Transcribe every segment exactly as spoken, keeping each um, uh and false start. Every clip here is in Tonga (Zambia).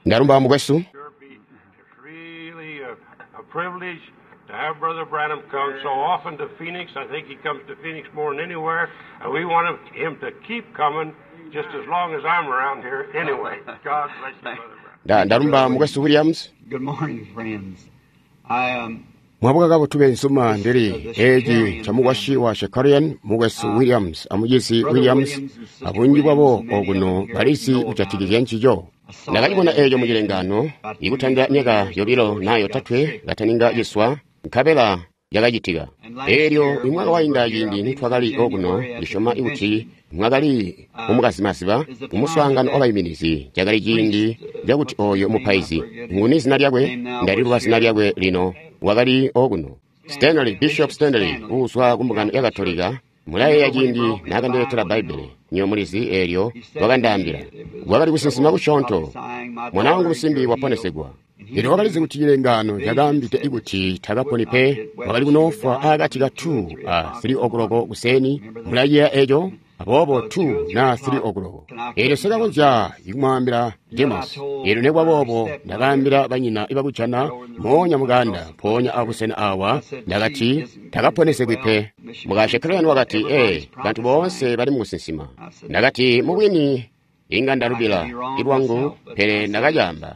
Ndalumba mukwesu. Sure be it's really a, a privilege to have Brother Branham come so often to Phoenix. I think he comes to Phoenix more than anywhere, and we want him to keep coming just as long as I'm around here anyway. God bless you, Brother Branham. Nda- Ndalumba mukwesu Williams. Good morning, friends. I um, Mwabuka kabotu bensuma ndili eeci camukwasyi wa Shakarian mukwesu Williams amucizi Williams abunji bwabo okuno balizi kujatikizya ncico. Ndakacibona eeco mucilengano ikutandila myaka yobilo naa yotatwe kataninga ciswa nkabela yakacitika. Eelyo imwaka wainda ciindi nitwakali okuno ndisyoma kuti mwakali mumukazimaziba mumuswaangano wabaiminizi cakali ciindi cakuti ooyo mupaizi nguni zina lyakwe ndaliluba zina lyakwe lino wakali okuno Stanley Bishop Stanley uuzwa kumbungano ya Katolika mulayeeya ciindi naakandiletela Bbaibbele nyo mulizi eelyo wakandaambila wakali kusinsima kusyoonto mwana wangu musimbi waponesegwa. Eelyo wakalizi kuti cilengano cakaambide kuti takaponi pe wakali kunoofwa akati ka two a three o'clock kuseni mulayeeya eeco aboobo two na three o'clock. Eelyo sikakonzya ikumwaambila Demos. Eelyo nekwaboobo ndakaambila banyina ibakujana moonya mukanda mpoonya abusena awa ndakati takaponesegwi pe. Muka Shekarian wakati ee bantu boonse bali mukusinsima. Ndakati mubwini inga ndalubila ilwangu pele ndakacaamba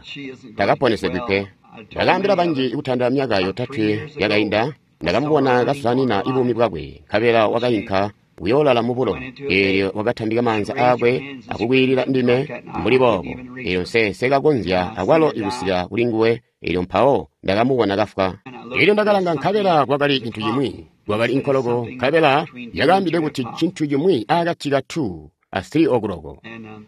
takaponesegwi pe. Ndakaambila banji ikutandila myaka yotatwe yakainda ndakamubona kasanina ibuumi bwakwe nkabela wakainka kuyoolala mubulo. Eelyo wakatambika maanza aakwe akukwiilila ndime mbuli boobo. Eelyo nse sekakonzya akwalo ikusika kuli nguwe. Eelyo mpawo ndakamubona kafwa. Eelyo ndakalanga nkabela kwakali cintu cimwi kwakali inkoloko nkabela yakaambide kuti cintu cimwi akati ka two a three o'clock. and um,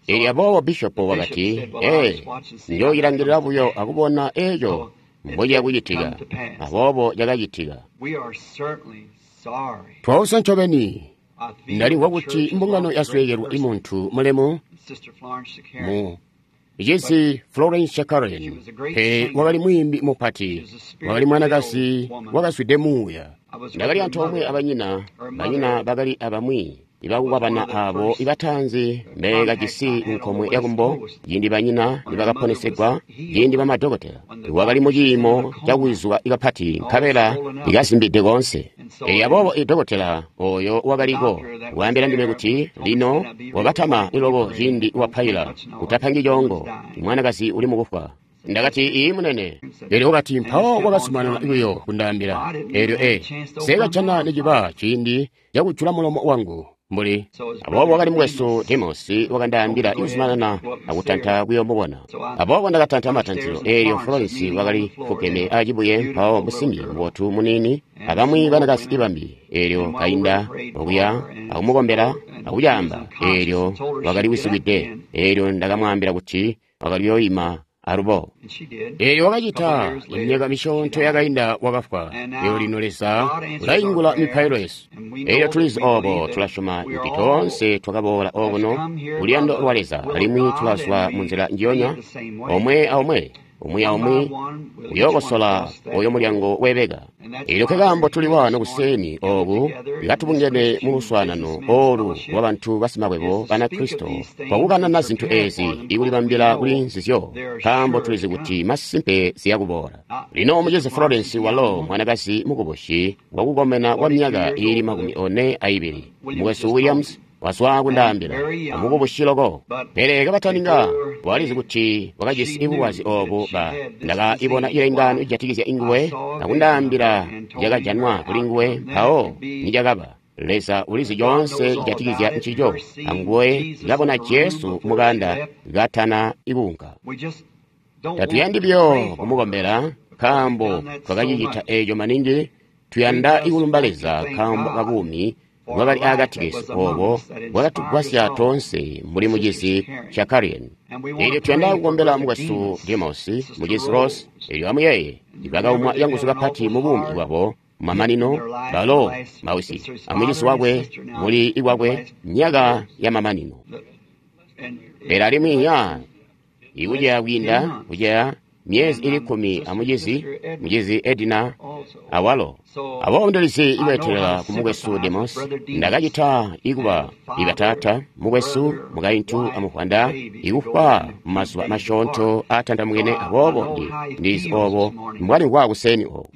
Eelyo aboobo bishopo wakati ee njooyilangilila buyo akubona eeco mbociya kucitika. Aboobo cakacitika. we are certainly sorry. Twausa ncobeni I feel ndalimvwa the kuti church has mbungano lost a great yasweekelwa person, imuntu mulemu Sister Florence Shakarian. mu cizi Florence Shakarian pe wakali mwiimbi mupati wakali mwanakazi wakazwide muuya. Ndakali antoomwe abanyina banyina bakali abamwi ibakukwabana abo ibatanzi mbekajisi nkomwe yakumbo ciindi banyina nibakaponesegwa ciindi bamadokotela wakali muciimo cakuwizuka kapati nkabela ikazimbide koonse. Eelyo aboobo idokotela oyo wakaliko waambila ndime kuti lino wakatama iloko ciindi wapaila utapangi coongo mwanakazi uli mukufwa. Ndakati ii munene. Eelyo wakati mpawo wakazumanana buyo kundaambila. Eelyo ee sekajana niciba ciindi cakujula mulomo wangu mbuli. Aboobo wakali mukwesu Demos wakandaambila ikuzumanana akutanta kuyoomubona. Aboobo ndakatanta matantilo. Eelyo Florence wakali fugeme acibuye mpawo musimbi mubotu muniini abamwi banakazi ibambi. Eelyo kainda okuya akumukombela akucaamba. Eelyo wakali wisikwide. Eelyo ndakamwaambila kuti wakali kuyoima alubo. And she did. Eelyo wakacita imyaka misyoonto yakainda wakafwa. Eelyo lino Leza ulaingula mipailo yesu. Eelyo tulizi oobo tulasyoma kuti toonse twakaboola okuno kuluyando lwa Leza alimwi tulazwa munzila njiyonya omwe aomwe umwi aumwi uyookosola oyo mulyango weebeka. Eelyo nkekaambo tuli waano kuseni ooku ikatubungene mu luswaanano oolu lwabantu basimakwebo Banakristo kwakukanana zintu eezi ikulibambila kuli nzizyo nkaambo tulizi kuti masimpe ziyakuboola. Lino mucizi Florence walo mwanakazi mukubusi wakukomena kwa myaka iili makumi one aibili. Mukwesu Williams wazwa kundaambila amukubusi loko pele kabataninga walizi kuti wakajisi ibulwazi oobu ba ndakaibona ilengano ijatikizya inguwe akundaambila yakajanwa kuli nguwe mpawo nicakaba. Leza ulizi coonse cijatikizya ncico anguwe kabona Jesu mukanda katana ikuunka. We just don't want Tatuyandi to buyo pray for kumukombela nkaambo twakacicita eeco maningi tuyanda ikulumba Leza nkaambo kabuumi bwakali akati kesu oobo bwakatugwasya toonse mbuli mucizi Shakarian. And we want Eelyo to tuyanda pray for kukombela Brother mukwesu Demas, Demos Sister mucizi Rose Rose. eelyo amuyeeye ibakaumwa yanguzu kapati mu buumi bwabo mamanino balo mawisi amucizi wakwe muli ikwakwe myaka ya mamanino. And Pele alimwi ya ikuceya kwiinda kuceya myezi ili kkumi amucizi mucizi Edina awalo. Aboobo ndilizi ikweetelela ku mukwesu Demos. Ndakacita ikuba ibataata, mukwesu, mukaintu amuvwanda ikufwa mumazuba masyoonto aatandamukene. Aboobo ndi ndizi obo mbwalimvwa kuseni oku.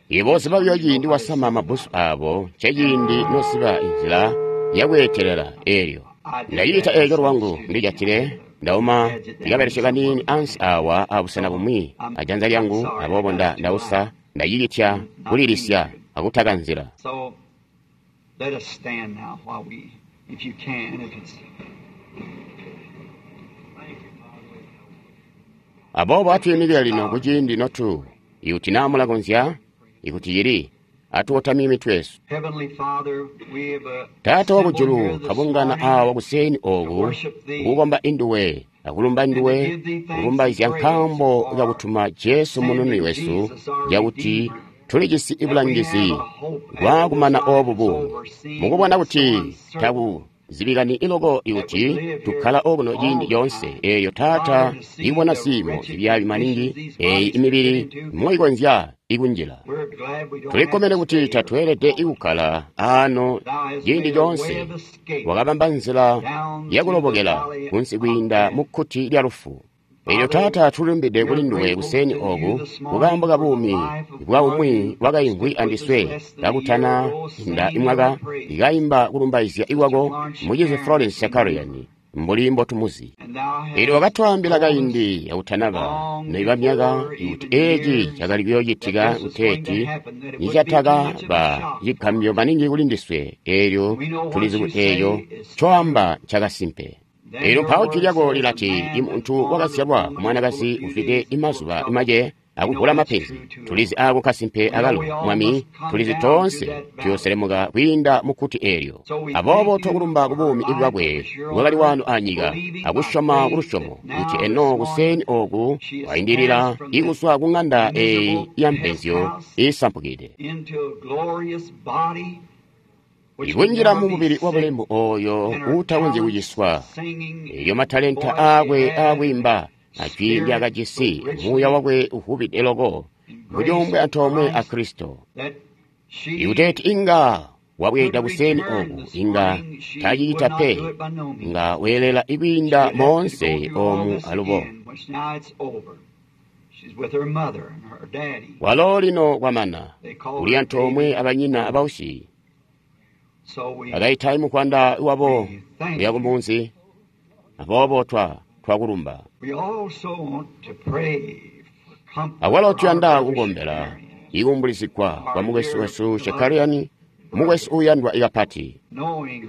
Ibo ziba buyo ciindi wasama mabbusu abo, nceciindi nosiba inzila yakweetelela eelyo. Ndacicita eeco lwangu ndijatile ndauma ndikabelesye kaniini ansi awa abusena bumwi ajanza lyangu, aboobo nda ndausa ndacicitya kulilisya akutaka nzila. So let us stand now while we, if you can, if it's Aboobo atwiimikile lino kuciindi notu ikuti naa mulakonzya, ikuti cili, atukotamye mitwe yesu. Heavenly Father, we have uh, Taata assembled wakujulu, here this kabungana morning awa kuseni to oku worship Thee kukukomba induwe akulumba and to nduwe give Thee thanks and kulumbaizya praise nkaambo for kakutuma Jesu munununi sending wesu, Jesus our cakuti Redeemer, tulijisi that we bulangizi have a hope after this bwakumana life obu is buumi, over, seeing mukubona that it's so kuti uncertain taku zibikani iloko that we ikuti live here tukkala okuno all ciindi the coonse. time. Eeyo Taata Father, to see ibona the ziimo wretched zibyaabi conditions maningi these eeyi bodies fit imibili into, moikonzya ikunjila. we're glad we don't have Tulikkomene to kuti stay here tatweelede all the time. ikukkala aano Thou hast ciindi made a way coonse. of escape Wakabamba nzila down through the yakulobokela valley kunsi of kwiinda death. mu kkuti lya lufu. Eelyo Father, Taata tulilumbide we kuli are nduwe grateful kuseni to you oku this kukaambo morning ka for the buumi life of bwa one umwi who wakaimvwi stood with us andiswe less than a year kakutana ago inda singing your imwaka praise, ikaimba kulumbaizya Sister ikwako Florence mucizi Shakarian, Florence as we knew Shakarian her. mbuli mbotumuzi. And thou Eelyo hast wakatwaambila told us kaindi yakutanaba long noiba myaka before ikuti even eeci years cakali that kuyoocitika this was going to kuteeti happen, that it would be too much of a nicatakaba shock for cigambyo us. maningi kuli ndiswe. Eelyo We know what tulizi you kuti eeco say is ncoamba true. ncakasimpe. Then Eelyo your mpawo jwi word lyako says, a lilati, man imuntu born of a wakazyalwa ku woman full mwanakazi of few ufite days and full of imazuba trouble. imace We know akuvula that's mapenzi. true too, Tulizi Lord. ako kasimpe We know akalo we all Mwami, must come tulizi down through toonse that valley. tuyoselemuka kwiinda mu kkuti eelyo. So we Aboobo thank you twakulumba ku for her buumi life that bwakwe was here on bwakali earth, wano anyika, believing by akusyoma faith that kulusyomo kuti now this eno morning kuseni oku she has wayindilira passed from this ikuswa ku ng'anda eeyi miserable ya pest mpenzyo house iisampukide, into a glorious body which can ikunjila never mu be mubili sick, wabulemu oyo and her uutakonzyi talents kuciswa. singing Eelyo matalenta voice she aakwe had, and aakwiimba ajwi spirit so ndyakajisi, muuya richly wakwe uvubide loko in kuti grace umbwe of antoomwe a Christ Kristo. that she Ikuteeti inga wabweeda could kuseni return oku this inga morning, she would tacicita not pe, do it by no means. nga weelela She ikwiinda would have to go moonse through all omu this alubo. again, which now it's over. She's with her mother and her daddy. Walo lino kwamana They call uli her antoomwe baby. abanyina abausi So we bakayita mukwanda wabo we thank kuya ku you. munzi. Aboobo twa twakulumba. We also want to pray for comfort Awalo for our tuyanda brother kukombela Shakarian, ikumbulizigwa kwa our mukwesu dear wesu beloved Shakarian, mukwesu brother, uyandwa ikapati. knowing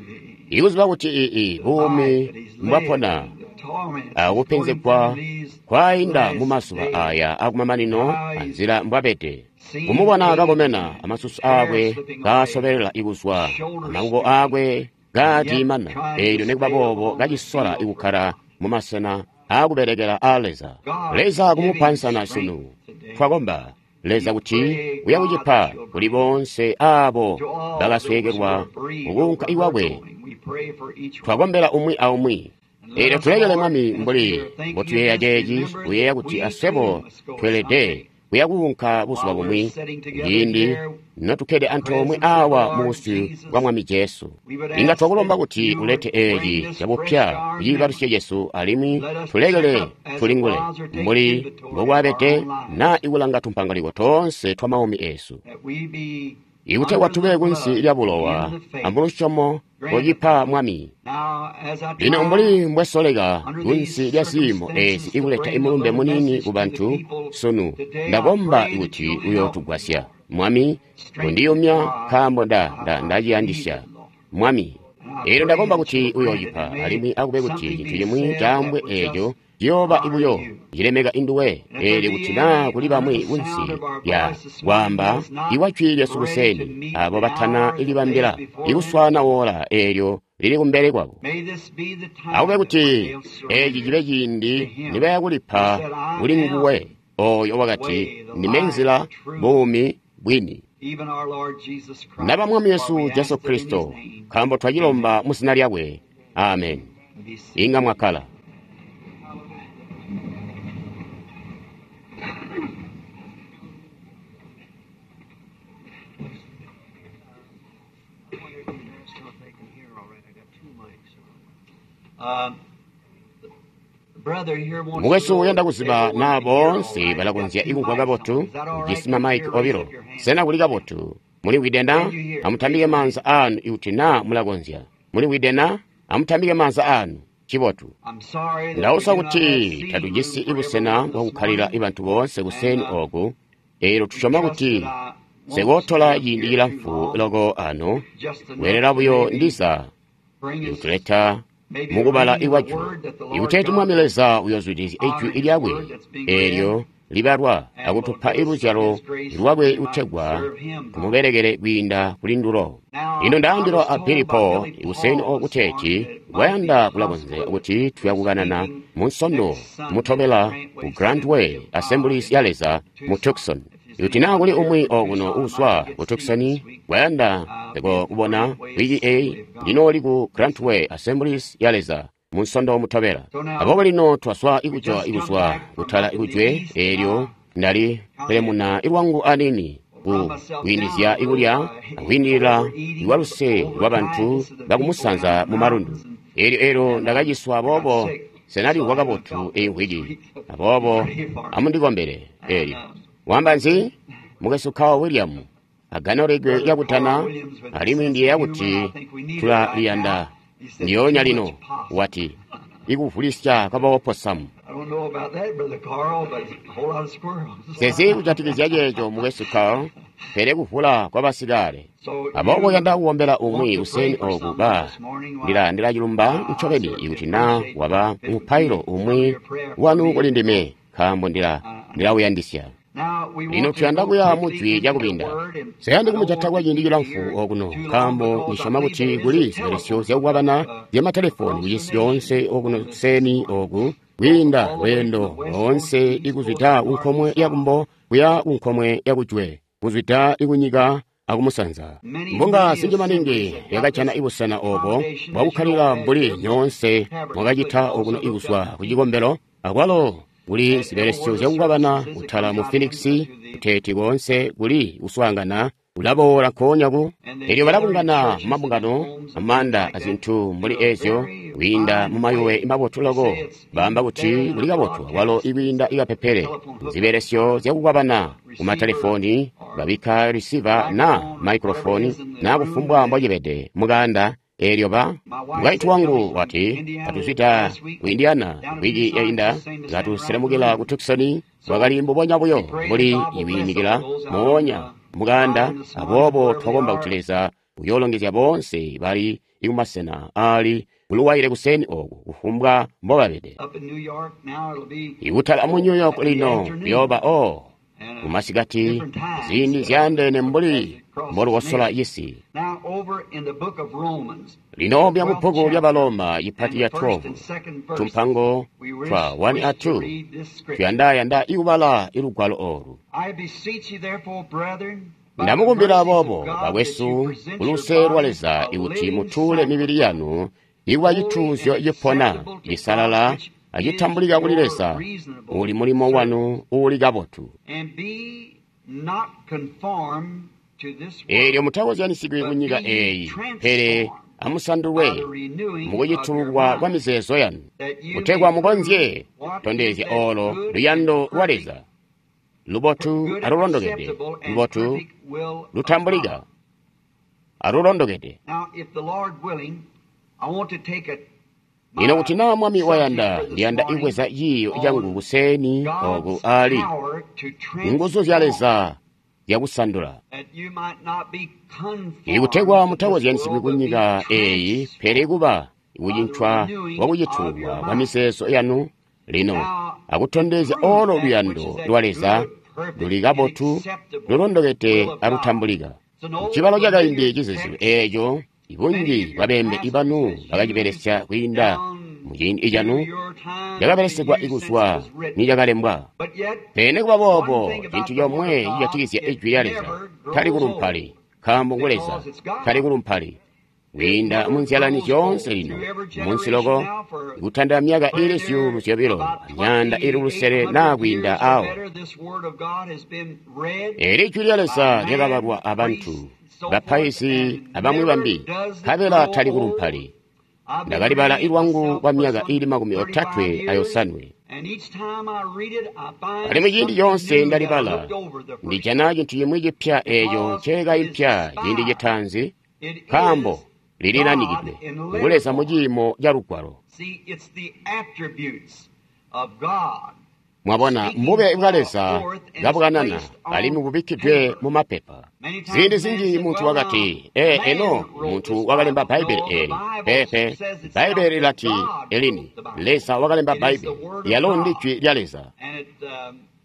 the Ikuziba kuti ii the buumi life that he's led mbwapona and the torments he's going akupenzegwa through these kwayinda mu last mazuba days, aya akumamanino how he's anzila mbwabede. seen Kumubona age kakomena and amasusu hair aakwe slipping away, kaasobelela ikuzwa, shoulders amakuko stooping, aakwe and yet kaatiimana, trying to eelyo nikuba stay boobo upon the kacisola field for ikukkala God. mu masena aakuberekera aa Leza. God, Leza give him kumupansana sunu. strength today. Twakomba Leza We kuti pray, uya God, kucipa that you'll kuli grant bonse abo to all those who bakasweekelwa are bereaved mukuunka over her iwakwe. going. We pray for each one. Twakombela umwi aumwi. And let Eelyo us, tulekele Lord, Mwami as we mbuli are thinking of mbotuyeeya this, ceeci, remember kuyeeya that kuti we aswebo too must go tweelede someday. kuya kuunka buzuba While we're bumwi, sitting together ciindi here notukkede in the antoomwe presence of the awa Lord mu busyu Jesus, bwa Mwami Jesu. we would Inga ask twakulomba that kuti you ulete would bring eeci this fresh cabupya to our kuciibalusyo memory. cesu alimwi Let us check tulekele up as it tulingule was or take mbuli inventory of our mbokwabede own lives, naa ikulanga tumpangaliko toonse twa maumi eesu. that we be Ikutegwa under tube the kunsi blood lya and in bulowa the faith. amulusyomo Grant it, locipa Lord. Mwami. Now, as I Lino try mbuli mbwesoleka under kunsi these lya ziimo eezi circumstances to ikuleta bring a imulumbe little munini message ku to the bantu people sunu, today, I ndakomba pray that kuti you'll help me, uyootugwasya. Lord. Mwami, Strengthen me, kundiyumya for I, nkaambo nda nda I need ndaciyandisya. it, Lord. Mwami, And I eelyo pray ndakomba that kuti you'll grant it, uyoocipa and may alimwi akube kuti something cintu be cimwi said that caambwe will eeco just ciyooba honor ibuyo you. cilemeka induwe. And if there Eelyo be kuti naa any kuli under bamwi the sound kunsi of our lya voice this morning kwaamba that is not iwa jwi lyesu ready to kuseni, meet abo the batana hour that lays ilibambila before them, ikuswaana woola eelyo lili kumbele kwabo. may this be the Akube time that kuti when they'll eeci surrender cibe to ciindi Him nibaya who kulipa said, I kuli nguwe am oyo the wakati, way, the ndime life, the nzila, truth, buumi, bwini. even our Lord Jesus Naba Christ. Mwami For Yesu we Jesu ask it in His Kristo, name. nkaambo twacilomba Amen. mu zina lyakwe. Amen. Be seated. Inga mwakkala. Mukwesu uyanda kuziba naa boonse balakonzya ikumvwa kabotu. Ujisi mamaiki obilo. Sena kuli kabotu? Mulimvwide na? Amutambike maanza aanu ikuti naa mulakonzya. Mulimvwide na? Amutambike maanza aanu. Cibotu. Ndausa kuti tatujisi ibusena bwakukkalila ibantu boonse kuseni oku. Eelyo tusyoma kuti sekootola ciindi cilamfu loko ano, weelela buyo ndiza ikutuleta mukubala ikwajwi, ikuteeti Mwami Leza uyoozwidilizya ijwi lyakwe eelyo libalwa akutupa iluzyalo lwakwe kutegwa tumubelekele kwiinda kuli ndulo. Lino ndaambilwa a Billy Paul kuseni oku kuteeti kwayanda kulakonzya kuti tuyakukanana mu Nsondo mutobela ku Grand Way Assemblies ya Leza mu Tucson. Ikuti naa kuli umwi okuno uuzwa ku Tucson kwayanda kubona wiki eyi, ndinooli ku Grand Way Assemblies ya Leza mu Nsondo mutobela. Aboobo lino twaswa ikujwa ikuzwa kutala ikujwe, eelyo ndali pelemuna ilwangu anini ku kwiindizya ikulya akwiindilila lwaluse lwabantu bakumusanza mu malundu. Eelyo eelyo ndakaciswa, aboobo senalimvwa kabotu eyi mvwiki. Aboobo amundikombele. Eelyo wamba nzi? Mukwesu Carl William aganolegwe lyakutana, alimwi ndiyeeya kuti tulaliyanda ndiyoonya lino. Wati ikuvulisya kwabaoposamu. Sezi kujatikizya ceeco, mukwesu Carl, pele kuvula kwabasikale. Aboobo yanda kukombela umwi kuseni oku ba ndila ndilacilumba ncobeni ikuti naa waba mupailo umwi wanu kuli ndime, nkaambo ndila ndilawuyandisya. Lino tuyanda kuya mu jwi lyakubinda. Seyandi kumujata kwa ciindi cilamfu okuno, nkaambo ndisyoma kuti kuli zibelesyo zyakukwabana zyamatelefoni kucisi coonse okuno kuseni oku, kwiinda lweendo loonse ikuzwida kunkomwe yakumbo kuya kunkomwe yakujwe, kuzwida ikunyika akumusanza. Mbunga zinji maningi yakajana ibusena obo bwakukkalila mbuli nyoonse mwakacita okuno ikuzwa kucikombelo, akwalo kuli zibelesyo zyakukwabana kutala mu Phoenix, kuteeti koonse kuli kuswaangana kulaboola nkoonya ku. Elyo balabungana mu mabungano, amaanda azintu mbuli ezyo, kwiinda mu mayuwe mabotu loko. Baamba kuti kuli kabotu akwalo ikwiinda ikapepele. Zibelesyo zyakukwabana ku matelefoni, babikka receiver na microphone na kufumbwa mbocibede mukaanda. Eelyo ba mukaintu wangu wati katuzwida ku Indiana wiki yainda, katuselemukila ku Tucson, bwakali mbubonya buyo mbuli iwiimikila moonya mukaanda. Aboobo twakomba kuti Leza uyoolongezya boonse bali ikumasena aali kuluwaile kuseni oku, kufumbwa mbobabede. Ikutala mu New York lino kuyooba o kumasikati ziindi zyaandeene mbuli mbolukosola cisi. Lino bya mubbuku lya Baloma ipati ya twelve, tumpango twa one a two, tuyandayanda ikubala ilugwalo olu. Ndamukumbila aboobo, bakwesu, kuluse lwa Leza ikuti mutuule mibili yanu ikuba cituuzyo cipona, cisalala, acitambulika kuli Leza, uli mulimo wanu uuli kabotu. Eelyo mutakozyanisigwi kunyika eeyi, pele amusandulwe mukucitululwa kwa mizeezo yanu, kutegwa mukonzye kutondezya olo luyando lwa Leza, lubotu alulondokede, lubotu lutambulika alulondokede. Lino kuti naa Mwami wayanda, ndiyanda ibweza ciiyo cangu kuseni oku ali nguzu zya Leza zyakusandula, ikutegwa mutakozyanisigwi kunyika eeyi, pele kuba kucincwa kwakucitulwa kwa mizeezo yanu lino, akutondezya olo luyando lwa Leza luli kabotu, lulondokede alutambulika. Cibalo cakaindi cizizilu eeco ibunji bwabeembe ibanu bakacibelesya kwiinda muciindi canu, cakabelesyegwa ikuzwa nicakalembwa. Pele nikuba boobo, cintu comwe cijatikizya ijwi lya Leza tali kulumpali, nkaambo ngu Leza tali kulumpali. Kwiinda munzyalani zyoonse lino, munsi loko, kutandila myaka ili zyuulu zyobilo amyaanda ili lusele naa kwiinda awo. Eeli ijwi lya Leza lyakabalwa abantu, bapaizi abamwi bambi, nkabela tali kulumpali. Ndakalibala ilwangu kwa myaka ili makumi otatwe ayosanwe. Alimwi ciindi coonse ndalibala, ndijana cintu cimwi cipya eeco nceekaimpya ciindi citaanzi, nkaambo lililanikidwe ngu Leza mu ciimo ca Lugwalo. Mwabona, mbube bwa Leza kabukanana alimwi bubikkidwe mu mapepa. Ziindi zinji muntu wakati, ee, eno muntu wakalemba Bbaibbele eeli. Peepe, Bbaibbele lilati elini, Leza wakalemba Bbaibbele, yalo ndi Jwi lya Leza.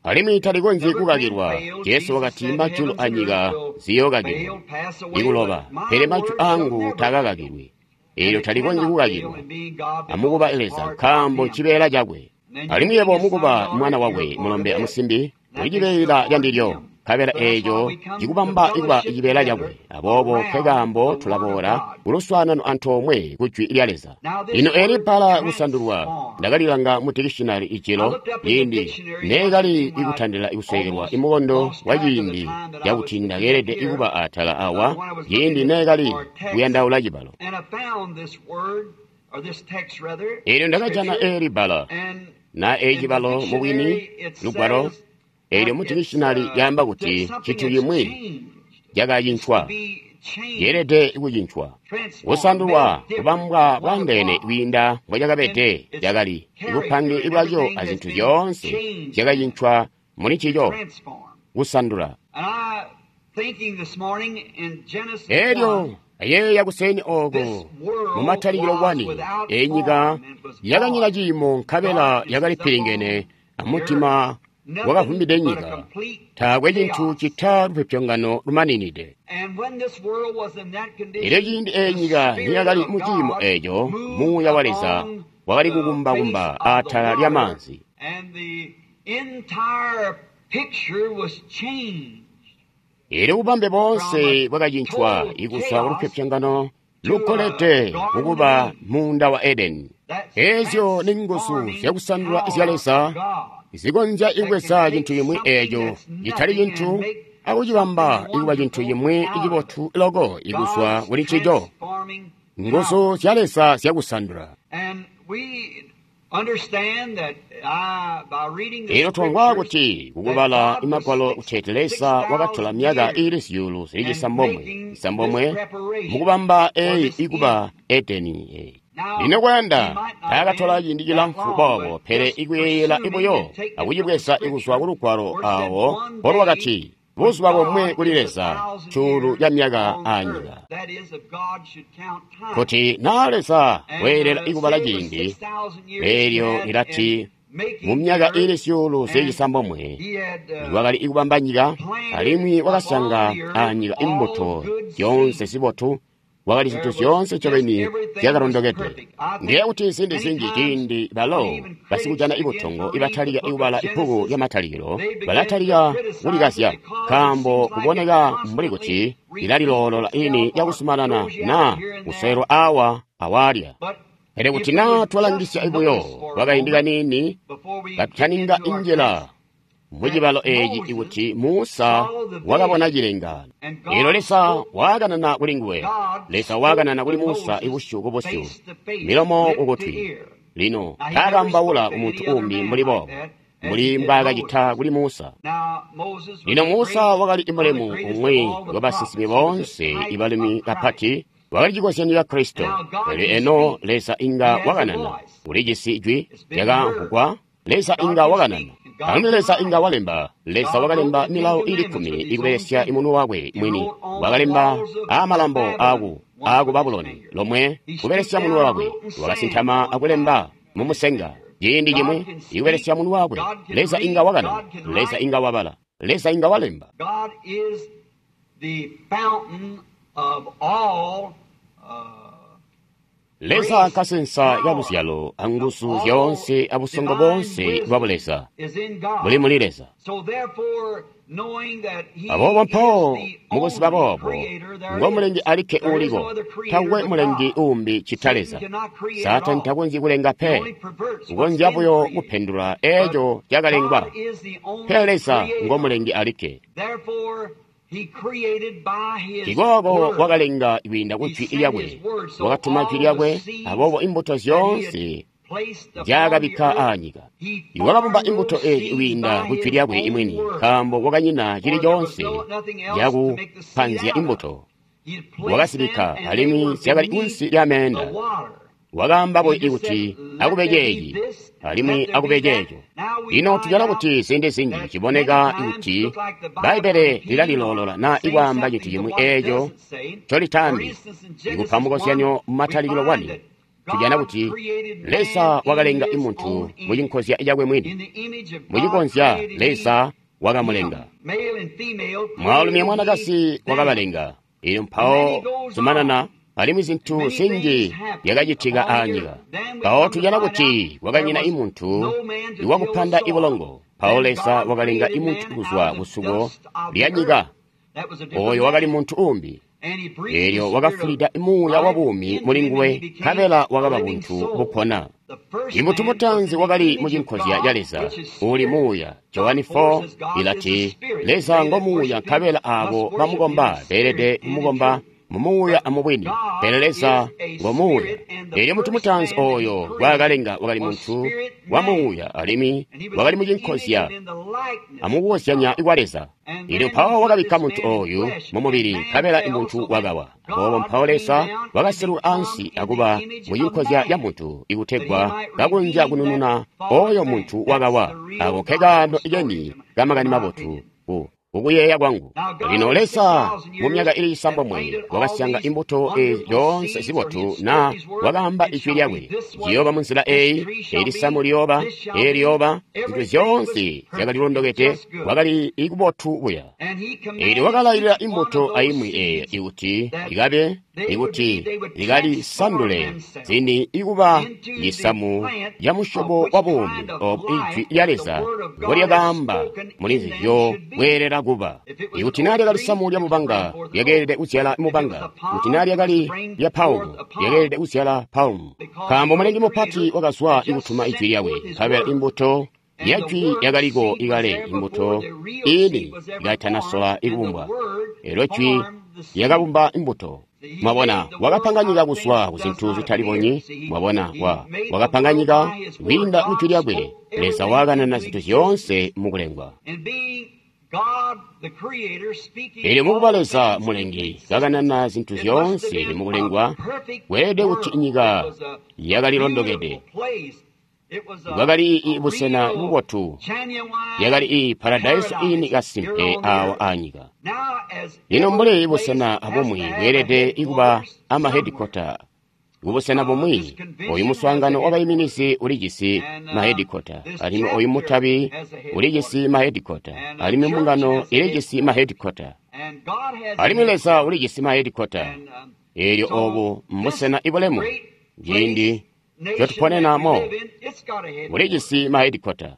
Alimwi talikonzyi kukakilwa. Jesu wakati majulu anyika ziyookakilwa ikuloba, pele majwi aangu takakakilwi. Eelyo talikonzyi kukakilwa amukuba Leza, nkaambo ncibeela cakwe. Alimwi yebo mukuba mwana wakwe mulombe amusimbi, uli cibeela candilyo, nkabela eeco cikubamba ikuba cibeela cakwe. Aboobo nkekaambo tulaboola kuluswaanano antoomwe ku Jwi lya Leza. Lino eeli bbala kusandulwa ndakalilanga mu dikishinali ijilo ciindi neekali ikutandila ikusekelwa imukondo wa ciindi cakuti ndakeelede ikuba atala awa ciindi neekali kuyandaula cibalo. Eelyo ndakajana eeli bbala na eeci cibalo mubwini lugwalo eelyo mu dikishinali lyaamba kuti cintu cimwi cakacincwa, yeelede kucincwa, kusandulwa, kubambwa bwaandeene kwiinda mbocakabede cakali, ibupange bwaco azintu zyoonse zyakacincwa muli ncico, kusandula. Eelyo ayeeya kuseeni ooko mu Matalikilo wani, eyi nyika yakanyina ciimo nkabela yakali pilingene amutima wakavumbide nyika, taakwe cintu cita lupyopyongano lumaninide. Elyo ciindi eyi nyika niyakali mu ciimo eeco, Muuya wa Leza wakali kukumbakumba atala lyamaanzi. Elyo bubambe boonse bwakacincwa ikuzwa kulupyopyongano lukolede kukuba muunda wa Edeni. Eezyo ni nguzu zyakusandula zya Leza zikonzya ikubweza cintu cimwi eeco citali cintu akucibamba ikuba cintu cimwi cibotu loko ikuzwa kuli ncico. Nguzu zya Leza zyakusandula. Ino twamvwa kuti kukubala imagwalo kuteeti Leza wakatola myaka iili zyuulu zili cisambomwe cisambomwe mukubamba eyi ikuba Edeni eyi. Lino kwayanda taakatola ciindi cilamfu boobo, pele ikuyeeyela ibuyo akucibweza ikuzwa kulugwalo awo mbolwakati buzuba bomwe kuli Leza cuulu ca myaka aanyika. Kuti naa Leza weelela ikubala ciindi, eelyo lilati mu myaka iili zyuulu zili cisambomwe wakali ikubamba nyika, alimwi wakasyanga aanyika imbuto zyoonse zibotu, wakali zintu zyoonse ncobeni zyakalondokede. Ndiye kuti ziindi zinji ciindi balo basikujana ibutongo ibatalika ikubala ibbuku lya Matalikilo balatalika kulikazya, nkaambo kuboneka mbuli kuti lilaliloolola ini lyakusumanana naa kuswelwa awa awaalya. Pele kuti naa twalangisya ibuyo kwakaindi kaniini katutaninga injila mucibalo eeci ikuti Musa wakabona cilengaano. Eelyo Leza waakanana kuli nguwe. Leza waakanana kuli Musa ibusyu kubusyu, milomo kukutwi. Lino taakambaula kumuntu uumbi mbuli boobo, mbuli mbwaakacita kuli Musa. Lino Musa wakali mulemu umwi wabasinsimi boonse ibalumi kapati, wakali cikozyanyo ca Kristo. Pele eno Leza inga wakanana, ulijisi jwi lyakamvwugwa. Leza inga wakanana, alimwi Leza inga walemba. Leza wakalemba milawo ili kkumi ikubelesya imunwe wakwe mwini. Wakalemba aamalambo aaku aaku Babuloni lomwe kubelesya munwe wakwe. Wakasintama akulemba mumusenga ciindi cimwi ikubelesya munwe wakwe. Leza inga wakanana, Leza inga wabala, Leza inga walemba. Leza nkasensa ka luzyalo anguzu zyoonse abusongo boonse bwa Buleza buli muli Leza. Aboobo mpawo mukuziba boobo, ngo mulengi alikke uuliko, takwe mulengi uumbi cita Leza. Saatani takonzyi kulenga pe, ukonzya buyo kupendula eeco cakalengwa. Pele Leza ngo mulengi alikke. Ikooko wakalenga kwiinda ku jwi lyakwe, wakatuma jwi lyakwe, aboobo imbuto zyoonse nzyaakabikka aanyika. Wakabumba imbuto eezi kwiinda ku jwi lyakwe imwini, nkaambo kwakanyina cili coonse cakupanzya imbuto. Wakazibikka alimwi zyakali kunsi lya meenda. Wakaamba buyo kuti akube ceeci alimwi akube ceeco. Lino tujana kuti ziindi zinji ciboneka kuti Bbaibbele lilaliloolola naa ikwaamba cintu cimwi eeco ncolitaambi. Ikupa mukozyanyo mumatalikilo wani, tujana kuti Leza wakalenga muntu mucinkozya cakwe mwini. Mucikonzya Leza wakamulenga. Mwaalumi amwanakazi wakabalenga. Elyo mpawo zumanana, alimwi zintu zinji zyakacitika aanyika. Mpawo tujana kuti kwakanyina imuntu iwakupanda ibulongo. Mpawo Leza wakalenga imuntu kuzwa kusuko lya nyika. Oyo wakali muntu uumbi. Elyo wakafulida muuya wa buumi muli nguwe, nkabela wakaba buntu bupona. Imuntu mutaanzi wakali mucinkozya ca Leza, uuli muuya. Johani four ilati, Leza ngo muuya, nkabela aabo bamukomba beelede kumukomba mumuuya amubwini. Pele Leza ngo muuya. Elyo muntu mutaanzi oyo ngwaakalenga wakali muntu wa muuya, alimwi wakali mucinkozya amukukozyanya kwa Leza. Elyo mpawo wakabikka muntu oyu mumubili, nkabela muntu wakawa. Aboobo mpawo Leza wakaseluka ansi akuba mucinkozya ca muntu, ikutegwa kakonzya kunununa oyo muntu wakawa. Ako nkekaano keni kamakani mabotu ku kukuyeeya kwangu. Lino Leza mu myaka ili isambomwe wakasyanga imbuto eezi zyoonse zibotu, na wakaamba ijwi lyakwe, ciyooba munzila eyi, eli samu liyooba, eli liyooba, zintu zyoonse zyakalilondokede, kwakali ikubotu buya. Elyo wakalailila imbuto aimwi eyo ikuti ikabe, ikuti ikalisandule zini ikuba cisamu ca musyobo wa buumi obo ijwi lya Leza mbolyakaamba muli nzizyo bweelela kuba. Ikuti naa lyakali samu lya mubanga, lyakeelede kuzyala mubanga. Kuti naa lyakali lya paumu, lyakeelede kuzyala paumu. Nkaambo Mulengi mupati wakazwa ikutuma ijwi lyakwe, nkabela imbuto ya jwi yakaliko ikale, imbuto ini ikatanasola ikubumbwa. Elyo jwi lyakabumba imbuto. Mwabona, wakapanga nyika kuzwa ku zintu zitalibonyi. Mwabona, wa wakapanga nyika kwiinda ku jwi lyakwe. Leza wakanana zintu zyoonse mukulengwa. Elyo mukuba Leza Mulengi kakanana zintu zyoonse mukulengwa, kweelede kuti nyika yakalilondokede. Bwakali busena bubotu, yakali i paradaiso ini kasimpe awa aanyika. Lino mbuli busena abumwi bweelede ikuba amahedikota, kubusena bumwi oyu muswaangano wabaiminizi ulijisi mahedikota, alimwi oyu mutabi ulijisi mahedikota, alimwi mbungano ilijisi mahedikota, alimwi Leza ulijisi mahedikota. Elyo obu mbusena ibulemu ciindi ncotuponena mo, ulijisi mahedikota.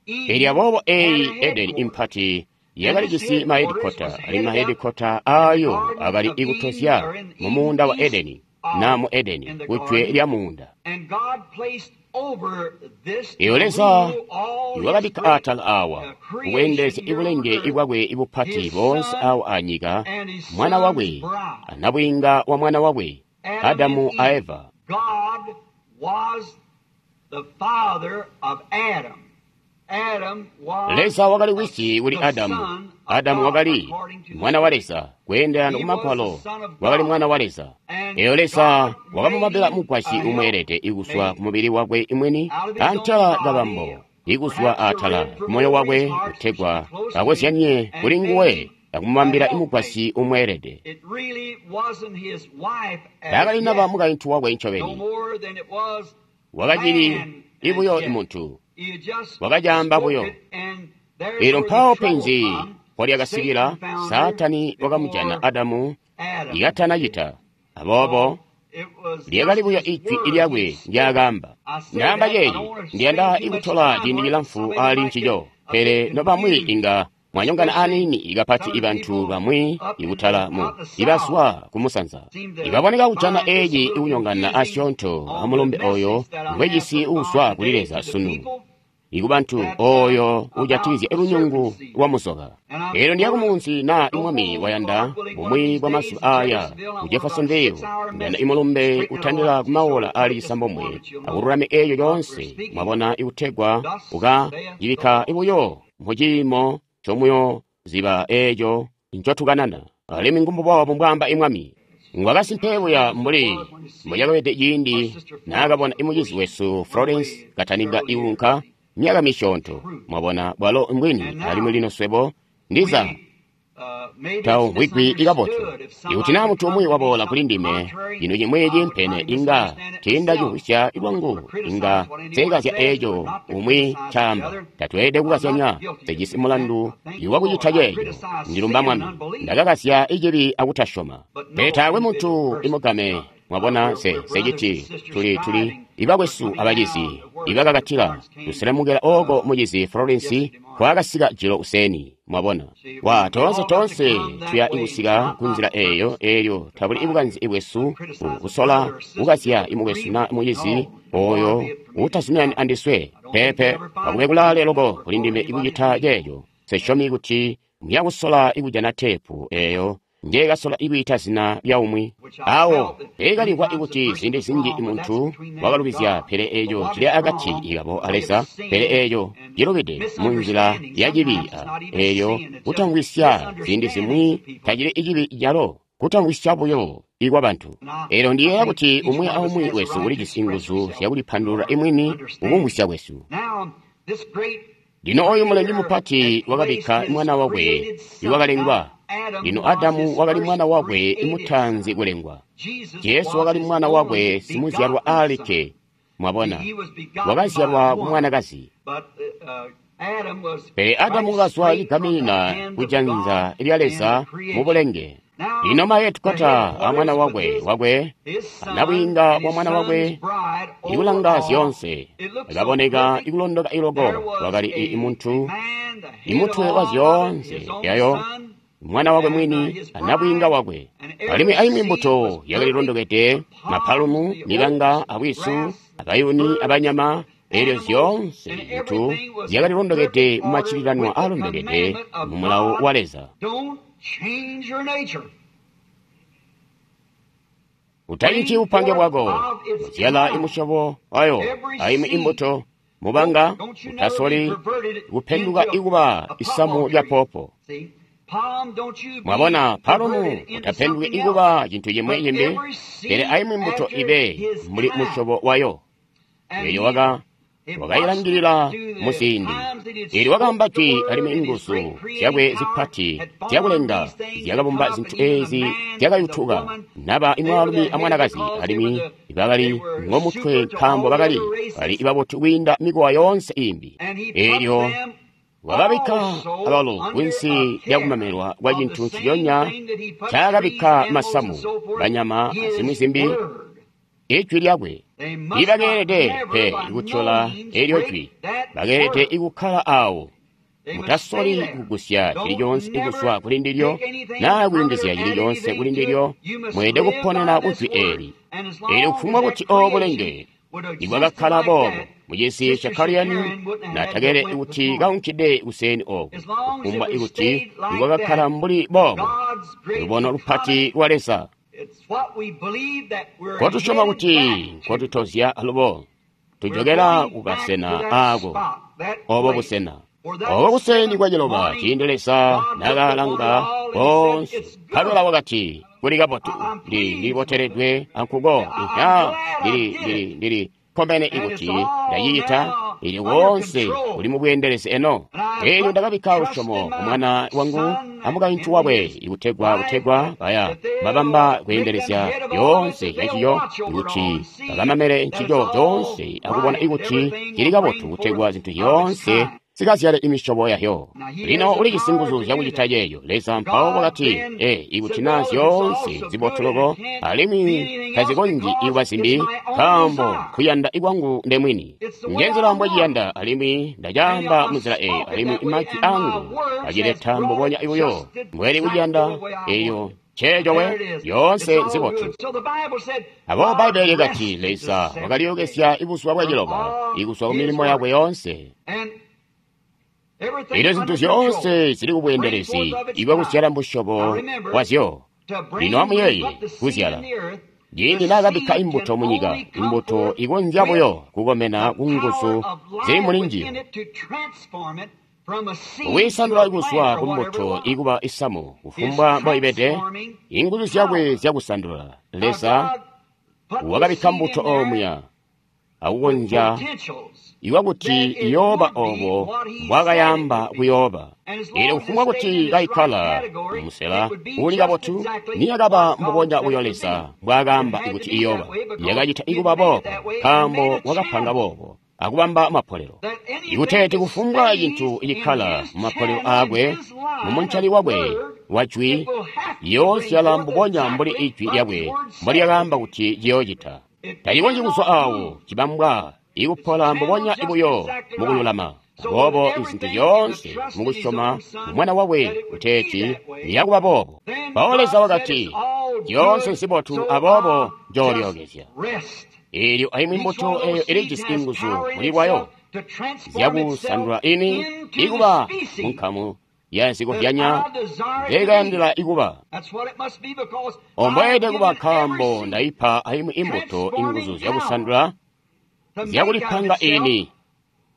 Elyo aboobo eyi Edeni impati yakalijisi mahedikota, alimwi mahedikota ayo akali ikutozya mu muunda wa Edeni, na mu Edeni, kujwe lya muunda. Eyo Leza iwakabikka atala awa kukweendelezya ibulenge ibwakwe ibupati boonse awa anyika, mwana wakwe anabwiinga wa mwana wakwe, Adamu a Eva. Leza wakali wisi kuli Adamu. Adamu wakali mwana wa Leza, kweendelana ku Magwalo wakali mwana wa Leza. Eyo Leza wakamubambila mugwasyi umweelede ikuzwa ku mubili wakwe imwini, antela kabambo ikuzwa atala ku moyo wakwe, kutegwa akozyanye kuli nguwe akumubambila imugwasyi umweelede. Taakali naba mukaintu wakwe ncobeni, wakacili ibuyo imuntu, wakacaamba buyo. Elyo mpawo penzi mpolyakasikila, Saatani wakamujana Adamu ikatanacita. Aboobo lyakali buyo ijwi lyakwe ndyaakaamba. Ndaamba ceeci, ndiyanda ikutola ciindi cilamfu aali ncico, pele nobamwi inga mwanyongana aniini kapati ibantu bamwi ikutala mu ibazwa kumusanza ibaboneka kujana eeci ikunyongana asyoonto amulumbe oyo ngwejisi uuzwa kuli Leza sunu. ikubantu oyo ujatikizya lunyungu lwa muzoka. Elyo ndiya kumunzi na imwami wayanda bumwi bwa mazuba aya ku Jeffersonville, ndiyanda imulumbe utandila kumaola ali cisambomwe akululame eyo yoonse, mwabona, ikutegwa uka cibikka buyo muciimo comuyo ziba eco ncotukanana. Alimwi ngumbubobo mbwaamba imwami. Ngwakasimpe buya mbuli mbucakabede ciindi naakabona imucizi wesu Florence kataninga iwunka myaka misyoonto. Mwabona, bwalo mbwini. Alimwi lino swebo ndiza tawumvwigwi ikabotu. Ikuti naa muntu umwi waboola kuli ndime cino cimwi cimpene, inga tiindacimvwisya lwangu, inga nsekazya eeco umwi ncaamba. Tatweelede kukazyanya, sejisi mulandu iwakucita ceeco. Ndilumba Mwami, ndakakazya icibi akutasyoma. Pele taakwe muntu imugame. Mwabona, se seciti tuli tuli ibakwesu abacizi ibakakatila tuselemukela oko mucizi Florence kwakasika jilo useni. Mwabona, wa toonse toonse tuya ikusika kunzila eyo, elyo tabuli ibukanzi ibwesu kusola kukazya imukwesu na mucizi oyo utazuminani andiswe. Pepe, akube kulaale loko kuli ndime ikucita ceeco. Sesyomi kuti muyakusola ikujana teepu eyo njekasola ikwiita zina lya umwi awo ekalimvwa ikuti ziindi zinji muntu wakalubizya, pele eco cili akati ikabo a Leza, pele eco cilubide munzila ya cibi. Eyo kutamvwisya ziindi zimwi tacili icibi calo, kutamvwisya buyo ikwa bantu. Elyo ndiyeeya kuti umwi aumwi wesu ulijisi nguzu zyakulipandulula imwini kukumvwisya kwesu. Lino oyu mulengi mupati wakabikka mwana wakwe iwakalengwa. Lino Adamu wakali mwana wakwe imutaanzi kulengwa. Jesu wakali mwana wakwe simuzyalwa alikke. Mwabona, wakazyalwa ku mwanakazi. Pele Adamu wakazwa cigaminina kujanza lya Leza mu bulenge. Lino mayetukota a mwana wakwe wakwe anabwiinga wa mwana wakwe ikulanga zyoonse akaboneka ikulondoka iloko. Wakali imuntu imutwe wa zyoonse yayo mwana wakwe mwini anabwiinga wakwe. Alimwi aimwi mbuto yakalilondokede, mapalumu, mibanga, abwisu, abayuni, abanyama. Elyo zyoonse zintu zyakalilondokede mumacililanwa alondokede mu mulawo wa Leza. Utainci upange bwako, uzyala imusyobo wayo aimwi imbuto mubanga, utasoli kupenduka ikuba isamu lya popo. Mwabona, palumu utapenduki ikuba cintu cimwi cimbi, pele aimwi mbuto ibe mbuli musyobo wayo. Eyo waka wakayilangilila muziindi. Elyo wakaamba jwi alimwi inguzu zyakwe zipati zyakulenga zyakabumba zintu ezi zyakayutuka, naba imwaalumi amwanakazi, alimwi bakali ngomutwe nkaambo bakali bali ibabotu kwiinda mikowa yoonse imbi. Elyo wakabikka abalo kunsi lyakumamelwa kwa cintu nciconya ncaakabikka masamu, banyama, azimwi zimbi, ijwi lyakwe. Ibakeelede pe ikutyola elyo jwi, bakeelede ikukkala awo. Mutasoli kugusya cili coonse ikuzwa kuli ndilyo naa kuyungizya cili coonse kuli ndilyo. Mweelede kuponena kujwi eli. Elyo kufumbwa kuti obo bulenge nibwakakkala boobo mucisi ca Kariyani, natakele kuti kaunkide kuseni oku, kufumbwa ikuti nibwakakkala mbuli boobo lubono lupati lwa Leza. Kotusyoma kuti nkotutozya alubo tujokela kukasena aako, obo busena obo buseni bwa ciloba, ciindi Leza nakalanga koonse nkabela wakati kuli kabotu. Ndi ndiliboteledwe ankuko, inha ndili ndili ndili kkomene ikuti ndacicita. Elyo woonse uli mubweendelezi eno. Elyo ndakabikka lusyomo ku mwana wangu amukaintu wakwe ikutegwa kutegwa baya babamba kweendelezya yoonse yaciyo, ikuti bakamamele ncico coonse akubona ikuti cili kabotu, kutegwa zintu zyoonse zikazyale imisyobo yayo. Lino ulijisi nguzu zyakucita ceeco. Leza mpawo wakati, e ikuti naa zyoonse zibotu loko alimwi tazikonzyi ikuba zimbi, nkaambo kuyanda ikwangu ndemwini. Njenzila mbweciyanda, alimwi ndacaamba munzila eyi, alimwi majwi angu acileta mbubonya buyo mbweli kuciyanda. Eyo nceeco we, yoonse nzibotu. Aboobo Bbaibbele likati Leza wakalyokezya ibuzuba bwa ciloba ikuzwa ku milimo yakwe yoonse. Elyo zintu zyoonse zili kubweendelezi ibwakuzyala musyobo wazyo. Lino amuyeeye kuzyala. Ciindi naakabikka imbuto munyika, imbuto ikonzya buyo kukomena kunguzu zili muli njiyo. Kwiisandula kuzwa kumbuto ikuba isamu, kufumbwa mboibede, inguzu zyakwe zyakusandula. Leza wakabikka mbuto omuya akukonzya iwakuti iyooba obo mbwakayamba kuyooba. Eelyo kufumbwa kuti kaikkala musela uuli kabotu, niyakaba mbubonya buyo Leza mbwaakaamba kuti iyooba. Yakacita ikuba boobo nkaambo wakapanga boobo akubamba mapolelo. Ikuteeti kufumbwa cintu icikkala mumapolelo aakwe, mumuncali wakwe wa jwi, iyoozyala mbubonya mbuli ijwi lyakwe mbolyakaamba kuti ciyoocita. Tacikonzyi kuzwa awo cibambwa ikupola mbubonya buyo mukululama. Aboobo izintu zyoonse mukusyoma mwana wakwe kuteeti liyakuba boobo. Mpawo Leza wakati, zyoonse nzibotu, aboobo njoolyookezya. Eelyo aimwi mbuto eyo ilijisi inguzu muli lwayo zyakusandula ini ikuba munkamu yazikozyanya nzekayandila ikuba. Ombweede kuba nkaambo ndaipa aimwi imbuto inguzu zyakusandula zyakulipanga ini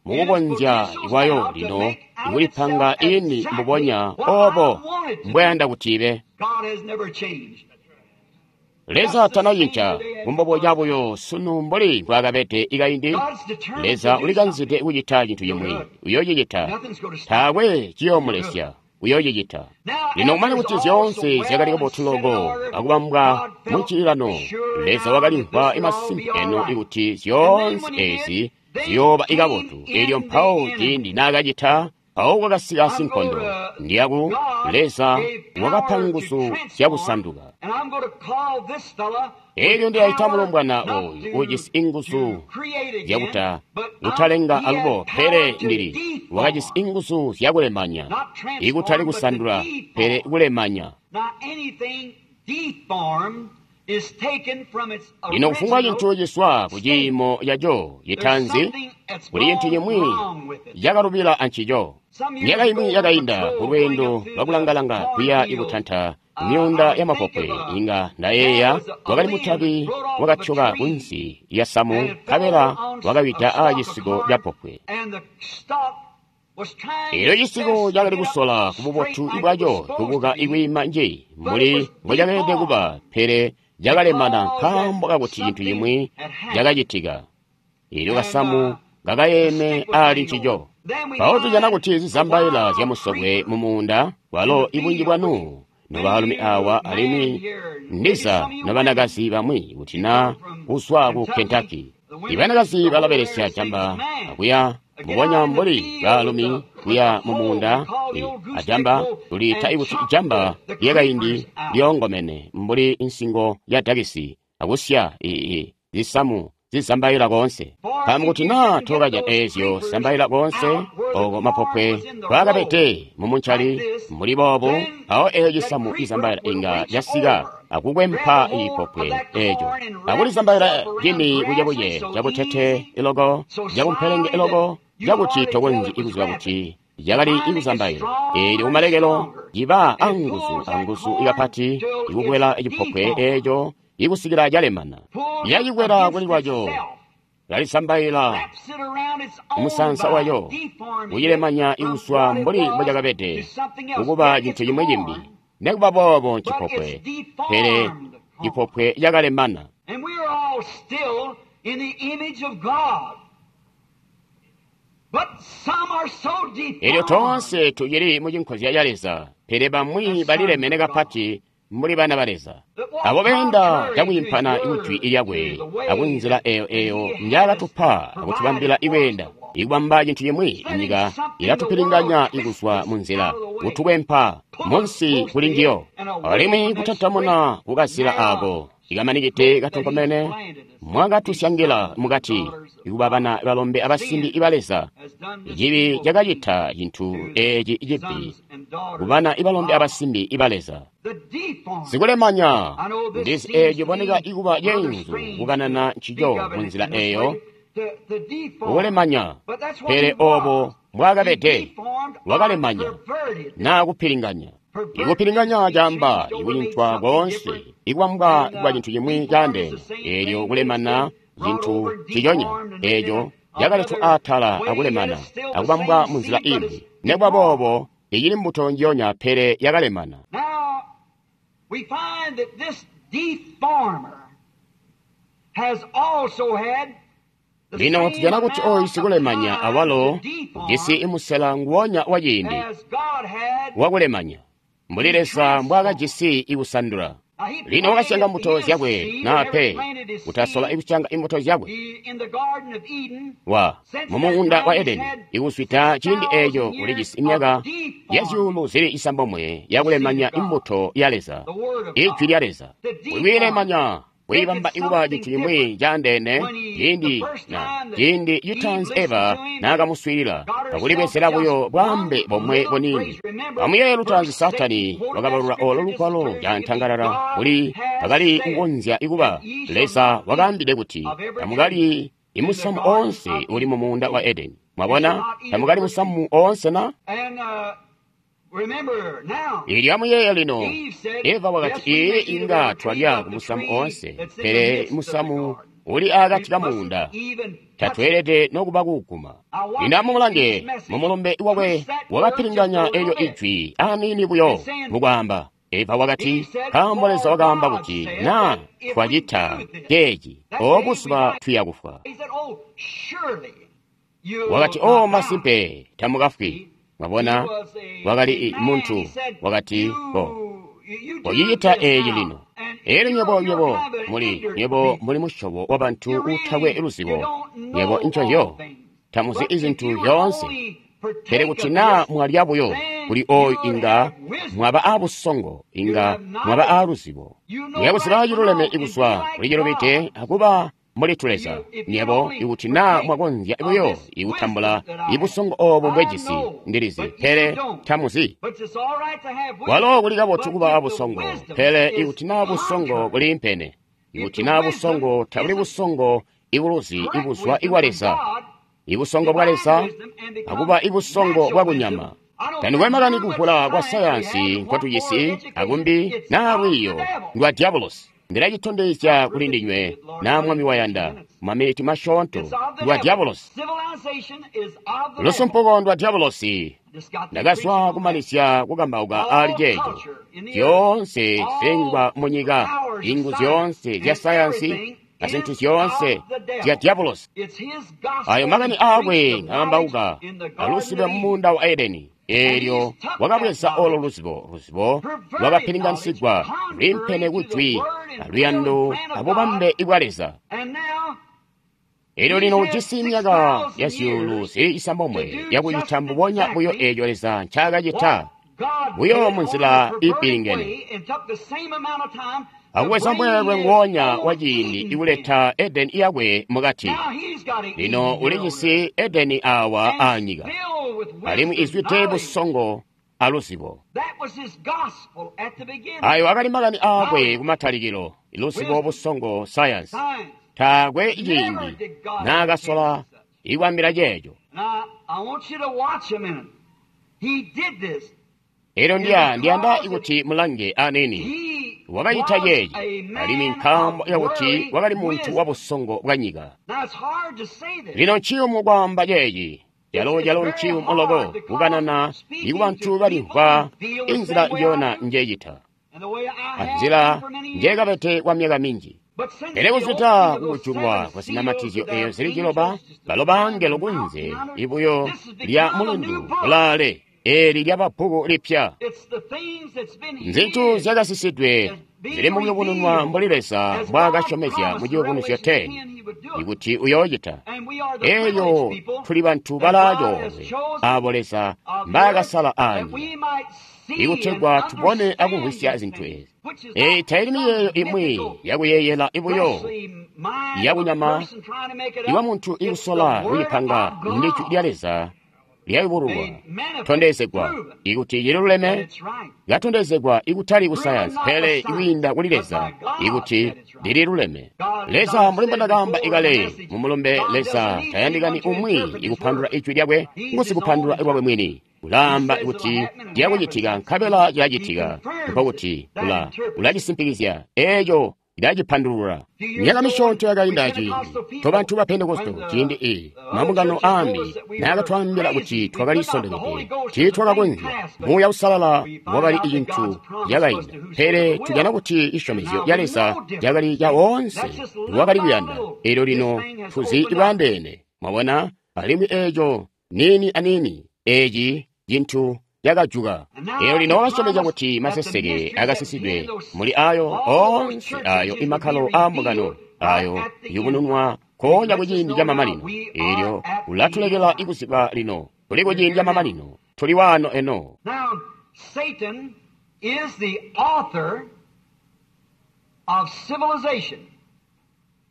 mukukonzya kwayo lino ikulipanga ini mbubonya obo mbwayanda kuti ibe. Leza tanacinca kumboboca buyo sunu mbuli mbwaakabede ikaindi. Leza ulikanzide kucita cintu cimwi, uyoocicita. Taakwe ciyoomulesya, uyoocicita. Lino kumane kuti zyoonse zyakali kabotu loko akubambwa muncililano, Leza wakalimvwa imasimpe eno ikuti zyoonse ezi ziyooba ikabotu. Eelyo mpawo ciindi naakacita, mpawo kwakasika sinkondo. Ndiyaku Leza wakapa nguzu zyakusanduka. Eelyo ndiyayita mulombwana oyu ujisi inguzu zyakuta kutalenga alubo, pele ndili wakajisi inguzu zyakulemanya, ikutali kusandula, pele kulemanya. Lino kufumbwa cintu ciswa ku ciimo caco citanzi, kuli cintu cimwi cakalubila ancico. Myaka imwi yakainda kulweendo lwakulangalanga kuya ikutanta myuunda ya mapopwe, inga ndayeeya wakali mutabi wakatyoka kunsi lya samu, nkabela wakawida aacisiko ca popwe. Eelyo cisiko cakali kusola kububotu bwaco kubuka ikwiima nji mbuli mbocakeelede kuba, pele cakalemana nkaambo kakuti cintu cimwi cakacitika. Eelyo kasamu kakayeeme ali ncico. Mpawo tujana kuti zizambaila zyamusokwe mumuunda, kwalo ibunji bwanu nobaalumi awa alimwi ndiza nobanakazi bamwi kuti na kuzwa ku Kentucky. Ibanakazi balabelesya jamba akuya mbubonya mbuli baalumi kuya mumuunda ajamba tuliita ikuti jamba lyakaindi lyoongomene mbuli insingo ya dakisi akusya ii zisamu zizambaila koonse. Nkaambo kuti naa tokaja eezyo zizambaila koonse oko mapopwe kwaakabede mumuncali mbuli boobu, mpawo eeyo cisamu cizambaila inga casika akukwempa ipopwe eeco akulizambaila cini bucebuce cabutete iloko cabumpelenge iloko cakuti tokonzyi ikuziba kuti cakali ikuzambaila. Eelyo kumalekelo ciba anguzu anguzu ikapati ikukwela cipopwe eeco ikusikila calemana. Yacikwela kuli lwaco, lalisambaila musansa wayo, kucilemanya ikuswa mbuli mbocakabede kukuba cintu cimwi cimbi. Nekuba boobo ncipopwe, pele cipopwe cakalemana. Eelyo toonse tucili mucinkozya ca Leza, pele bamwi balilemene kapati mbuli bana ba Leza. Abo beenda cakwiimpana kujwi lyakwe akunzila eyo eyo njaakatupa akutubambila ikweenda, ikubamba cintu cimwi inyika ilatupilinganya ikuzwa munzila, kutukwempa munsi kuli njiyo, alimwi kutantamuna kukazila aako ikamanikide katonkomene mwakatusyangila mukati ikuba bana balombe abasimbi iba Leza. Cibi cakacita cintu eeci cibi kubana ibalombe abasimbi iba Leza. Sikulemanya ndizi eeco ciboneka ikuba ceenzu kukanana ncico munzila eyo kukulemanya, pele obo mbwaakabede wakalemanya naa kupilinganya. Ikupilinganya caamba ikucintwa koonse ikubambwa kwa cintu cimwi caandeene, eelyo kulemana cintu ciconya eeco cakaletwa atala akulemana akubambwa munzila imbi. Nekuba boobo icili mbuto njiyonya pele yakalemana. Now, we find that this deformer has also had the Lino same tujana kuti amount oyu of sikulemanya time awalo to deform ujisi musela nguwonya wa ciindi as God had. wakulemanya mbuli Leza mbwaakajisi ikusandula. Now, he Lino wakasyanga planted mbuto his zyakwe seed, naa whatever pe planted his kutasola seed, ikusyanga imbuto zyakwe he, in the Garden of Eden, wa since that mumuunda wa time he's Edeni had ikuswida ciindi six eeco thousand ulijisi years imyaka of deforming ya zyuulu zili isambomwe yakulemanya the seed of God, imbuto ya Leza, the Word of ijwi God, lya Leza, to deform kuyilemanya kuyibamba make it ikuba something cintu chimwi different. chaandeene. When he, the Ciindi first na time that ciindi Eve citaanzi listened Eva to him and naakamuswiilila got herself akulibwezela just buyo bwaambe one bomwe little buniini. phrase. Remember, Amuyeeye lutaanzi verse six Saatani quoted that wakabalula olo scripture just as lugwalo clear as it could be. cantangalala God kuli has akali said kukonzya ikuba that ye shall Leza not eat wakaambide kuti of every tree tamukalyi in the imusamu Garden oonse of uli Eden. mu muunda wa Edeni. You shall Mwabona, not eat of tamukali every tree. musamu oonse na? And uh, remember now, Ilyo amuyeeye lino, Eve said, Eva wakati Yes, we may ee eat of inga every tree twalya but ku the musamu tree oonse, that's in the pele midst of the musamu garden. uli We akati ka mustn't muunda even touch it. tatweelede nokuba kuuguma. Now watch Lino this amulange message. mumulumbe wakwe Twist that word just a wakapilinganya little elyo bit. ijwi aniini buyo It's saying, mukwaamba. Eva wakati Eve said, nkaambo Leza For wakaamba God kuti said naa that if we twacita do this, ceeci that day o we buzuba might. tuya kufwa. He said, Oh, surely you'll Wakati o not die. masimpe tamukafwi. See, he Mwabona was a, wakali a i- man. He muntu said, wakati ko You, you do koyicita this eeci now, lino. and Elyo you're, nywebo you're nywebo kind of an muli ignorant nywebo people. muli musyobo wa bantu You uutakwe really, you luzibo. don't Nywebo know nconzyo all things. tamuzi But if izintu you would zyoonse. only Pele partake kuti of naa this, mwalya buyo then kuli oyu you'll inga have wisdom. mwaba abusongo, You'll inga have mwaba knowledge. aluzibo. You know Muyakuziba right from ciluleme wrong and be ikuzwa like kuli cilubide God. akuba mbuli tuleza. You, if you Nyebo only ikuti naa partake mwakonzya of buyo this wisdom ikutambula that I have. ibusongo obo I mbwejisi know, ndilizi, but you pele don't. tamuzi. But it's all right to have Walo wisdom. kuli kabotu But kuba if the abusongo, wisdom pele is ikuti naa busongo contrary, buliimpene, if ikuti the naa wisdom busongo tabuli isn't busongo ibuluzi correct ibuzwa wisdom ikwa from Leza, God, ibusongo bwa divine Leza wisdom, and becomes akuba ibusongo natural bwa wisdom, kunyama. I don't Tandikwe care makani how much kuvula kwa science we have sayansi and what more nkwatujisi education, akumbi it's naa of the lwiiyo devil. ndwa diabolosi. Ndilacitondezya I kuli prove it to ndinywe you that Lord naa willing Mwami in a few wayanda minutes. maminiti masyoonto It's of the ndwa devil. diabolosi. Civilization is of the devil. Lusumpuko ndwa diabolosi. Just got through preaching Ndakazwa on that. kumalizya kukambauka aali All ceeco. culture in the earth, Zyoonse all zilengwa munyika, powers of ingu science, zyoonse zya and sayansi everything na zinthu is zyoonse of the zya devil. diabolosi. It's his Ayo gospel makani he preached aakwe of knowledge akambauka in the Garden alusidwe of Eden. mumuunda wa Edeni. And Eelyo he's took that wakabweza olo knowledge, luzibo, luzibo perverted knowledge, lwakapilinganisigwa contrary lwiimpene to the kujwi word and will and aluyando plan of God, abubambe ibwa Leza. and now Elyo he's lino had ujisi six myaka ya thousand zyuulu years zili to isambomwe do just yakucita mbubonya buyo exactly eeco Leza ncaakacita what God buyo did, only munzila a perverted iipilingene. way, and took the same amount of time to Akuweza bring mweelwe his nguonya own wa ciindi Eden in. ikuleta Edeni yakwe mukati. Now he's got an Lino Eden here on earth ulijisi Edeni awa and aanyika filled with alimwi wisdom, izwide knowledge. busongo aluzibo. That was his gospel at the beginning. Ayo akali makani aakwe Knowledge, kumatalikilo, luzibo wisdom, busongo sayansi. science. Taakwe Never ciindi did God intend naakasola such. ikwambila ceeco. Now, I want you to watch a minute. He did this, Elyo and ndiya ndiyanda because it, ikuti mulange aneni he wakacita was ceeci a alimwi man nkaambo of yakuti worldly wakali muntu wa wisdom. busongo bwa nyika. Now, it's hard to say this. Lino nciyumu kwaamba ceeci, It's, calo it's calo very nciyumu loko hard because kukanana speaking ikubantu to people balimvwa who feel the inzila same way I njiyona do njecita and the way I have been anzila for many years. njekabete kwa myaka minji. But since Pele the kuzwida opening of those kukujulwa seven kwa seals zinamatizyo to eyo the zili ciloba angels, just balo the sign bangelo of the kunze mountain yonder, ibuyo this has lya become a new mulundu book. kulaale eli lyaba bbuku lipya. It's the things that's been Nzintu hid zyakasisidwe that's zili being mu kuyubununwa revealed mbuli Leza as God mbwaakasyomezya mu promised in ciyubunuzyo Revelation ten ten he would do it. ikuti uyoocita. And we are the Eyo privileged people tuli bantu that God has balaacoolwe chosen abo Leza of the earth mbaakasala that aanyika we might see and ikutegwa tubone understand akumvwisya these zinthu things, ezi. which is Eyi not tayili some miyeeyo imwi mythical yakuyeeyela ibuyo fleshly mind of a yakunyama person trying to make it iwa up. munthu It's the ikusola Word kuyipanga of ndi jwi lya God. Leza lyayubululwa tondezegwa ikuti cililuleme, latondezegwa ikutali ku sayansi pele ikwiinda kuli Leza ikuti lililuleme. Leza mbuli mbondakaamba ikale mu mulumbe, Leza tayandikani umwi ikupandulula ijwi lyakwe, ngusikupandulula lwakwe mwini. Ulaamba kuti ciyakucitika nkabela cilacitika, nkokuti ula ulacisimpikizya eeco ilacipandulula. Myaka misyoonto yakainda ciindi tobantu ba Pentekoste ciindi i mambungano aambi naakatwaambila kuti twakali sondokede, tiitwakakonzya. Muuya Uusalala wakali cintu cakainda, pele tujana kuti cisyomezyo ca Leza cakali ca woonse wakali kuyanda. Eelyo lino tuzi bwaandeene, mwabona, alimwi eeco niini aniini eeci cintu cakajuka. Eelyo lino wakasyomezya kuti maseseke akasisidwe muli ayo oonse ayo imakkalo aambungano ayo yubununwa nkoonya kuciindi camamanino. Eelyo ulatulekela ikuziba lino tuli kuciindi camamanino, tuli waano eno. Now, Satan is the author of civilization.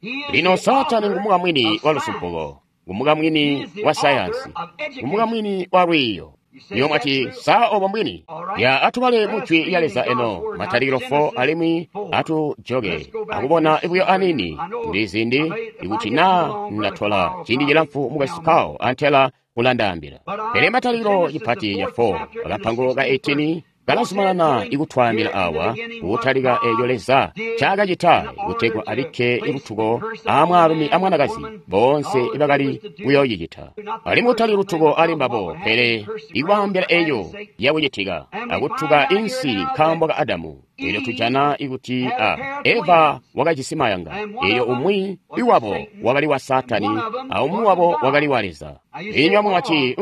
He is Lino the Saatani author ngumukamwini of wa science. lusumpuko, ngumukamwini wa sayansi, ngumukamwini wa lwiiyo. Niyo mwati saa obo mbwini ya atubale mu jwi lya Leza eno Matalikilo four alimwi atujoke akubona buyo anini ndizindi ikuti naa ndatola ciindi cilamfu mukwesu Carl antela ulandaambila. Pele Matalikilo cipati ca four akapango ka eighteen kalazumanana ikutwaambila awa kutalika eeco Leza ncaakacita kutegwa abikke lutuko aamwaalumi amwanakazi boonse ibakali kuyoocicita. Alimwi kutali lutuko ali mbabo, pele ikwaambila eeco yakucitika akutuka insi nkaambo ka Adamu. Eelyo tujana ikuti a Eva wakajisi mayanga, eelyo umwi iwabo wakali wa Saatani aumwi wabo wakali wa Leza. Inywe mwati,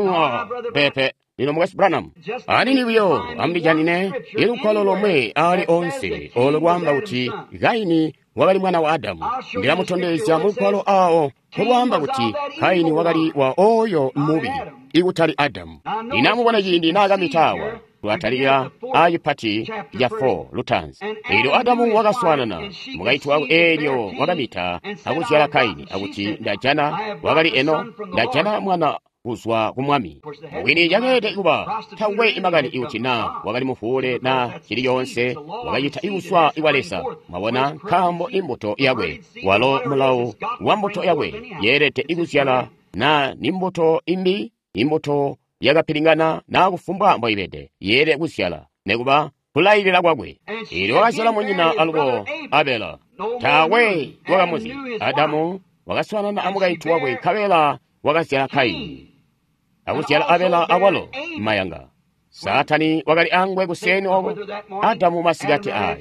pepe. Lino mukwesu Branham, anini buyo amulijanine ilugwalo lomwe aali onse olo lwaamba kuti Kaini wakali mwana wa Adamu. Ndilamutondezya mulugwalo awo nkolwaamba kuti Kaini wakali wa oyo mubi ikutali Adamu. Lino amubone ciindi naakamita awa lwatalika acipati ca four lutaanzi. Eelyo Adamu wakaswaanana mukaintu wakwe, eelyo wakamita akuzyala Kaini akuti ndajana wakali eno ndajana mwana kuzwa ku Mwami. Mubwini cakeelede kuba takwe imakani ikuti naa wakali mufuule na cili coonse wakacita ikuswa kwa Leza. Mwabona, nkaambo imbuto yakwe walo mulawo wa mbuto yakwe yeelede ikuzyala na ni mbuto imbi, imbuto yakapilingana na kufumbwa mboibede yeelede kuzyala nekuba kulailila kwakwe. Eelyo wakazyala munyina alubo Abela. Taakwe wakamuzi. Adamu wakaswaanana amukaintu wakwe nkabela wakazyala Kaini akuzyala Abela awalo mayanga. Saatani wakali angwe kuseni oko Adamu masikati ayo.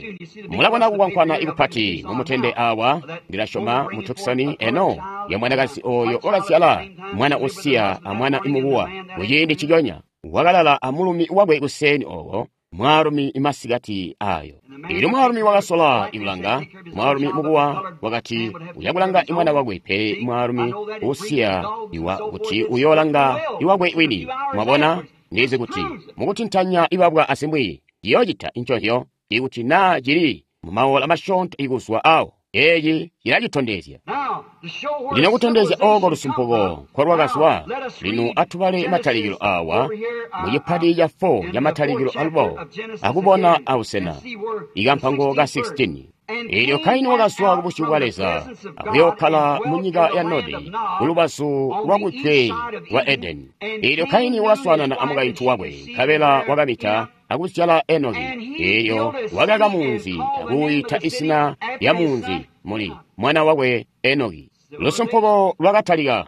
Mulabona kukwankwana ikupati mumutende awa, ndilasyoma mu Tucson eno ya mwanakazi oyo wakazyala mwana usiya amwana imukuwa kuciindi ciconya wakalala amulumi wakwe kuseni oko mwaalumi imasikati ayo. Eelyo mwaalumi wakasola ikulanga mwaalumi mukuwa wakati uyakulanga imwana wakwe, pele mwaalumi usiya iwa kuti uyoolanga iwakwe wini. Mwabona, ndizi kuti mukutintanya ibabwa asimwi ciyoocita incozyo ikuti naa cili mumaola masyoonto ikuzwa awo. Eeci cilacitondezya. Now, to show where Lino kutondezya oko civilization lusumpuko come from, nkolwakazwa, now, let us lino read atubale matalikilo Genesis awa over here, uh, mu cipati ca four in ca the matalikilo fourth chapter alubo of Genesis akubona again, abusena and see where the ikampango ka sixteenth verse. sixteen. And Eelyo Cain Kaini went wakazwa out ku busyu from bwa the Leza presence of God akuyookkala and mu dwelt nyika in the ya land Nodi of Nod kulubazu on lwa the kujwe east side of lwa Eden. Edeni. And Eelyo Cain Kaini knew his wakaswaanana wife, and amukaintu she wakwe conceived and nkabela bare wakamita Enoch. akuzyala Enoki. And he Eelyo built a city wakaka and munzi called the name of akuwuyita the city izina after lya his munzi son muli Enoch. mwana wakwe Enoki. Lusumpuko lwakatalika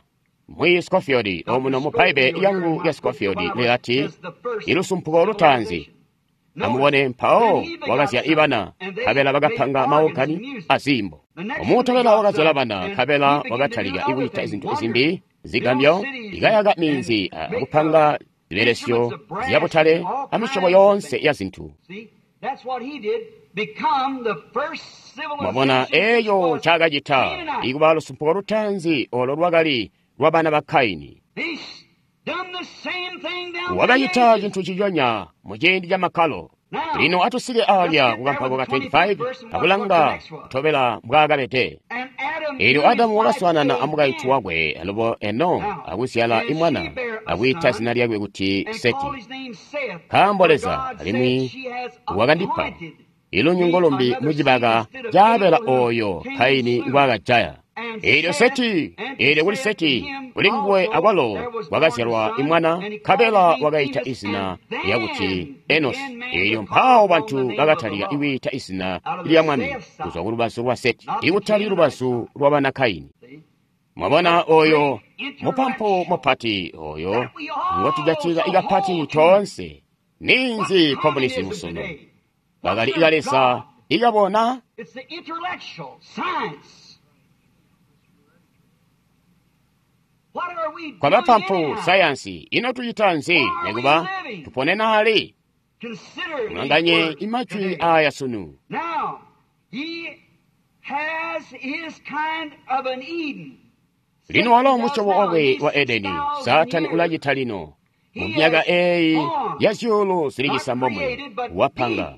mwi Scofield omuno mu Doctor Baibe Scofield here in yangu my ya book, the Scofield Bible lilati says the first ilusumpuko lutaanzi. civilization. Notice, Amubone then mpawo he begot wakazyala sons, ibana and they nkabela made bakapanga organs and maogani music. azimbo. The next one they Omutobela got wakazyala sons, bana and nkabela he began to do wakatalika other ikucita things, zintu wonders, zimbi build zigambyo, cities and, ikayaka and minzi make uh, akupanga zibelesyo instruments of brass zyabutale and all amisyobo kinds of yonse things. ya zinthu. See, that's what he did. Become the first Mwabona civilization which eyo was ncaakacita Canaanite. ikuba lusumpuko lutaanzi olo lwakali lwa bana ba Kaini. He's done the same thing down through the Wakacita ages. chinthu chichonya mu ciindi cha makhalo. Now, Lino atusike let's alya get there kukampango with ka the twenty-fifth twenty-five verse and watch what the akulanga next was. kutobela mbwaakabede. And Adam Eelyo knew his Adamu wife wakaswaanana Eve amukaintu again. wakwe alubo Eno Now, akuzyala and she imwana bare akwiita zina lyakwe kuti Seti, nkaambo Leza alimwi wakandipa ilunyungu lumbi mucibaka caabela ooyo Kaini ngwaakajaya. Eelyo Seti, eelyo kuli Seti, kuli nguwe akwalo kwakazyalwa imwana, nkabela wakaita izina lyakuti Enosi. Eelyo mpawo bantu bakatalika kwiita izina lya Mwami kuzwa kulubazu lwa Seti, ikutali lubazu lwa bana Kaini. Mwabona oyo mupampu mupati oyo ngotujatika ikapati toonse. Ninzi komunizimu sunu? Bakali ikaleza ikabona. Kwa bapampu sayansi ino tucita nzi nekuba tuponena ali? Mulanganye imajwi aya sunu. Lino walo musyobo wakwe wa Edeni, Saatani ulacita lino mu myaka eyi ya zyuulu zili cisambomwe wapanga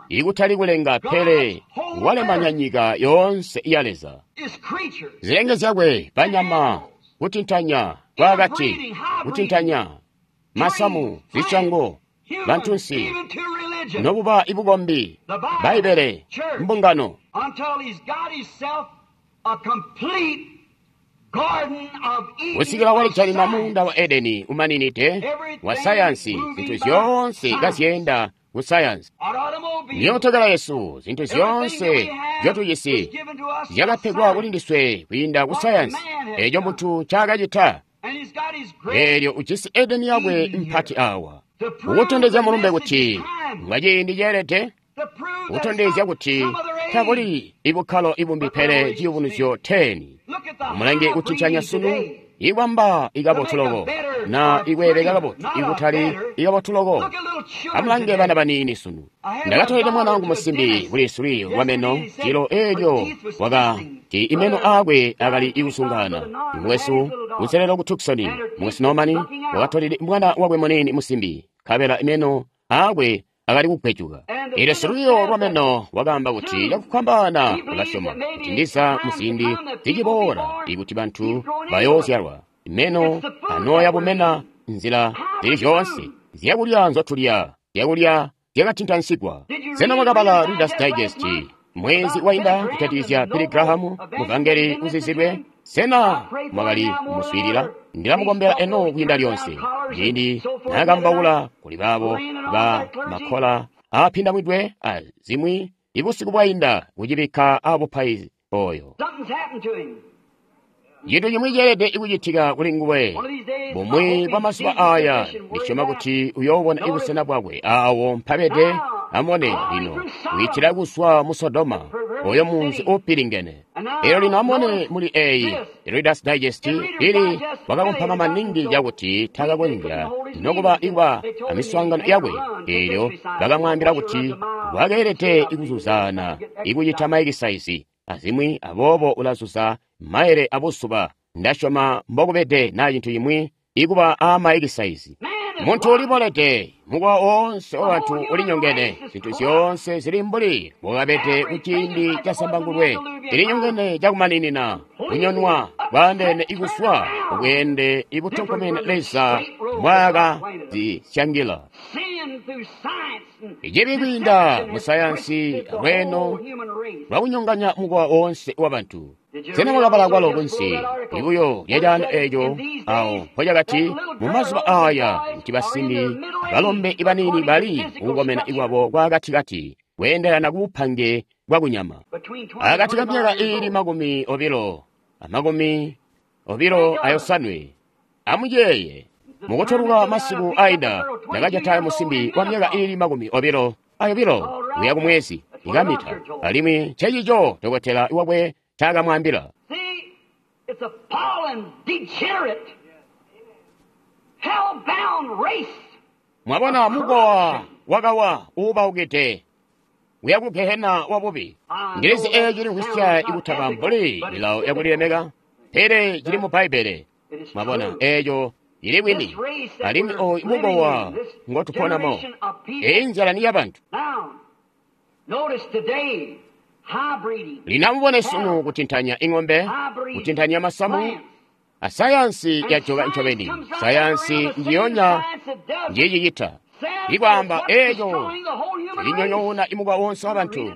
ikutali kulenga pele walemanya nyika yoonse ya Leza, zilenge zyakwe, banyama, kutintanya kwakati, kutintanya masamu, zisyango, bantunsi, nobuba ibukombi, Bbaibbele, mbungano, kusikila walijalina muunda wa Edeni umaninide wa sayansi, zinthu zyoonse kazyenda ku sayansi. Myootokala yesu, zinthu zyoonse zyotujisi zyakapegwa kuli ndiswe kwiinda ku sayansi, eco munthu ncaakacita. Eelyo ujisi Edeni yakwe mpati awa, kukutondezya mulumbe kuti ngwa ciindi ceelede, kutondezya kuti tabuli ibukkalo ibumbi pele ciyubunuzyo teni. Mulange kutintanya sunu ikwamba ikabotu loko na ikweeleka kabotu ikutali ikabotu loko. Amulange bana baniini sunu. Ndakatolede mwana wangu musimbi kuli suli wameno cilo eelyo wakati imeno aakwe akali ikusungana. Mukwesu kuselelo ku Tucson, mukwesu Norman wakatolede mwana wakwe muniini musimbi, nkabela imeno aakwe akali kugwejuka. Eelyo siluyo lwameno wakaamba kuti cakufwambaana ulasyoma kuti ndiza muziindi ziciboola ikuti bantu bayoozyalwa meno anooya bumena nzila zili zyoonse zyakulya nzotulya, zyakulya zyakatintansigwa. Sena mwakabala Reader's Digest mwezi wainda kujatikizya Billy Graham muvangeli uzizilwe? Sena mwakali kumuswiilila? Ndilamukombela eno kwiinda lyonse ciindi naakambaula kuli baabo ba makkola aapindamwidwe azimwi ibusiku bwainda kucibikka abupaizi oyo. Cintu cimwi ceelede kucitika kuli nguwe. Bumwi bwa mazuba aya ndisyoma kuti uyoobona ibusena bwakwe awo mpabede. Amone lino witila kuzwa mu Sodoma, oyo munzi upilingene. Eelyo lino amone muli eyi Reader's Digest ili wakakompama maningi cakuti takakonzya nokuba ikuba amiswaangano yakwe. Eelyo bakamwaambila kuti wakeelede ikuzuzaana ikucita maekisaizi azimwi, aboobo ulazuza maele abusuba. Ndasyoma mbokubede na cintu cimwi ikuba a maekisaizi. Muntu ulibolede, mukowa woonse wabantu ulinyongene, zinthu zyoonse zili mbuli bwakabede kuciindi ca Zambangulwe, ilinyongene cakumaninina, kunyonwa bwaandeene ikuswa ubweende ibutonkomene Leza mbwaakazisyangila. Icibi kwiinda mu sayansi lweeno lwakunyonganya mukowa woonse wabantu. Sena mwakabala kwalo kunsi libuyo lyacaano eeco awo mpocakati mu mazuba aya kuti basimbi balombe ibaniini bali kukukomena ikwabo kwakatikati kweendelana kubupange bwakunyama akati ka myaka iili makumi obilo amakumi obilo ayosanwe. Amuyeeye mukutoluka masiku aida ndakajata musimbi wa myaka iili makumi obilo ayobilo kuya kumwezi ikamita, alimwi ncecico dokotela wakwe takamwambila. Mwabona mukowa wakawa uubaukide uya ku gehena wabubi. Ngilizi eyo cili kusya ikutaba mbuli milawo yakulilemeka, pele cili mu Bbaibbele. Mwabona eeco ili bwini, alimwi oyu mukowa ngotuponamo, eyi nzala ni yabantu. Lino amubone sunu kutintanya ing'ombe, kutintanya masamu, Asayansi yajoka ncobeni. Sayansi njiyonya njicicita. Ikwaamba eeco cilinyonyoona imukwa wonse wabantu.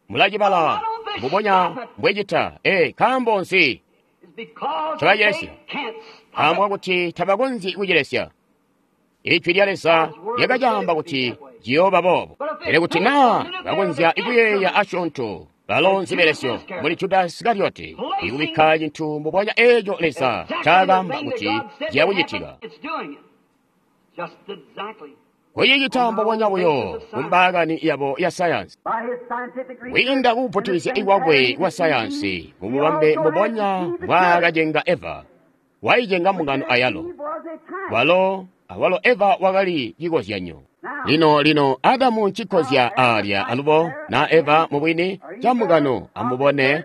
Mulacibala mbubonya mbwecita. Ee, nkaambo nzi ncobacilesya? Nkaambo kakuti tabakonzyi kucilesya. Ijwi lya Leza lyakacaamba kuti ciyooba boobo. Pele kuti naa bakonzya kuyeeya asyoonto, balo nzibelesyo muli Juda Isikarioti ikubikka cintu mbubonya eeco Leza ncaakaamba kuti ciyakucitika. Kucicita mbubonya buyo kumbaakani yabo ya sayansi. Kwiinda kukuputilizya ikwakwe kwa sayansi mububambe mbubonya mbwaakacenga Eva, waicenga mbungano ayalo. Walo awalo Eva wakali cikozyanyo. Lino lino Adamu ncikozya aalya alubo na Eva mubwini ca mbungano amubone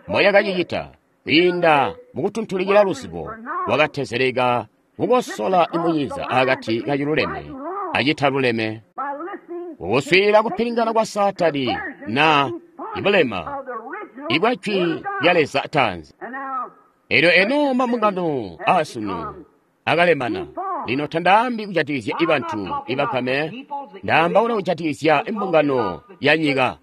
mboyakacicita kwiinda mukutuntulikila luzibo wakatezeleka kukosola imunyiza akati kaciluleme acitaluleme kukuswiilila kupilingana kwa Saatani na ibulema ibwa jwi lya Leza tanzi. Elyo eno mambungano aasunu akalemana. Lino tandaambi kujatikizya ibantu ibakame, ndaambaula kujatikizya imbungano ya nyika.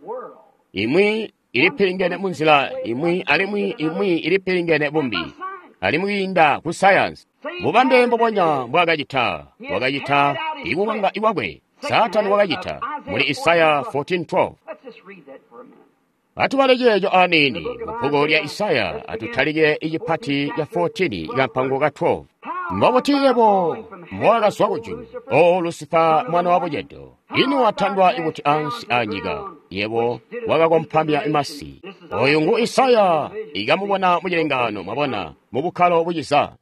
Imwi ilipilingene munzila imwi alimwi imwi ilipilingene bumbi, alimwi kwiinda ku sayansi. Bubambe mbubonya mbwaakacita, wakacita ikukanga iwakwe. Saatani wakacita muli Isaya fourteen twelve. Atubale ceeco aniini mu bbuku lya Isaya, atutalike icipati ca fourteen kampango ka twelve. Mbobuti yebo mbowakazwa kujulu, O Lusifa mwana wa bucedo, ino watandwa ikuti ansi anyika, yebo wakakompamya masi. Oyu ngu Isaya ikamubona mucilengaano, mwabona, mu bukkalo buciza.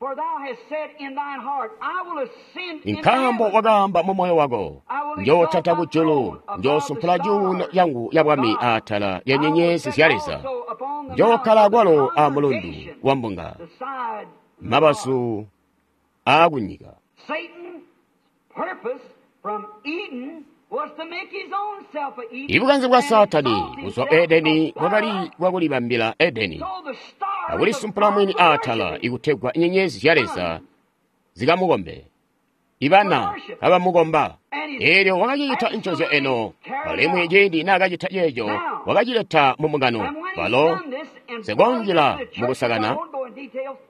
Nkaambo wakaamba mu moyo wako, njootata kujulu, njoosumpula cuuno yangu ya bwami atala lya nyenyezi zya Leza, njookkala kwalo a mulundu wa mbunga, mabazu aakunyika. Ibukanze bwa Saatani kuzwa Edeni bwakali bwakulibambila Edeni akulisumpula mwini atala ikutegwa nyenyezi zya Leza zikamukombe, ibana kabamukomba. Eelyo wakacicita ncozyo eno, alimwi ciindi naakacita ceeco wakacileta mu mbungano. Walo sekonjila mukusakana,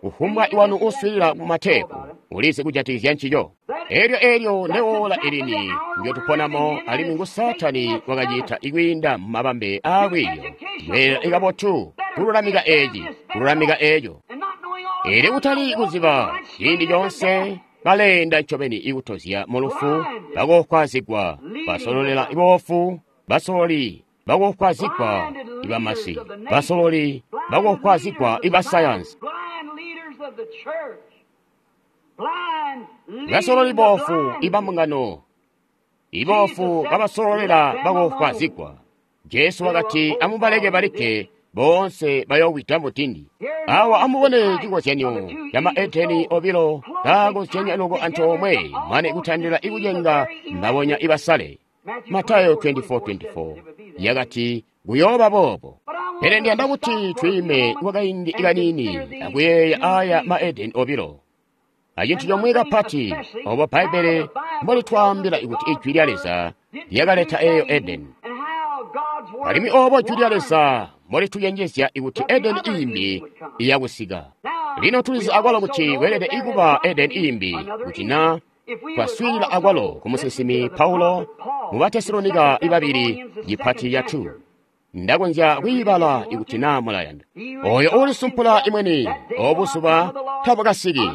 kufumbwa iwanu uswiilila ku matepu ulizi kujatikizya ncico. Eelyo eelyo ndewola ilini ndyotuponamo, alimwi ngu Saatani wakacita ikwiinda mu mabambe aakwiiyo kweela ikabotu kululamika eeci kululamika eeco, ili kutali kuziba ciindi coonse baleenda ncobeni ikutozya mulufu, bakokwazigwa basololela iboofu, basololi bakokwazigwa ibamasi, basololi bakokwazigwa ibasayansi, basololi boofu ibambungano, iboofu babasololela bakokwazigwa. Jesu wakati amubaleke balikke, boonse bayoowida mudindi. Awa amubone cikozyanyo ca maedeni obilo kaakozyanya loko antoomwe mane kutandila ikucenga mbabonya ibasale. Matayo twenty-four twenty-four yakati kuyooba boobo. Pele ndiyanda kuti twiime kwakaindi kaniini akuyeeya aya maedeni obilo. Acintu comwe kapati obo Bbaibbele mbolitwaambila kuti ijwi lya Leza lyakaleta eeyo Edeni. Alimwi obo jwi lya Leza mbolitucenjezya kuti Edeni iimbi iyakusika. Lino tulizi akwalo kuti kweelede ikuba Edeni iimbi kuti na twaswiilila akwalo ku musinsimi Paulo mu Batesalonika ibabili cipati ca two. Ndakonzya kwiibala ikuti naa mulayanda. Oyo uulisumpula imweni obuzuba tabukasiki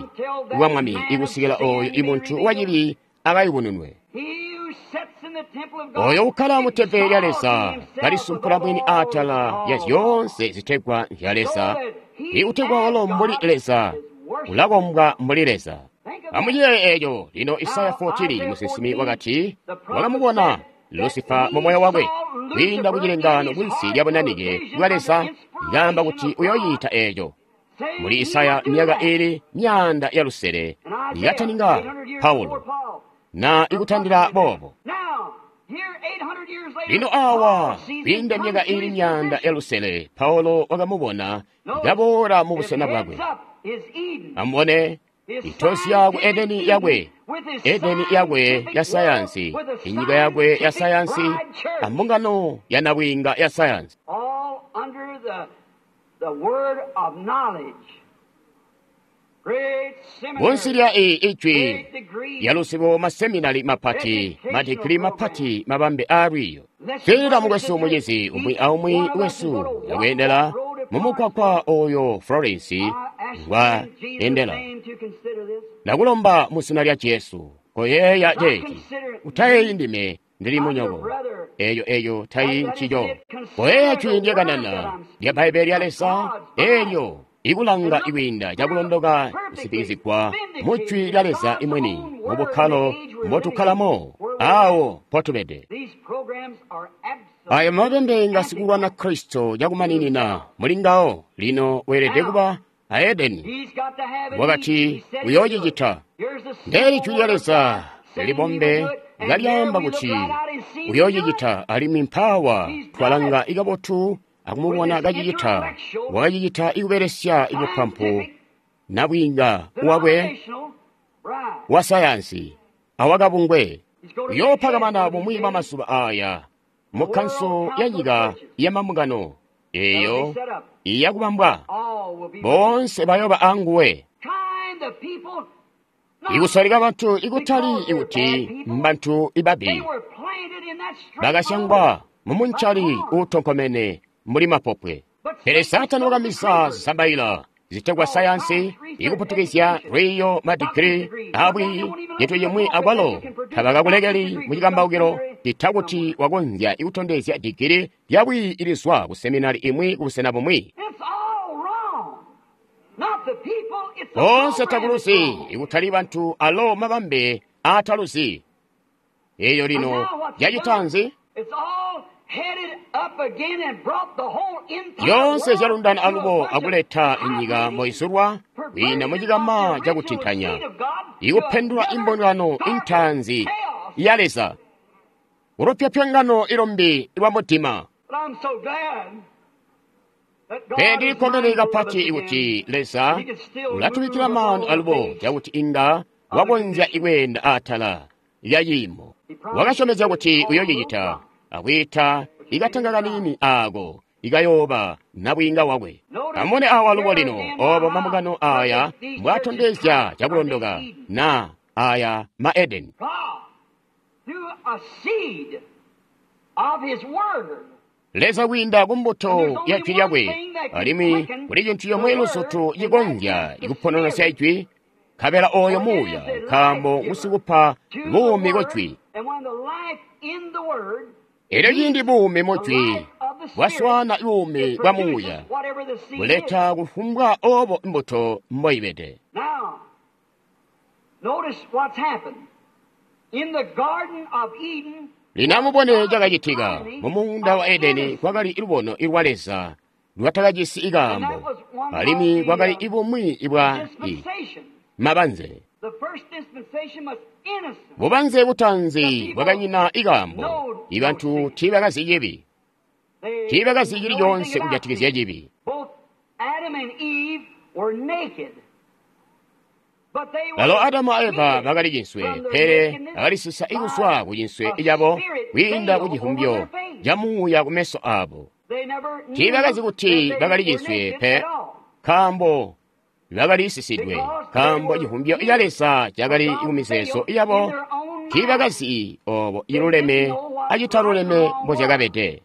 bwa Mwami ikusikila oyo imuntu wacibi akayubununwe. Oyo ukkala mu tempele lya Leza kalisumpula mwini atala ya zyoonse zitegwa zya Leza, ikutegwa walo mbuli Leza ulakombwa mbuli Leza. Amuyeeye eeco. Lino Isaya fourteen musinsimi wakati wakamubona Lusifa mu moyo wakwe kwiinda kucilengaano kunsi lya bunanike bwa Leza, lyaamba kuti uyoyita eeco. Muli Isaya myaka ili myaanda ya lusele yakataninga Paulo na ikutandila boobo. Lino awa kwiinda myaka iili myaanda ya lusele, Paulo wakamubona kaboola mu busena bwakwe. Amubone itosya ku Edeni yakwe, Edeni yakwe ya sayansi, inyika yakwe ya sayansi, ambungano ya nabwiinga ya sayansi. Munsi lya iyi ijwi lya luzibo maseminari mapati, madigiri mapati, mabambe a lwiiyo. Swiilila mukwesu mucizi, umwi aumwi wesu yakweendela mumukwakwa oyo Florence ngwa endela. Ndakulomba mu zina lya Jesu, koyeeya ceeci. Utayeeyi ndime ndili munyoko. Eyo eyo tayi ncico. Koyeeya jwi ndyakanana lya Bbaibbele lya Leza elyo ikulanga ikwiinda cakulondoka kusitikizigwa mu jwi lya Leza imwini mu bukkalo mbotukkalamo awo mpotubede. Ayo mabambe nga sikulwana Kristo cakumaninina muli ngawo. Lino weelede kuba a Edeni wakati uyoocicita. Ndeeli jwi lya Leza libombe kalyaamba kuti uyoocicita, alimwi mpaawa twalanga ikabotu akumubona kacicita. Wakacicita ikubelesya ibupampu nabwiinga wakwe wa sayansi awakabungwe. Uyoopakamana bumwi bwa mazuba aya mu kkanso ya nyika ya mambungano eyo iyakubambwa, boonse bayoba anguwe. Ikusalika bantu ikutali ikuti mbantu ibabi, bakasyangwa mumuncali uutonkomene mbuli mapopwe. Pele Saatani wakamisa zisambaila zitegwa sayansi ikuputukizya lwiiyo madigiri abwi cintu cimwi akwalo tabakakulekeli mu cikambaukilo cita kuti wakonzya ikutondezya digiri lyabwi ilizwa ku seminari imwi kubusena bumwi. Boonse takuluzi ikutali bantu alo mabambe aataluzi. Eyo lino yacitanzi yoonse zyalundana alubo akuleta inyika mboizulwa kwiinda mucikama cakutintanya, ikupendula imbungano intaanzi ya Leza, ulupyopyongano ilombi lwa mudima. Pele ndilikkomene kapati ikuti Leza ulatubikkila maanu alubo cakuti inga wakonzya ikweenda atala lya ciimo. Wakasyomezya kuti uyoocicita, akwiita ikatanga kaniini aako ikayooba nabwiinga wakwe. Amubone awa alubo lino obo mambungano aya mbwaatondezya cakulondoka na aya ma Edeni. Leza kwiinda kumbuto ya jwi lyakwe, alimwi kuli cintu comwe luzutu cikonzya ikupononosya ijwi, nkabela oyo muuya, nkaambo ngusikupa buumi ku jwi. Elyo ciindi buumi mu jwi bwaswaana buumi bwa muuya, buleta kufumbwa obo mbuto mboibede. Lino amubone cakacitika mu muunda wa Edeni. Kwakali lubono ilwa Leza lwatakajisi ikaambo, alimwi kwakali ibumwi ibwa i mabanze. Bubanze butanzi bwakanyina ikaambo. Ibantu tiibakazi cibi, tiibakazi cili coonse kujatikizya cibi. Balo Adamu a Eva bakali cinswe, pele bakalisisa ikuzwa ku cinswe cabo kwiinda ku cihumbyo ca muuya kumeso abo. Tiibakazi kuti bakali cinswe pe, nkaambo bakalisisidwe, nkaambo cihumbyo ca Leza cakali kumizeezo yabo. Tiibakazi obo ciluleme acitaluleme mbozyakabede.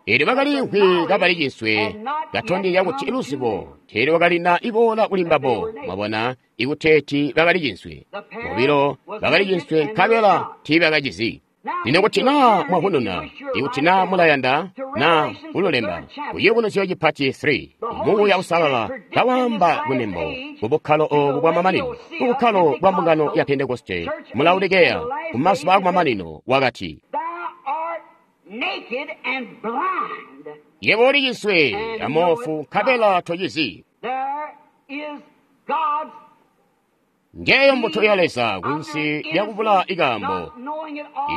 Eelyo bakaliimvwi kabali cinswe, katondezya kuti luzibo teelyo lwakalina iboola kuli mbabo. Mwabona, ikuteeti bakali cinswe bobilo, bakali cinswe nkabela tiibakacizi. Lino kuti naa mwavununa, ikuti naa mulayanda naa kululemba, kuciyubunuzyo cipati three, Muuya Uusalala kawaamba kunembo kubukkalo obu bwamamanino, kubukkalo bwa mbungano ya Pentekoste mu Laodikeya kumazuba akumamanino, wakati, Yebo uli cinswe amoofu nkabela tocizi. Ngeyo mbuto ya Leza kunsi lyakubula ikaambo,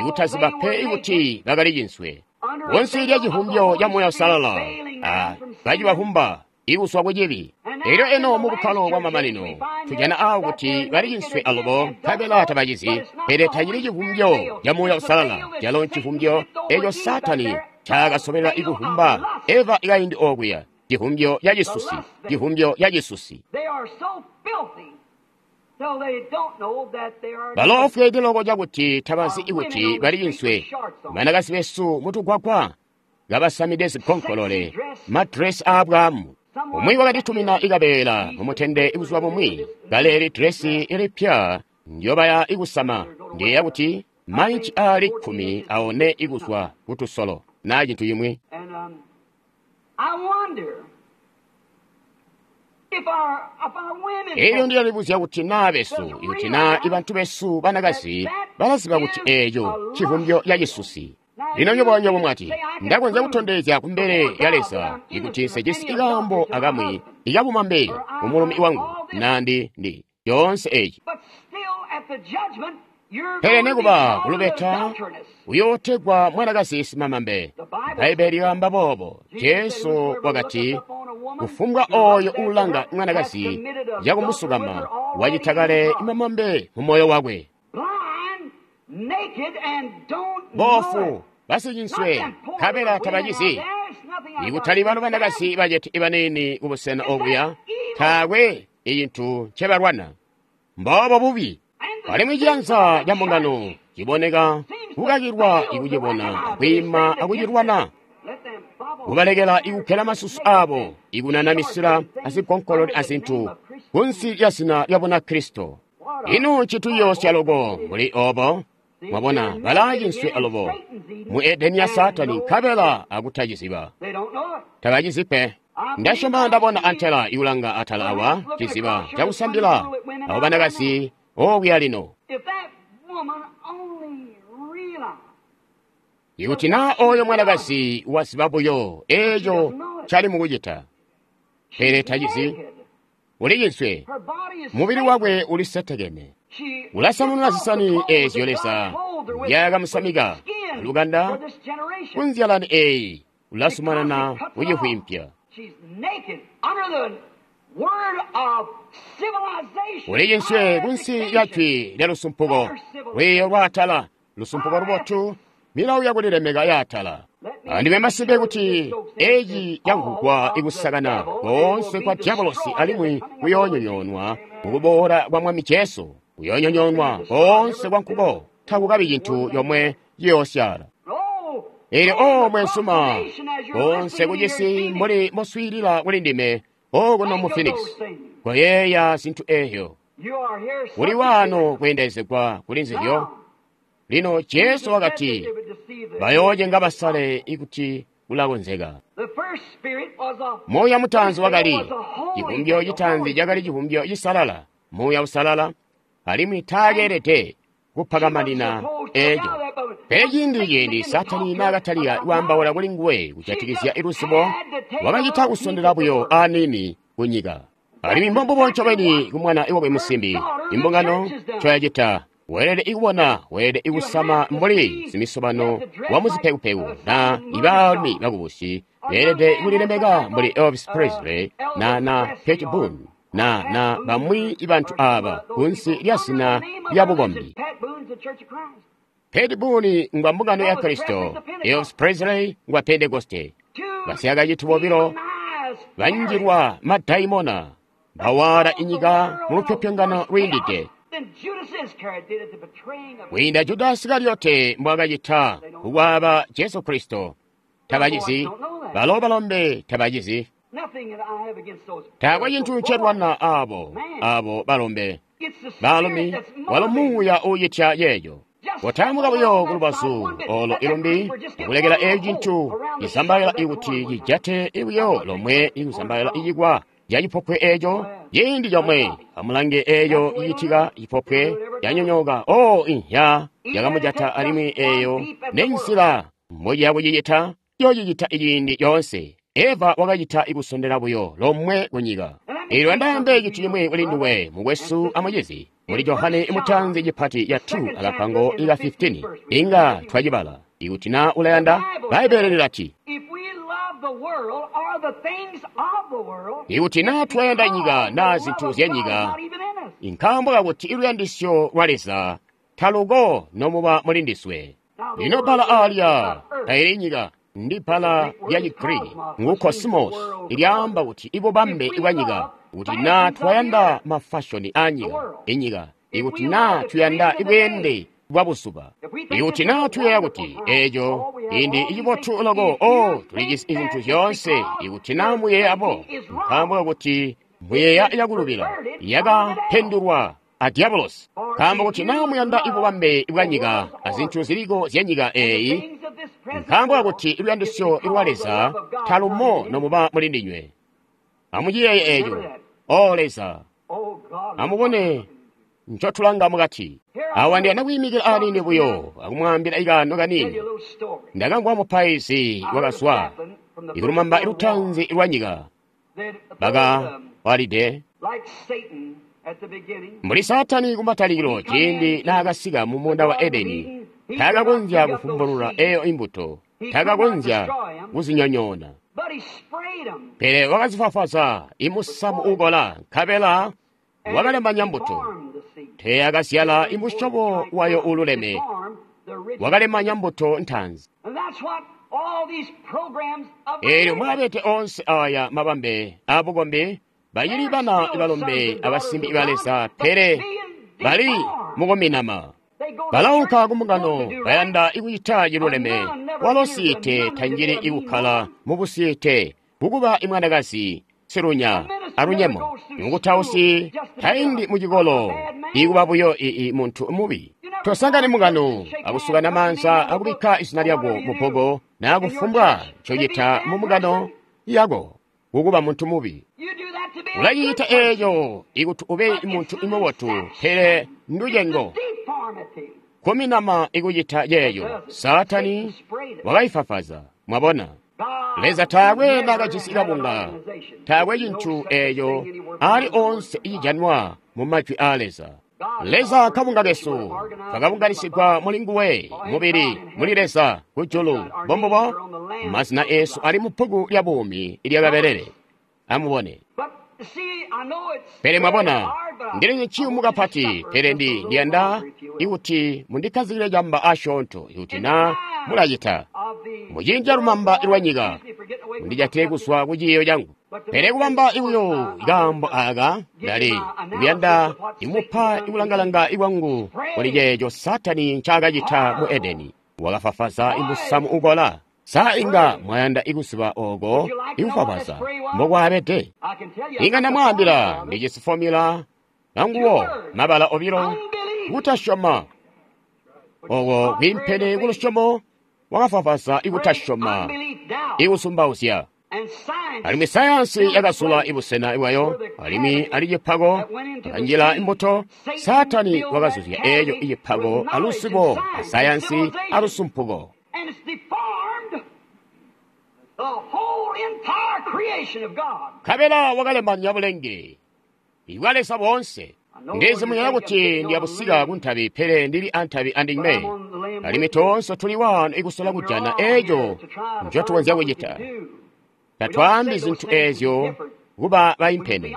ikutaziba pe ikuti bakali cinswe. Kunsi lya civumbyo ca Muuya Uusalala, a kacibavumba ikuswa ku cibi. Elyo eno mu bukkalo bwa mamanino, tujana awo kuti bali cinswe alubo nkabela tabacizi, pele tacili civumbyo ca Muuya Uusalala, calo ncivumbyo eco Saatani ncaakasobelela ikuvumba Eva ikaindi okuya, civumbyo ca cisusi, civumbyo ca cisusi. Baloofweede loko cakuti tabazi ikuti bali cinswe. Banakazi besu mutugwagwa kabasamide zigonkolole, madresi aabwaamu. Umwi wakatitumina ikabeela mumutende buzuba bumwi, kaleeli dresi ilipya ndyobaya ikusama, ndiyeeya kuti mainci aali kkumi aone ikuzwa kutusolo naa cintu cimwi. Elyo ndiyalibuzya kuti naa besu, ikuti naa ibantu besu banakazi balaziba kuti eeco civumbyo ca cisusi. Lino nywebo nywebo mwati, ndakonzya kutondezya kumbele ya Leza ikuti nsejisi ikaambo akamwi ikabumambe kumulumi wangu naa ndi ndi yoonse eci. Pele nekuba kulubeta uyootegwa mwanakazi simamambe. Bbaibbele lyaamba boobo. Jesu wakati, kufumbwa ooyo uulanga mwanakazi cakumusukama wacita kale mamambe mu moyo wakwe. Boofu basicinswe nkabela tabacizi. Ikutali bano banakazi bacete ibaniini kubusena obuya, taakwe icintu ncebalwana. Mboobo bubi. Alimwi ciyanza ca mbungano ciboneka kukakilwa ikucibona, kwiima akucilwana, kubalekela ikukkela masusu abo, ikunana misila azigonkolole azintu kunsi lya zina lya Bunakristo. Ino ncituyoosya loko mbuli obo? Mwabona, balaacinswe alubo mu Edeni ya Saatani nkabela akutaciziba. Tabacizi pe. Ndasyoma ndabona antela ikulanga atala awa ciziba cakusambila abo banakazi okuya lino. Ikuti naa oyo mwanakazi waziba buyo eeco cali mukucita, pele tacizi, uli cinswe, mubili wakwe ulisetekene. Ulasamununa zisani eezyo Leza nzyaakamusamika lukanda kunzyalani eeyi, ulasumanana kucivwimpya. Uli cinswe kunsi lya jwi lya lusumpuko, lwiiyo lwaatala, lusumpuko lubotu, milawo yakulilemeka yaatala. Andime masimpe kuti eci camvwugwa ikusakana koonse kwa dyabolosi alimwi kuyoonyonyoonwa mukuboola kwa Mwami Jesu. Kuyoonyonyoonwa koonse kwa nkuko, takukabi cintu yomwe ciyoosyaala. Eelyo o mwensuma, koonse kucisi mbuli moswiilila kuli ndime okuno mu Phoenix, koyeeya zintu eezyo. Kuli waano kweendelezegwa kuli nzizyo. Lino Jesu wakati, bayoocenga basale ikuti kulakonzeka. Muuya mutaanzi wakali civumbyo citaanzi cakali civumbyo cisalala, Muuya Usalala, alimwi taakeelede kupakamanina eeco. Pele ciindi ciindi Saatani naakatalika kwaambaula kuli nguwe kujatikizya luzibo, wakacita kusondela buyo aniini kunyika. Alimwi mbombubo ncobeni kumwana wakwe musimbi, imbungano ncoyacita. Weelede ikubona, weelede ikusama mbuli simisobano wa muzipekupeku na ibaalumi bakubusi beelede kulilemeka mbuli Elvis Presley na na Pat Boone na na bamwi bantu aba kunsi lya zina lya bukombi. Pat Boone ngwa mbungano ya Kristo, Elvis Presley ngwa Pentekoste. Basyakaciti bobilo banjilwa madaimona bawala inyika mu lupyopyongano lwiindide. Kwiinda Juda Isikariote mbwaakacita kukwaaba Jesu Kristo. Tabacizi, balo balombe tabacizi. Taakwe cintu ncelwana abo, abo balombe. Baalumi, walo muuya uucitya yeeyo. Kotaamuka buyo kulubazu olo ilumbi, akulekela eeco cintu cisambaila ikuti cijate buyo lomwe ikusambaila icikwa ca cipopwe eeco ciindi comwe. Amulange eeco cicitika cipopwe canyonyooka. O inhya yakamujata alimwi eeyo nenzila mbociya kucicita, yoocicita iciindi coonse. Eva wakacita ikusondela buyo lomwe kunyika. Eelyo ndaambe cintu cimwi kuli nduwe, mukwesu amucizi. Muli Johane mutanzi cipati ya two akapango ika fifteen, inga twacibala. Ikuti na ulayanda, Bbaibbele lilati, ikuti na twayanda nyika na zintu zya nyika, nkaambo kakuti iluyandisyo lwa Leza taluko nomuba muli ndiswe. Lino bbala aalya taili nyika, ndi bbala lya Chigriki ngu kosmos, ilyaamba kuti ibubambe bwa nyika. Kuti na twayanda mafashoni a nyika, inyika, ikuti na tuyanda ibweende bwa buzuba, ikuti na tuyeeya kuti eeco indi icibotu loko, o tulijisi izintu zyoonse, ikuti na muyeeya bo, nkaambo kakuti muyeeya yakulubila yakapendulwa a diabolosi. Nkaambo kuti na muyanda ibubambe bwa nyika azintu ziliko zya nyika eeyi, nkaambo kakuti luyandisyo lwa Leza talumo nomuba muli ndinywe. Amuciyeeye eeco. O Leza, amubone ncotulanga mukati. Awa ndiyanda kwiimikila aniini buyo akumwaambila ikaano kaniini. Ndakamvwa mupaizi wakazwa ikulumamba lutanzi lwa nyika bakawalide mbuli Saatani kumatalikilo ciindi naakasika mu muunda wa Edeni, taakakonzya kufumbulula eyo imbuto, taakakonzya kuzinyonyoona, pele wakazifafaza imusamu uukola, nkabela wakalemanya mbuto. Teeyakazyala imusyobo wayo uululeme, wakalemanya mbuto ntanzi. Eelyo mwabete onse aya mabambe abukombi, bacili bana balombe abasimbi ba Leza, pele bali mukuminama. Balaunka kumungano, bayanda ikucita ciluleme, walo siite tanjili ikukkala mubusiite, kukuba imwanakazi silunya alunyemo. Mukutausi taindi mucikolo, ikuba buyo ii muntu mubi. Tosangani mungano akusukana maanza akubikka izina lyako mubbogo naa kufumbwa ncocita mumungano yako, kukuba muntu mubi. Ulacita eeco ikuti ube muntu mubotu, pele nducengo. Kuminama ikucita ceeco, Saatani wakaifafaza. Mwabona, Leza taakwe naakajisi kabunga, taakwe cintu eeco ali onse icijanwa mu majwi aa Leza. Leza kabunga kesu, twakabunganisigwa muli nguwe, mubili, muli Leza, kujulu. Bombubo, mazina esu ali mu bbuku lya buumi ilyakabelele. Amubone. Pele mwabona, ndili ciyumu kapati, pele ndi ndiyanda ikuti mundikkazikile camba asyoonto, ikuti na mulacita. Muciindi ca lumamba lwa nyika, mundijatile kuzwa ku ciiyo cangu. Pele kubamba ibuyo ikaambo aka, ndali kuyanda imupa ikulangalanga ikwangu kuli ceeco Saatani ncaakacita mu Edeni. Wakafafaza imusamu ukola. Sa inga mwayanda ikuziba oko ikufafaza mbokwaabede? Inga ndamwaambila ndijisi fomula anguwo mabala obilo, kutasyoma. Oko kwiimpene kulusyomo, wakafafaza ikutasyoma, ikusumbauzya. Alimwi sayansi yakazula ibusena bwayo, alimwi ali cipako akanjila imbuto. Saatani wakazuzya eeco icipako alusibo asayansi alusumpuko. Nkabela wakalemanya bulenge bwa Leza boonse. Ndizi muyeeya kuti ndiyabusika kuntabi, pele ndili antabi andinywe. Alimwi toonse tuli waano ikusola kujana eeco ncotukonzya kucita. Tatwaambi zintu eezyo kuba baimpene.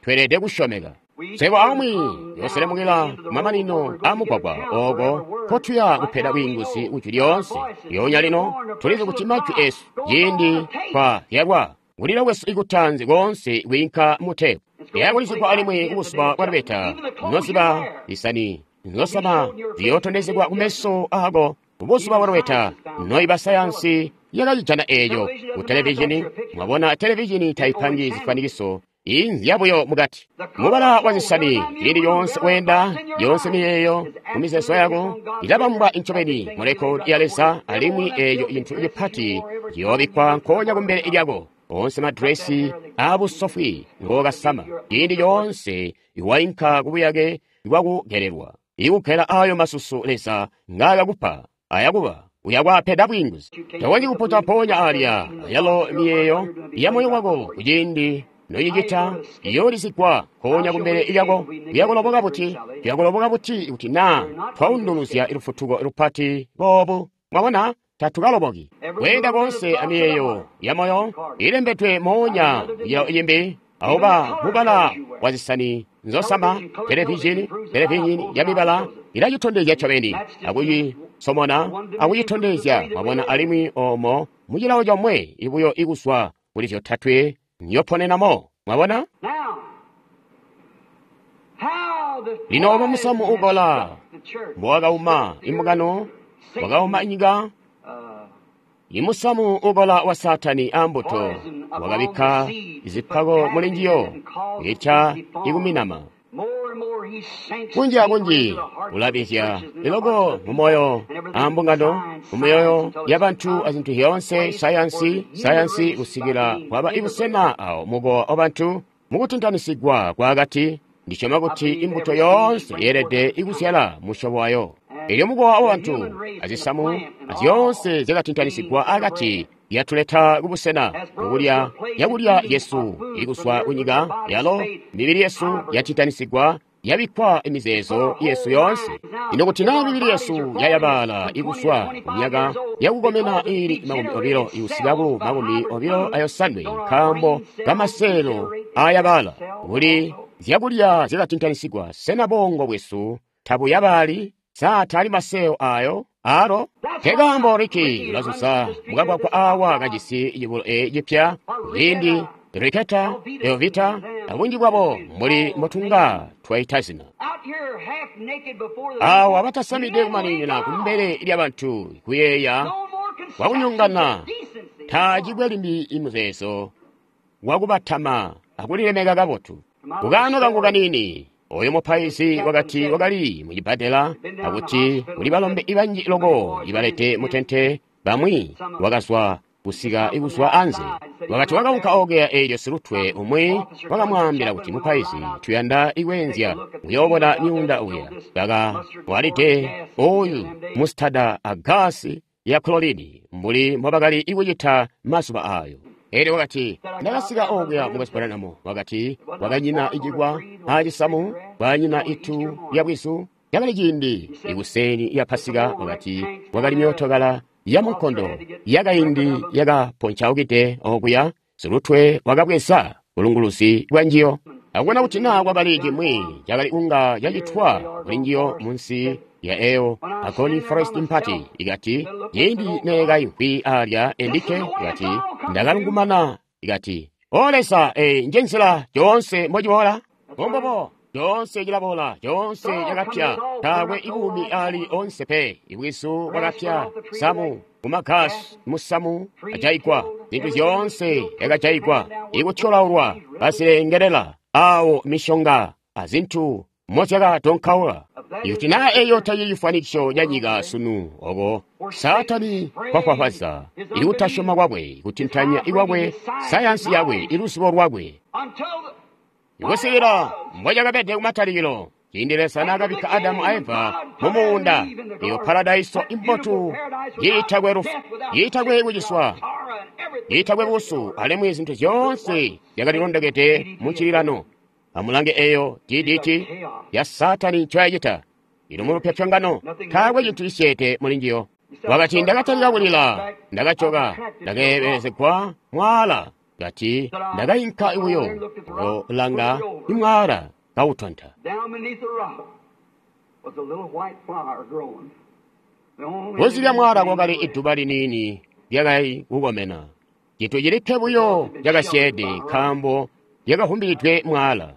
Tweelede kusyomeka. Swebo aumwi yooselemukila kumamanino aamugwagwa ooko nkotuya kupeda bwiinguzi kujwi lyoonse. Lyoonya lino tulizi kuti majwi esu ciindi twazyalwa, kulila kwesu ikutanzi koonse kwiinka muteepu. Liyakulizigwa alimwi kubuzuba bwa lubeta, noziba isani nzosama ziyootondezegwa kumeso aako kubuzuba bwa lubeta. Noiba sayansi yakacijana eeco ku televizhini. Mwabona, televizhini taipangi zifwanikiso, inzya buyo mukati. Mubala wa zisani ciindi yoonse weenda, yoonse miyeeyo mumizeezo yako ilabambwa incobeni mu rekodi ya Leza, alimwi eeco cintu cipati ciyoobikkwa nkoonya kumbele lyako. Onse madresi aabusofwi ngookasama ciindi coonse iwainka kubuyake bwakugelelwa, ikugela ayo masusu Leza ngaakakupa ayakuba uyakwaapeda bwiinguzi. Tokonzyi kuputa mpoonya alya ayalo miyeeyo ya moyo wako kuciindi Noyicita iyoolizigwa nkoonya kumbele lyako. Tuyakuloboka buti? Tuyakuloboka buti kuti naa twaunduluzya lufutuko lupati boobu? Mwabona, tatukaloboki. Kweenda koonse amiyeeyo ya moyo ilembedwe moonya kucilawo cimbi, auba mubala wa zisani nzosama, televizhini, televizhini ya mibala ilacitondezya ncobeni, akucisomona, akucitondezya. Mwabona, alimwi omo mucilawo comwe ibuyo ikuzwa kuli zyotatwe nyoponenamo. Mwabona? Lino obo musamu ukola mbowakauma imbungano, wakauma inyika. Imusamu ukola wa Saatani ambuto wakabikka zipako muli njiyo kucita ikuminama. Kunji akunji ulabizya iloko mumoyo ambungano, mumyoyo yabantu azintu zyoonse, sayansi, sayansi kusikila kwaba ibusena awo mukowa wabantu mukutintanisigwa kwakati. Ndisyoma kuti imbuto yoonse yeelede ikuzyala musyobo wayo. Elyo mukowa wabantu azisamu azyoonse zyakatintanisigwa akati yatuleta kubusena mukulya yakulya yesu ikuswa kunyika yalo mibili yesu yatintanisigwa yabikkwa imizeezo yesu yoonse. Ino kuti naa mibili yesu yayabala ikuswa kumyaka yakukomena iili makumi obilo ikusika ku makumi obilo ayosanwe nkaambo kamaseelo aayabala kuli zyakulya zyakatintanisigwa, sena bongo bwesu tabuyabali? Sa tali maseelo ayo alo? Nkekaambo Ricky ulazuza mukagwagwa awa kajisi cibulo e cipya kuciindi Riketa, Elvita, abunji bwabo mbuli mbotunga twaita zina. Awa batasamide kumaninina kumbele lyabantu kuyeeya kwakunyongana, tacikwe limbi imuzeezo wakubatama akulilemeka kabotu. Kukaano kangu kanini, oyo mupaizi wakati wakali mucibbadela akuti kuli balombe ibanji loko ibalete mutente, bamwi wakazwa kusika ikuzwa anze. Wakati wakaunka okuya eelyo silutwe umwi wakamwaambila kuti, mupaizi, tuyanda ikwenzya uyoobona myuunda uya. Baka walide oyu mustada a gasi ya chloride mbuli mbobakali ikucita mazuba ayo. Elyo wakati, ndakasika okuya mukwesu Branham. Wakati kwakanyina icikwa acisamu, kwanyina itu lya bwizu. Cakali ciindi ikuseni ya Pasika. Wakati kwakali myootokala ya munkondo yakaindi yakaponcaukide okuya. Silutwe wakabweza bulunguluzi bwa njiyo akubona kuti naa kwakali cimwi cakali kunga cacitwa kuli njiyo munsi ya eyo Agoni Forest Mpati. Ikati ciindi neekaimvwi alya endikke, ikati ndakalungumana, ikati o Leza, eyi nje nzila yoonse mbociboola. Bombobo coonse cilaboola, coonse cakapya, taakwe ibuumi ali onse pe. Ibwizu bwakapya, samu mumagasi, musamu ajaigwa, zintu zyoonse yakajaigwa, ikutyolaulwa, bazilengelela awo mishonga azintu mozyakatonkaula. Ikuti naa eyo tacili cifwanikiso ca nyika sunu, oko Saatani kwafwafwaza ikutasyoma kwakwe, kutintanya ikwakwe, sayansi yakwe, iluzibo lwakwe, ikusikila mbocakabede kumatalikilo ciindi Leza naakabikka Adamu a Eva mu muunda, iyo paradaiso imbotu yiitakwe lufu, yiitakwe kuciswa, yiitakwe busu, alimwi zintu zyoonse zyakalilondokede mu ncililano. Amulange eyo D D T ya Saatani ncoyacita. Ino mulupyopyongano, taakwe cintu cisyeede muli njiyo. Wakati ndakatalika kulila, ndakacoka, ndakeebelezegwa mwaala. Kati ndakainka buyo kulanga imwaala kautonta. Kunsi lya mwaala kwakali iduba liniini lyakali kukomena. Cintu cilikke buyo cakasyeede nkaambo lyakavumbilidwe mwaala.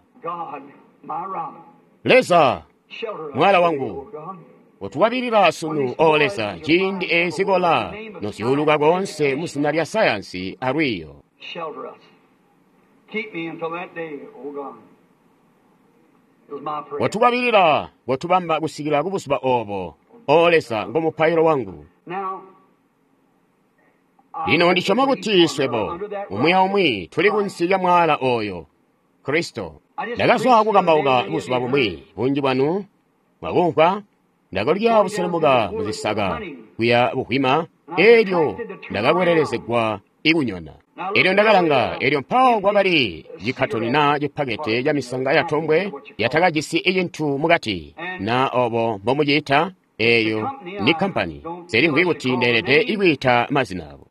Leza, mwaala wangu, utuwabilila sunu, o Leza, ciindi eezikola nozyuuluka koonse mu zina lya sayansi alwiiyo. Watukwabilila, watubamba kusikila kubuzuba obo, o Leza, ngo mupailo wangu. Lino ndisyoma kuti swebo umwi aumwi tuli kunsi lya mwaala oyo, Kristo. Ndakazwa kukambauka buzuba bumwi, bunji bwanu mwakumvwa. Ndakalya buselemuka muzisaka kuya buhwima, elyo ndakakwelelezegwa ikunyona. Elyo ndakalanga, elyo mpawo kwakali cikatoni na cipakete ca misanga ya tombwe yatakajisi cintu mukati, na obo mbomuciita. Eyo ni kampani. Selimvwi kuti ndeelede ikwiita mazina abo.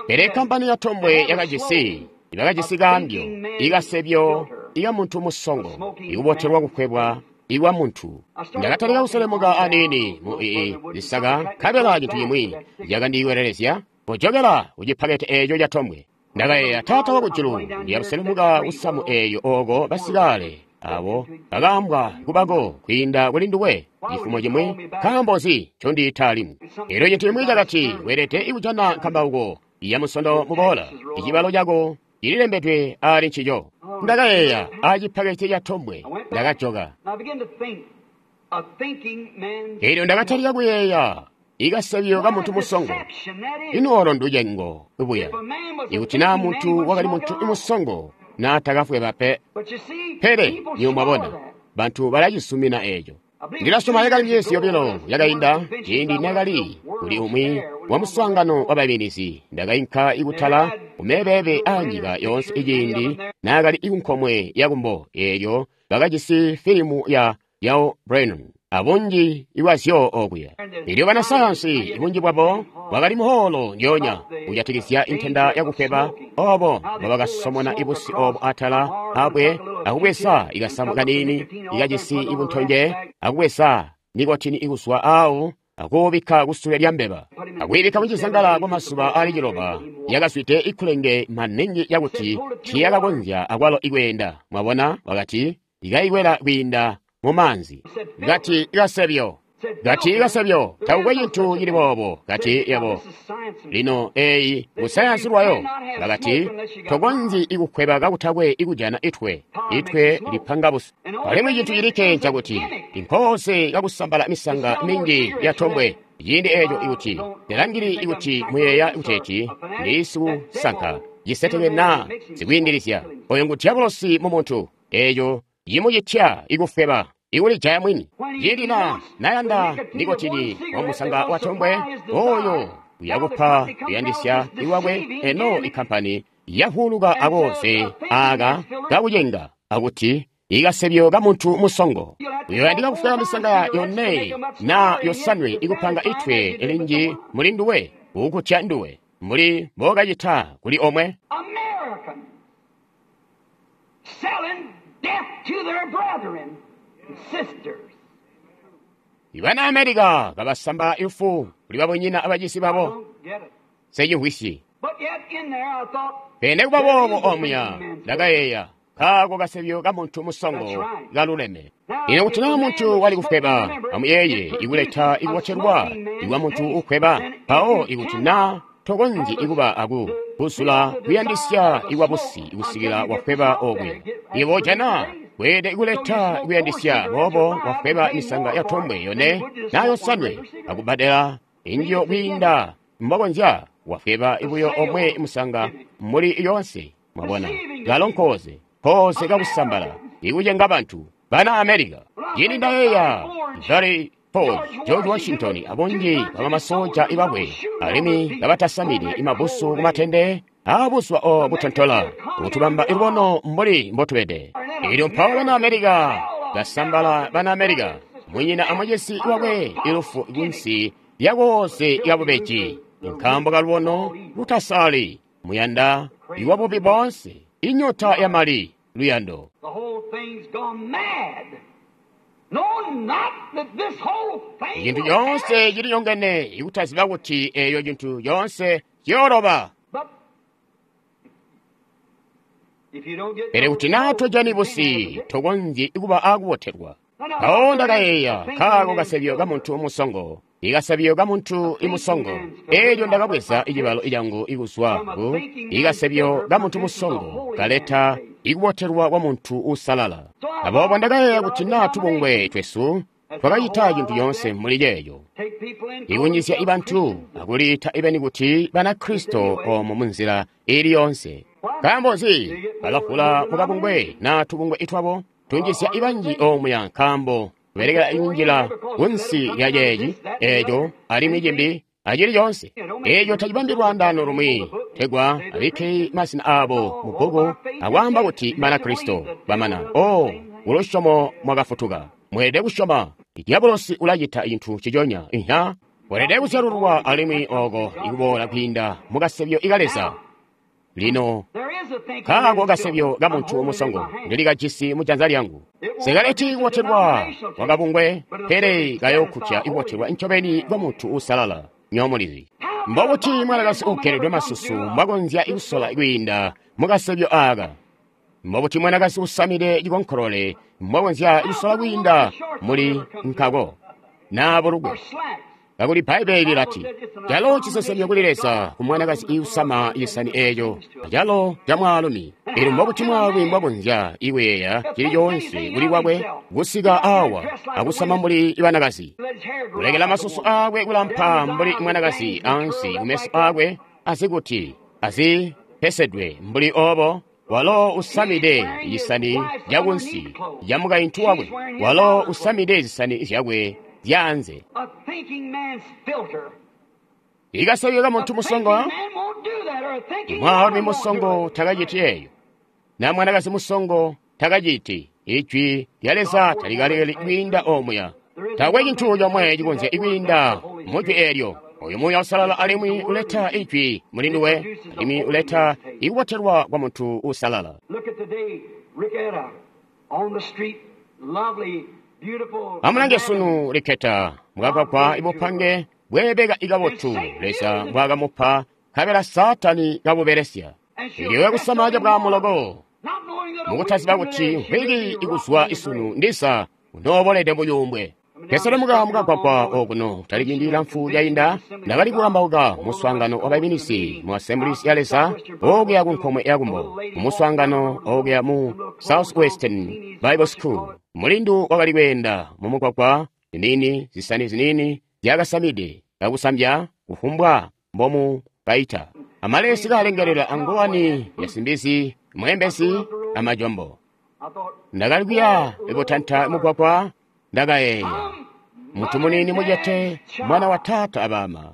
Pele kampani ya tombwe yakajisi, ibakajisi kaambyo, ikasebyo, ika muntu musongo, ikubotelwa kukwebwa iwa muntu. Ndakatalika kuselemuka aniini mu ii zisaka, nkabela cintu cimwi cakandiwelelezya kujokela kucipakete eeco ca tombwe. Ndakayeeya, Taata wakujulu, ndiyakuselemuka kusamu eeyo oko basikale abo bakaambwa kubako kwiinda kuli nduwe cifumo cimwi, nkaambo nzi ncondiita alimwi? Elyo cintu cimwi cakati, weelede ikujana nkambauko ya musondo muboola, icibalo cako cililembedwe ali ncico. Ndakayeeya acipakete ca tombwe, ndakajoka. Elyo ndakatalika kuyeeya ikasebyo ka muntu musongo. Ino olo nducengo buya. Ikuti naa muntu wakali muntu musongo, naatakafweba pe. Pele niyo mwabona, bantu balacisumina eeco. Ndilasyoma yakali myezi yobilo yakainda, ciindi nakali kuli umwi wa muswaangano wa baiminizi, ndakainka ikutala kumeebeebe aanyika yoonse iciindi naakali ikunkomwe yakumbo eelyo bakajisi filimu ya Yao Brennan abunji ibwazyo okuya. Elyo banasayansi bunji bwabo bwakali muholo ndyoonya kujatikizya intenda yakukweba obo mbobakasomona ibusi obo atala abwe akubweza ikasamu kaniini ikajisi ibuntonje akubweza nikotini ikuzwa awo akuubikka kusule lya mbeba akwiibikka mucizangala kwa mazuba ali ciloba. Yakazwide ikulenge maningi yakuti tiyakakonzya akwalo ikweenda. Mwabona, wakati ikaikwela kwiinda mumaanzi. Kati ikasebyo, kati ikasebyo, takukwe cintu cili boobo. Kati yabo lino eyi musayansi lwayo bakati tokonzyi ikukweba kakutakwe ikujana itwe itwe lipanga busu. Alimwi cintu cilikke ncakuti inkoose kakusambala misanga mingi ya tombwe ciindi eeco ikuti telangili ikuti muyeeya kuteeti ndi sikusanka ciseteke naa sikwiindilizya oyo ngu diabolosi mu muntu. Eeco yimucitya ikufweba ikulijaya mwini. Ciindi na nayanda nikotini wamusanga wa tombwe oyo uyakupa kuyandisya iwakwe. Eno ikampani yahuluka akoze aka kakucenga akuti ikasebyo ka muntu musongo. Uyoyandika kufweba misanga yone na yosanwe ikupanga itwe elinji muli nduwe ukutya nduwe muli mbokacita kuli omwe. Ibana Amerika kabasamba ifu kuli babonyina abacisi babo secimvwisyi. Pene kuba boobo omuya ndakayeeya kaako kasebyo ka muntu musongo kaluleme. Ino kuti naa muntu wali kufweba, amuyeeye ikuleta ikubotelwa ikwa muntu ukweba. Mpawo ikuti naa tokonzyi ikuba aku kuzula kuyandisya ikwabusi ikusikila wafweba okuya. Ibo jana weelede ikuleta kuyandisya boobo wafweba misanga ya tombwe yone na yosanwe akubadela injiyo kwiinda mbokonzya wafweba ibuyo omwe musanga muli yonse. Mwabona galo nkoze koze kakusambala ikucenga bantu bana Amerika. Yini ndayeeya Very Ford, George Washington abunji bamamasoja ibakwe alimwi kabatasamide imabusu kumatende abuswa o butontola kutubamba ilubono mbuli mbotubede. Elyo mpawo bana Amerika basambala bana Amerika munyina amwecesi wakwe ilufu kunsi lyakoze lyabubeji nkaambo kalubono lutasali muyanda iwabubi bonse inyota ya mali luyando. Cintu coonse cilinyongene ikutaziba kuti eyo cintu coonse ciyooloba. Pele kuti naa tojani busi tokonzyi kuba akubotelwa. Mpawo ndakayeeya kaako kasebyo ka muntu musongo, ikasebyo ka muntu imusongo. Elyo ndakabweza icibalo cangu ikuzwa ku ikasebyo ka muntu musongo kaleta ikubotelwa kwa muntu usalala. Aboobo ndakayeeya kuti naa tubungwe twesu twakacita cintu coonse muli ceeco, ikunyisya ibantu akuliita ibeni kuti Banakristo omo munzila ili yonse. Nkaambo nzi balafula mukabungwe naa tubungwe itwabo tunjisya ibanji omuya nkaambo kubelekela injila kunsi lya ceeci eeco alimwi cimbi Acili coonse. Eeco tacibambi lwaandaano lumwi, tegwa abikke mazina aabo mu bbuku akwaamba kuti Banakristo bamana. Oh, kulusyomo mwakafutuka. Mweelede kusyoma. Diabolosi ulacita cintu ciconya. Iha. Weelede kuzyalululwa alimwi oko ikuboola kwiinda mukasebyo ika Leza. Lino, kaako kasebyo ka muntu musongo ndilikajisi mujanza lyangu. Sikaleti kubotelwa kwakabungwe, pele kayookutya ikubotelwa ncobeni kwa muntu uusalala. Nyomulizi. Mbobuti mwanakazi uugeledwe masusu mbwakonzya kusola kwiinda mukasebyo aaka? Mbobuti mwanakazi usamide cikonkolole mbwakonzya kusola kwiinda muli nkako? Naa bulugwe. Kakuli Bbaibbele lilati, calo cisesemyo kuli Leza ku mwanakazi iusama cisani eeco, calo ca mwaalumi. Elyo mbobuti mwaalumi mbwakonzya ikuyeeya cili coonse kuli kwakwe kusika awa akusama mbuli banakazi, kulekela masusu aakwe kulampa mbuli mwanakazi ansi kumeso aakwe azikuti azipesedwe mbuli obo. Walo usamide cisani cakunsi ca mukaintu wakwe, walo usamide zisani zyakwe zyaanze. Ikasebyo ka muntu musongo, mwaalumi musongo takaciti eeyo, na mwanakazi musongo takaciti. Ijwi lya Leza talikalekeli kwiinda omuya. Taakwe cintu comwe cikonzya kwiinda mujwi eelyo. Oyu Muuya Uusalala alimwi uleta ijwi muli nduwe, alimwi uleta ikubotelwa kwa muntu uusalala. Amulange sunu Ricketta mwakagwagwa ibupange bweebeka ikabotu Leza mbwaakamupa, nkabela Saatani kabubelesya. Ilyo kusama cabwamuloko, mukutaziba kuti mvwiki ikuzwa isunu ndisa unoobolede muyumbwe. Keselemuka mukagwagwa okuno tali ciindi cilamfu cainda, ndakali kukambauka muswaangano wa bayiminisi mu Assemblies ya Leza okuya ku nkomwe ya kumbo, mumuswaangano okuya mu Southwestern Bible School. Mulindu wakali kweenda mumugwagwa, ziniini zisani ziniini zyakasamide kakusambya kufumbwa mbomu kaita. Amalesi kalengelela angowani yasimbizi, mwembesi amajombo. Ndakali kuya ibutanta mugwagwa, ndakayeeya muntu muniini mucete, mwana wa taata abama,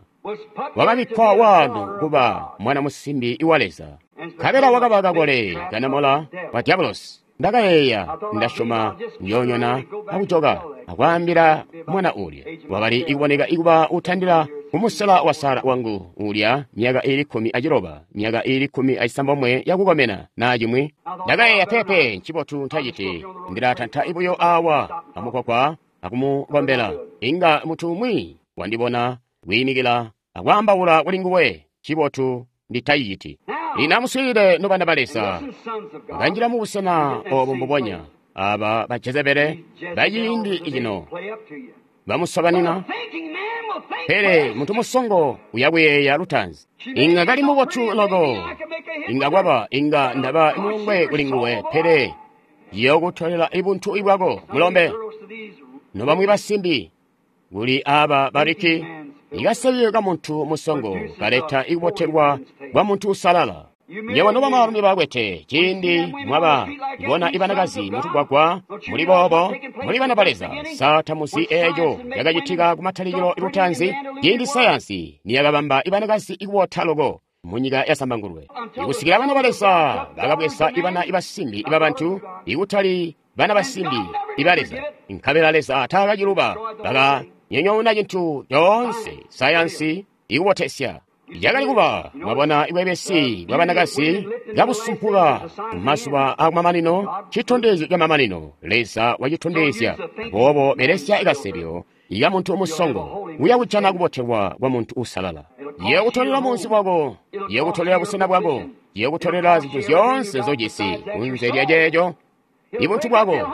wakabikkwa waano kuba mwana musimbi wa Leza, nkabela wakaba kakole kanamola wa diabolosi. Ndakayeeya, ndasyoma njoonyona akujoka akwaambila mwana uulya wakali ikuboneka ikuba utandila kumusela wa Sara wangu uulya myaka iili kkumi aciloba, myaka iili kkumi acisambomwe yakukomena naa cimwi. Ndakayeeya, pepe ncibotu ntaciti, ndilatanta ibuyo awa amugwagwa akumukombela. Inga muntu umwi wandibona kwiimikila akwaambaula kuli nguwe, ncibotu nditaciciti. Lino amuswiilile nobana ba Leza, bakanjila mubusena obo mbubonya aba ba Jezebele baciindi cino bamusobanina. Pele muntu musongo uyakuyeeya lutaanzi. Inga kali mubotu loko, inga kwaba, inga ndaba mulongwe kuli nguwe, pele yokutolela ibuntu ibwako mulombe. Nobamwi basimbi kuli aba bariki, ikasebyo ka muntu musongo kaleta ikubotelwa kwa muntu usalala. Nyewe nobamaalumi bakwete, ciindi mwaba bona ibanakazi mutugwagwa muli boobo, muli bana ba Leza, sa tamuzi eeco yakacitika kumatalikilo lutaanzi, ciindi sayansi niyakabamba ibanakazi ikubota loko munyika yasambangulwe. Ikusikila bana ba Leza bakabweza ibana ibasimbi ibabantu, ikutali bana basimbi iba Leza. Nkabela Leza taakaciluba, bakanyonyoona cintu coonse sayansi ikubotesya. Yakali kuba mwabona ibwebesi bwa banakazi kabusumpuka mazuba akumamanino, citondezyo camamanino Leza wacitondezya. Aboobo belesya ikasebyo ika muntu musongo, uya kujana kubotelwa kwa muntu usalala. Yeekutolela munzi bwako, yeekutolela busena bwako, yeekutolela zintu zyoonse zojisi kunze lya ceeco ibuntu bwako.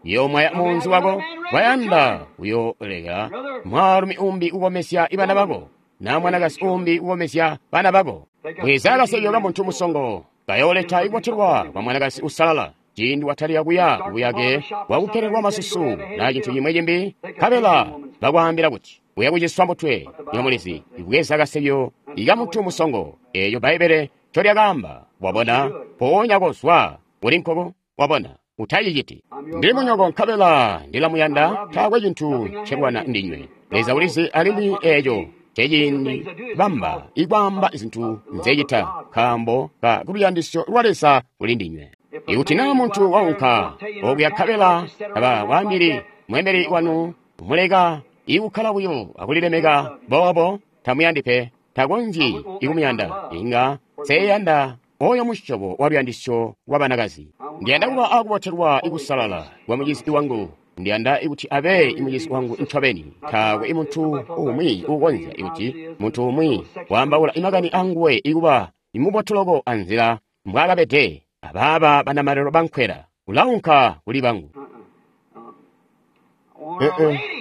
Yoomwaya munzi wako, wayanda uyooleka mwaalumi umbi kukomesya ibana bako, na mwanakazi umbi kukomesya bana bako. Bweza kasebyo ka muntu musongo kayooleta ikubotelwa kwa mwanakazi usalala. Ciindi watalika kuya kubuyake bwakukelelwa masusu na cintu cimwe cimbi, nkabela bakwaambila kuti uya kuciswa mutwe. Nyomulizi ibweza kasebyo ika muntu musongo, eeyo Bbaibbele ncolyakaamba. Wabona, mpoonya kozwa uli nkoko. Wabona, utaciciti. Ndili munyoko nkabela ndilamuyanda, taakwe cintu ncelwana ndinywe. Leza ulizi alimwi eeco Nceciindi bamba ikwaamba zintu nzecita nkaambo ka kuluyandisyo lwa Leza kuli ndinywe. Ikuti naa muntu waunka okuya nkabela taba kwaambili mweembeli wanu muleka ikukkala buyo akulilemeka boobo, tamuyandi pe, takonzyi ikumuyanda. Inga nseyanda oyo musyobo wa luyandisyo lwa banakazi. Ndiyanda kuba akubotelwa ikusalala kwa mucizi wangu. Ndiyanda ikuti abe imucizi wangu ncobeni. Taakwe muntu umwi uukonzya ikuti muntu umwi waambaula imakani anguwe ikuba imubotuloko anzila mbwaakabede abaaba banamalelo bankwela. Ulaunka kuli bangu.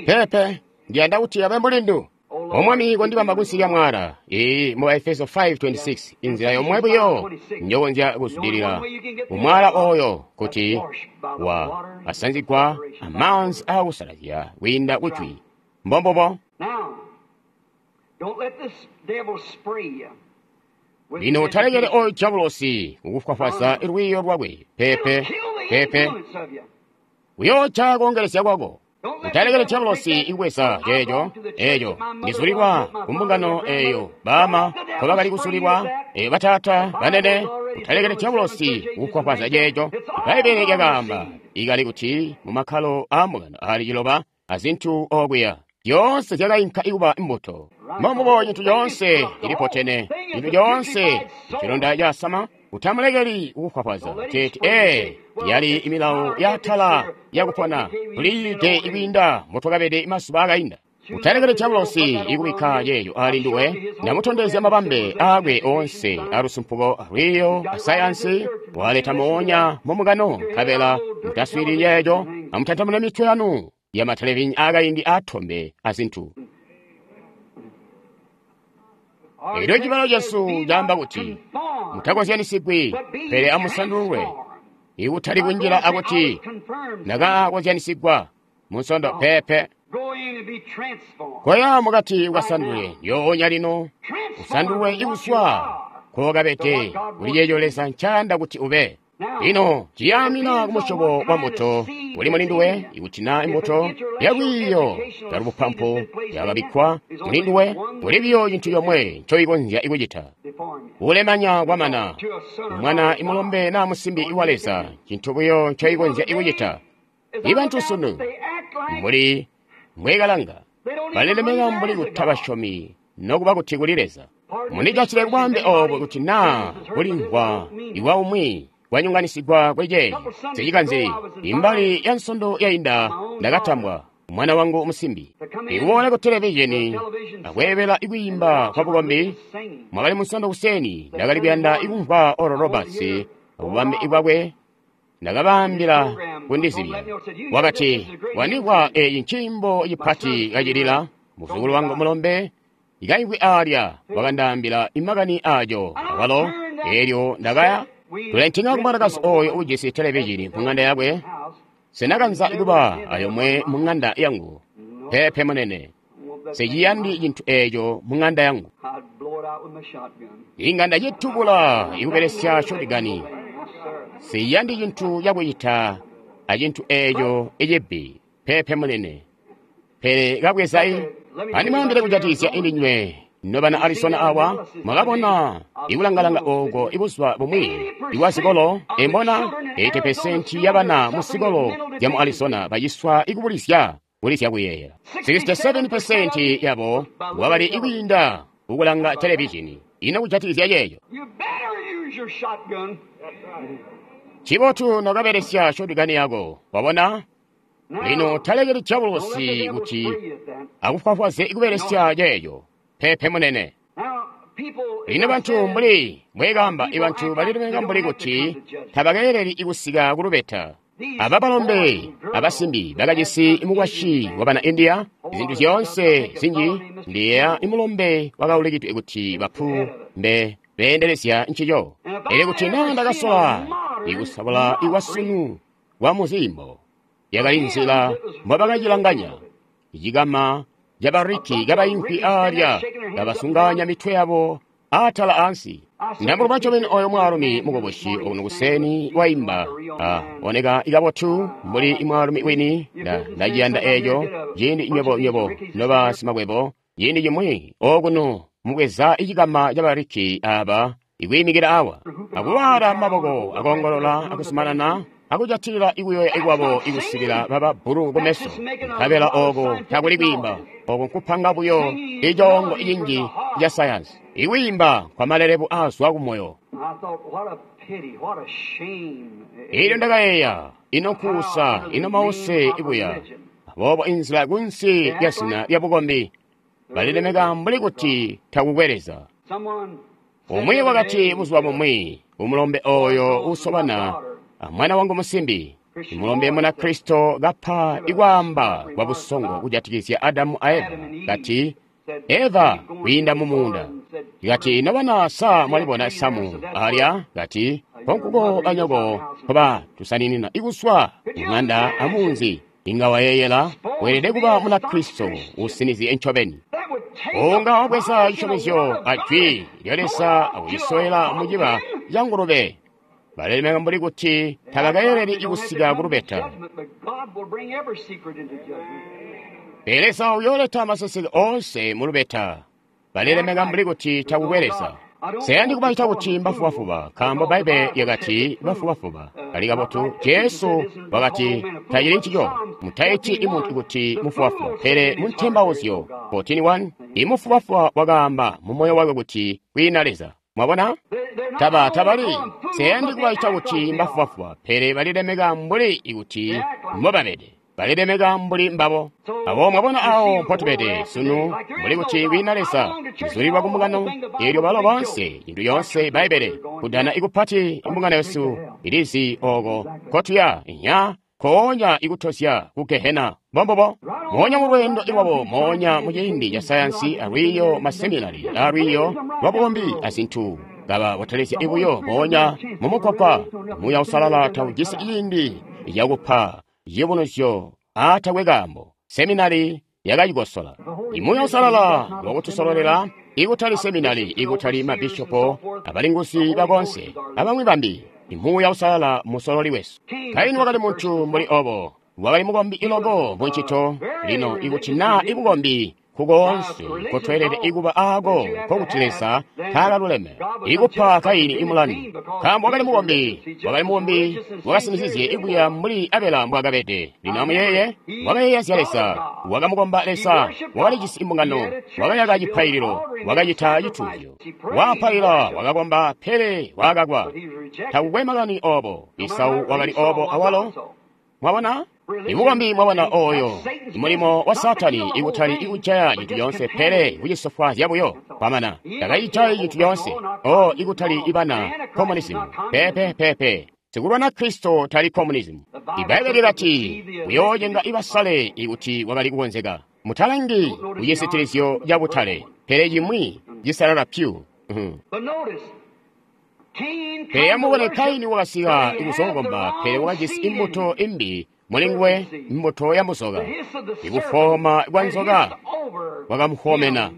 Pepe, ndiyanda kuti abe mulindu. Omwami kondibamba kunsi lya mwala. Iyi mu Efeso five twenty-six, inzila yomwe buyo njokonzya kuzwidilila umwala oyo kuti wa asanzigwa amaanzi akusalazya kwiinda kujwi. Mbombobo. Lino utalekele oyo diabolosi kukufwafwaza lwiyo lwakwe. Pepe, pepe, uyoca koongelesya kwako. Utalekele diabolosi ikubweza ceeco eco ndizulilwa kumbungano eyo baama nkobakali kuzulilwa, eyo bataata banene. Utalekele diabolosi kukufwafwaza ceeco. Ibbaibbele lyakaamba ikali kuti mu makkalo aambungano aali ciloba azintu okuya zyoonse zyakainka ikuba imbuto. Mbombubo cintu coonse cilipotene, cintu coonse cilonda casama. Utamulekeli kukufwafwaza teti ee yali imilawo yatala yakupona tuliide ikwiinda mbotwakabede mazuba akainda. Utalekele diabolosi ikubikka yeeyo ali nduwe. Ndamutondezya mabambe aakwe oonse alusumpuko alwiiyo asayansi waleta moonya mumukano, nkabela mutaswiilili yeeco. Amutantamune mitwe yanu ya matelevinya akaindi atombe azintu. Elyo cibalo cesu caamba kuti mutakozyanisigwi, pele amusandulwe. Ikutali kunjila akuti ndakakozyanisigwa munsondo. Pepe, koya mukati ukasandulwe ndyonya lino, usandulwe ikuswa kokabede kuli ceeco Leza ncayanda kuti ube. Lino ciyaamina kumusyobo wa mbuto uli mulinduwe. Ikuti naa imbuto yalwiiyo yalubupampu yakabikkwa mulinduwe, kuli biyo cintu comwe ncoikonzya ikucita. Kulemanya kwamana mwana imulombe naa musimbi wa Leza, cintu buyo ncoikonzya ikucita. Ibantu sunu mbuli mbwekalanga balilemeka mbuli kutabasyomi nokuba kuti kuli Leza. Mundijatile kubambe oobo kuti naa kulimvwa iwa umwi kwanyonganisigwa kweje sicikanzi. Imbali ya nsondo yainda ndakatambwa mwana wangu musimbi ikuboola ku televizheni akweebela ikwiimba kwa bukombi. Mwakali munsondo kuseni ndakali kuyanda ikumvwa Oral Roberts akubambe ikwakwe. Ndakabaambila kundizibya. Wakati wandimvwa eyi nciimbo cipati kacilila. Muzukulu wangu mulombe ikaimvwi alya wakandaambila imakani ajo awalo. Elyo ndakaya tulentinga kumwanakazi oyo ujisi televizhini mung'anda yakwe. Sinakanza kuba ayomwe mung'anda yangu. Pepe munene, siciyandi cintu eco mung'anda yangu. Inga ndacitubula ikubelesya shotgani. Siyandi cintu cakucita acintu eco icibbi. Pepe munene, pele kabwezai. Andimwaambile kujatikizya indinywe nobana Arizona awa, mwakabona ikulangalanga oko ibuzuba bumwi iwa zikolo embona eighty percent yabana mu zikolo zya mu Arizona baciswa ikubulizya kulizya kuyeeyela. sixty-seven percent yabo wakali ikwiinda ukulanga televizhini. Ino kujatikizya yeeyo cibotu nokabelesya shotgani yako. Wabona? Lino talekeli diabolosi kuti akufwafwaze ikubelesya yeeyo. Pepe munene. Lino bantu mbuli mbwekamba, ibantu balilemeka mbuli kuti tabakeeleli ikusika kulubeta. Aba balombe abasimbi bakajisi mukwasyi wabana India, zintu zyoonse zinji. Ndiyeeya imulombe wakaulikidwe kuti bapu mbe beendelezya ncico. Elyo kuti naa ndakasola ikusabola ikwasunu kwa muzimbo, yakali nzila mbobakacilanganya. Cikama cabariki kabaimvwi alya kabasunganya mitwe yabo atala ansi. Ndamuluma ncobeni oyo mwaalumi mukubusi okuno kuseni waimba oneka ikabotu mbuli mwaalumi wini. Ndaciyanda eco ciindi nywebo nywebo noba simakwebo Ciindi cimwi okuno mubweza icikama cabariki aba ikwiimikila awa akuwala maboko akoongolola akusumanana akujatilila ikuyoya ikwabo ikusikila baba bbulu kumeso nkabela oko takuli kwiimba oko nkupanga buyo icoongo icinji ca sayansi ikwiimba kwa malelebu azwa kumoyo. Elyo ndakayeeya, ino nkuusa, ino mause ibuya. Aboobo inzila kunsi lya zina lya bukombi balilemeka mbuli kuti takukwe Leza. Umwi wakati buzuba bumwi umulombe oyo usobana mwana wangu musimbi, mulombe Munakristo kapa ikwaamba kwa busongo kujatikizya Adamu a Eva, kati Eva kwiinda mu muunda, kati ino bana sa mwalibona samu alya, kati konkuko anyoko koba tusaninina ikuswa mung'anda amunzi. Inga wayeeyela weelede kuba Munakristo usinizye ncobeni unga wabweza cisyomezyo a jwi lya Leza akucisowela muciba ca ngulube. Balilemeka mbuli kuti tabakayeleli ikusika kulubeta. Pele Leza uyooleta maseseke oonse mulubeta. Balilemeka mbuli kuti takukwe Leza. Seyandi kubacita kuti mbafubafuba, nkaambo Bbaibbele lyakati bafubafuba kali kabotu. Jesu wakati tacili ncico, mutaiti imuntu kuti mufubafuba, pele muntembauzyo fourteen one imufubafuba wakaamba mu moyo wakwe kuti kwiina Leza. Mwabona? Taba tabali seyandi kubacita kuti mbafubafuba, pele balilemeka mbuli kuti mbobabede. Balilemeka mbuli mbabo. Abo mwabona awo mpotubede sunu mbuli kuti kwiina Leza izulilwa kumbungano eelyo balo bonse cintu yoonse Bbaibbele kudana ikupati imbungano yesu ilizi oko kotuya inya koonya ikutozya ku Gehena. Mbombobo moonya mu lweendo ilwabo, moonya mu ciindi ca sayansi alwiiyo maseminari alwiiyo lwabukombi azintu kaba botelezya ibuyo moonya mu mukwakwa. Muuya Usalala taujisi ciindi cakupa ciyubunuzyo aatakwe kaambo. Seminari yakacikosola. Imuuya Usalala wakutusololela ikutali seminari, ikutali mabishopo, abalinguzi bakonse abamwi bambi. Imuuya Usalala musololi wesu. Kaini wakali muntu mbuli obo, wakali mukombi iloko muncito. Lino ikuti naa ibukombi kukoonse nkotweelede ikuba aako nkokuti Leza taakaluleme ikupa Kaini imulandu, nkaambo wakali mukombi, wakali mukombi wakasinizizye ikuya mbuli Abela mbwaakabede. Lino amuyeeye, wakayeeya zya Leza, wakamukomba Leza, wakalijisi imbungano, wakayaka cipaililo, wakacita cituuzyo, wapaila, wakakomba, pele wakakwa. Takukwe makani obo. Isau wakali obo awalo. Mwabona? Ibukombi mwabona oyo mulimo wa Satani ikutali ikujaya cintu yoonse, pele kucisofwaazya buyo. Kwamana takayijayi cintu yoonse. O ikutali ibana communism. Pepe pepe sikulwana Kristo tali communism. Ibaibbele lyakati uyoocenga ibasale ikuti wakali kukonzeka. Mutalangi kucisitilizyo ca butale, pele cimwi cisalala pyu. Pele amubone Kaini wakasika ikuzokomba, pele wakajisi imbuto imbi mulinguwe, imbuto ya muzoka. Ikufoma kwa nzoka kwakamuhomena,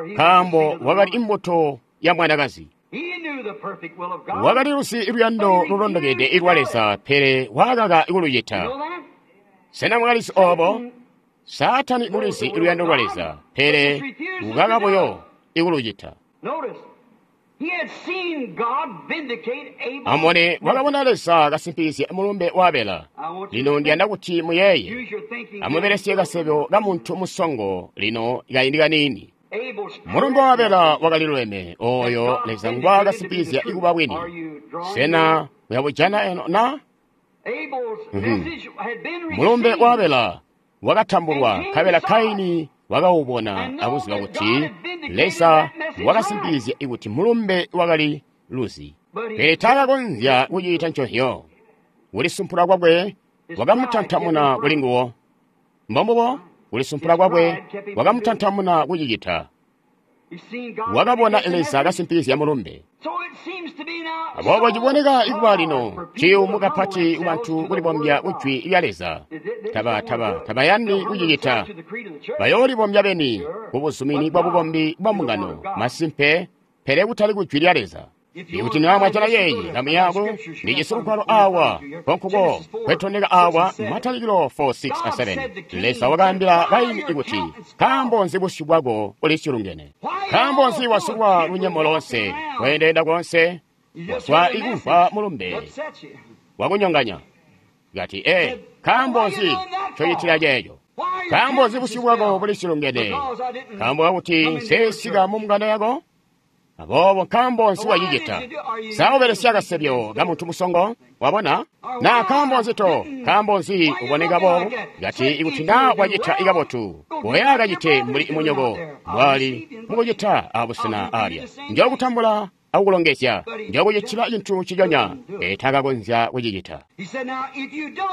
nkaambo wakali imbuto ya mwanakazi. Wakali lusi luyando lulondokede ilwa Leza, pele wakaka kulucita. Sena mwakalisi obo? Saatani ulizi luyando lwa Leza, pele ukaka buyo ikulucita. Amone wakabona Leza kasimpizya mulumbe wa Abela. Lino ndiyanda kuti muyeeye, amubelesye kasebyo ka muntu musongo lino kaindi kaniini. Mulumbe wa Abela wakali luleme, oyo Leza ngwaakasimpizya ikuba bwini. Sena muyabujana eno na? Mulumbe wa Abela wakatambulwa, nkabela Kaini wakawubona akuziba kuti Leza wakasimpizya ikuti mulumbe wakali luzi. Pele taakakonzya kucita nconzyo. Kulisumpula kwakwe wakamutantamuna kuli nguwo. Mbombubo, kulisumpula kwakwe wakamutantamuna kucicita. Wakabona Leza kasimpizya mulumbe. Aboobo ciboneka ikuba lino ciyumu kapati kubantu kulibombya kujwi lya Leza. Taba taba tabayandi kucicita. Bayoolibombya beni kubuzumini bwa bukombi bwa mbungano masimpe, pele kutali kujwi lya Leza. Ikuti naa mwajana yeeyi kamu yako, ndijisi lugwalo awa konkuko kwetondeka awa Matalikilo four, six a seven. Leza wakaambila Kaini ikuti, nkaambo nzi busyu bwako bulisyulungene? Nkaambo nzi wasulwa lunyemo loonse, kweendeenda koonse, waswa ikumvwa mulumbe wakunyonganya? Kati, ee, nkaambo nzi ncocitila ceeco? Nkaambo nzi busyu bwako bulisyulungene? Nkaambo kakuti nsesika mu mbungano yako? Aboobo nkaambo nzi wacicita? Sa ubelesya kasebyo ka muntu musongo? Wabona? Na nkaambo nzi to? Nkaambo nzi uboneka boobo? Kati ikuti naa wacita ikabotu, koya kacite mbuli munyoko mbwali mukucita abusena alya. Njokutambula akukulongezya, njokucitila cintu ciconya. Etakakonzya kucicita.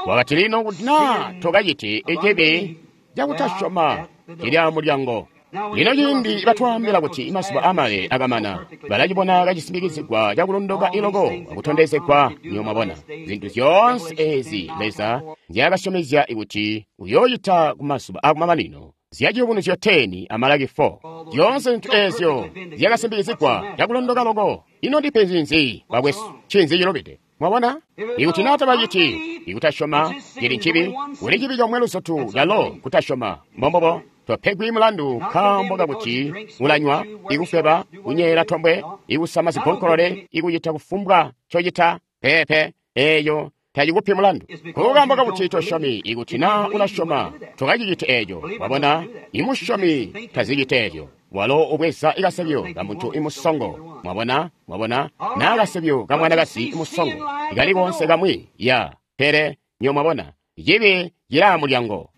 Wakati lino kuti naa tokaciti icibi cakutasyoma cili amulyango. Lino ciindi batwaambila kuti mazuba amale akamana, balacibona kacisimikizigwa cakulondoka iloko akutondezegwa. Niyo mwabona zintu zyoonse ezi Leza nzyaakasyomezya kuti uyoocita kumazuba akumamanino, zyaciyubunuzyo ten a Malaki four. Zyoonse zintu ezyo zyakasimbikizigwa cakulondoka loko. Ino ndipenzi nzi bakwesu? Ncinzi cilubide? Mwabona? Ikuti naa tabaciti ikutasyoma cili ncibi, kuli cibi comwe luzotu calo kutasyoma. Mbombobo. Topegwi mulandu nkaambo kakuti ulanywa, ikufweba, kunyeela tombwe, ikusama zigonkolole, ikucita kufumbwa ncocita. Peepe, eeyo tacikupi mulandu. Kukaambo kakuti tosyomi. Ikuti naa ulasyoma, tokaciciti eeco. Wabona, imusyomi taziciti eeco. Walo ubweza ikasebyo ka muntu imusongo. Mwabona, mwabona, naa kasebyo ka mwanakazi imusongo. Kali koonse kamwi, ya, pele, nyo mwabona, cibi cilaa mulyango.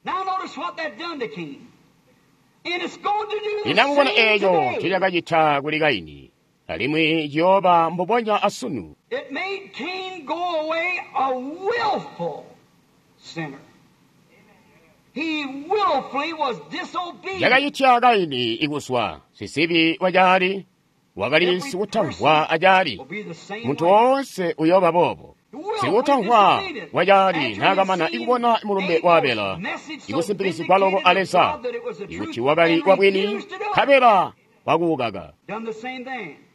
Inamubona eeco ncicakacita kuli Kaini, alimwi ciyooba mbubonya asunu. It made Cain go away a willful sinner. He willfully was disobedient. Cakacitya Kaini ikuswa sisibi wacaali, wakali sikutamvwa acaali. Muntu woonse uyooba boobo. Sikutamvwa wacaali naakamana ikubona mulumbe wa Abela, ikusimpikisigwa loko a Leza, ikuti wakali wabwini, nkabela wakuukaka.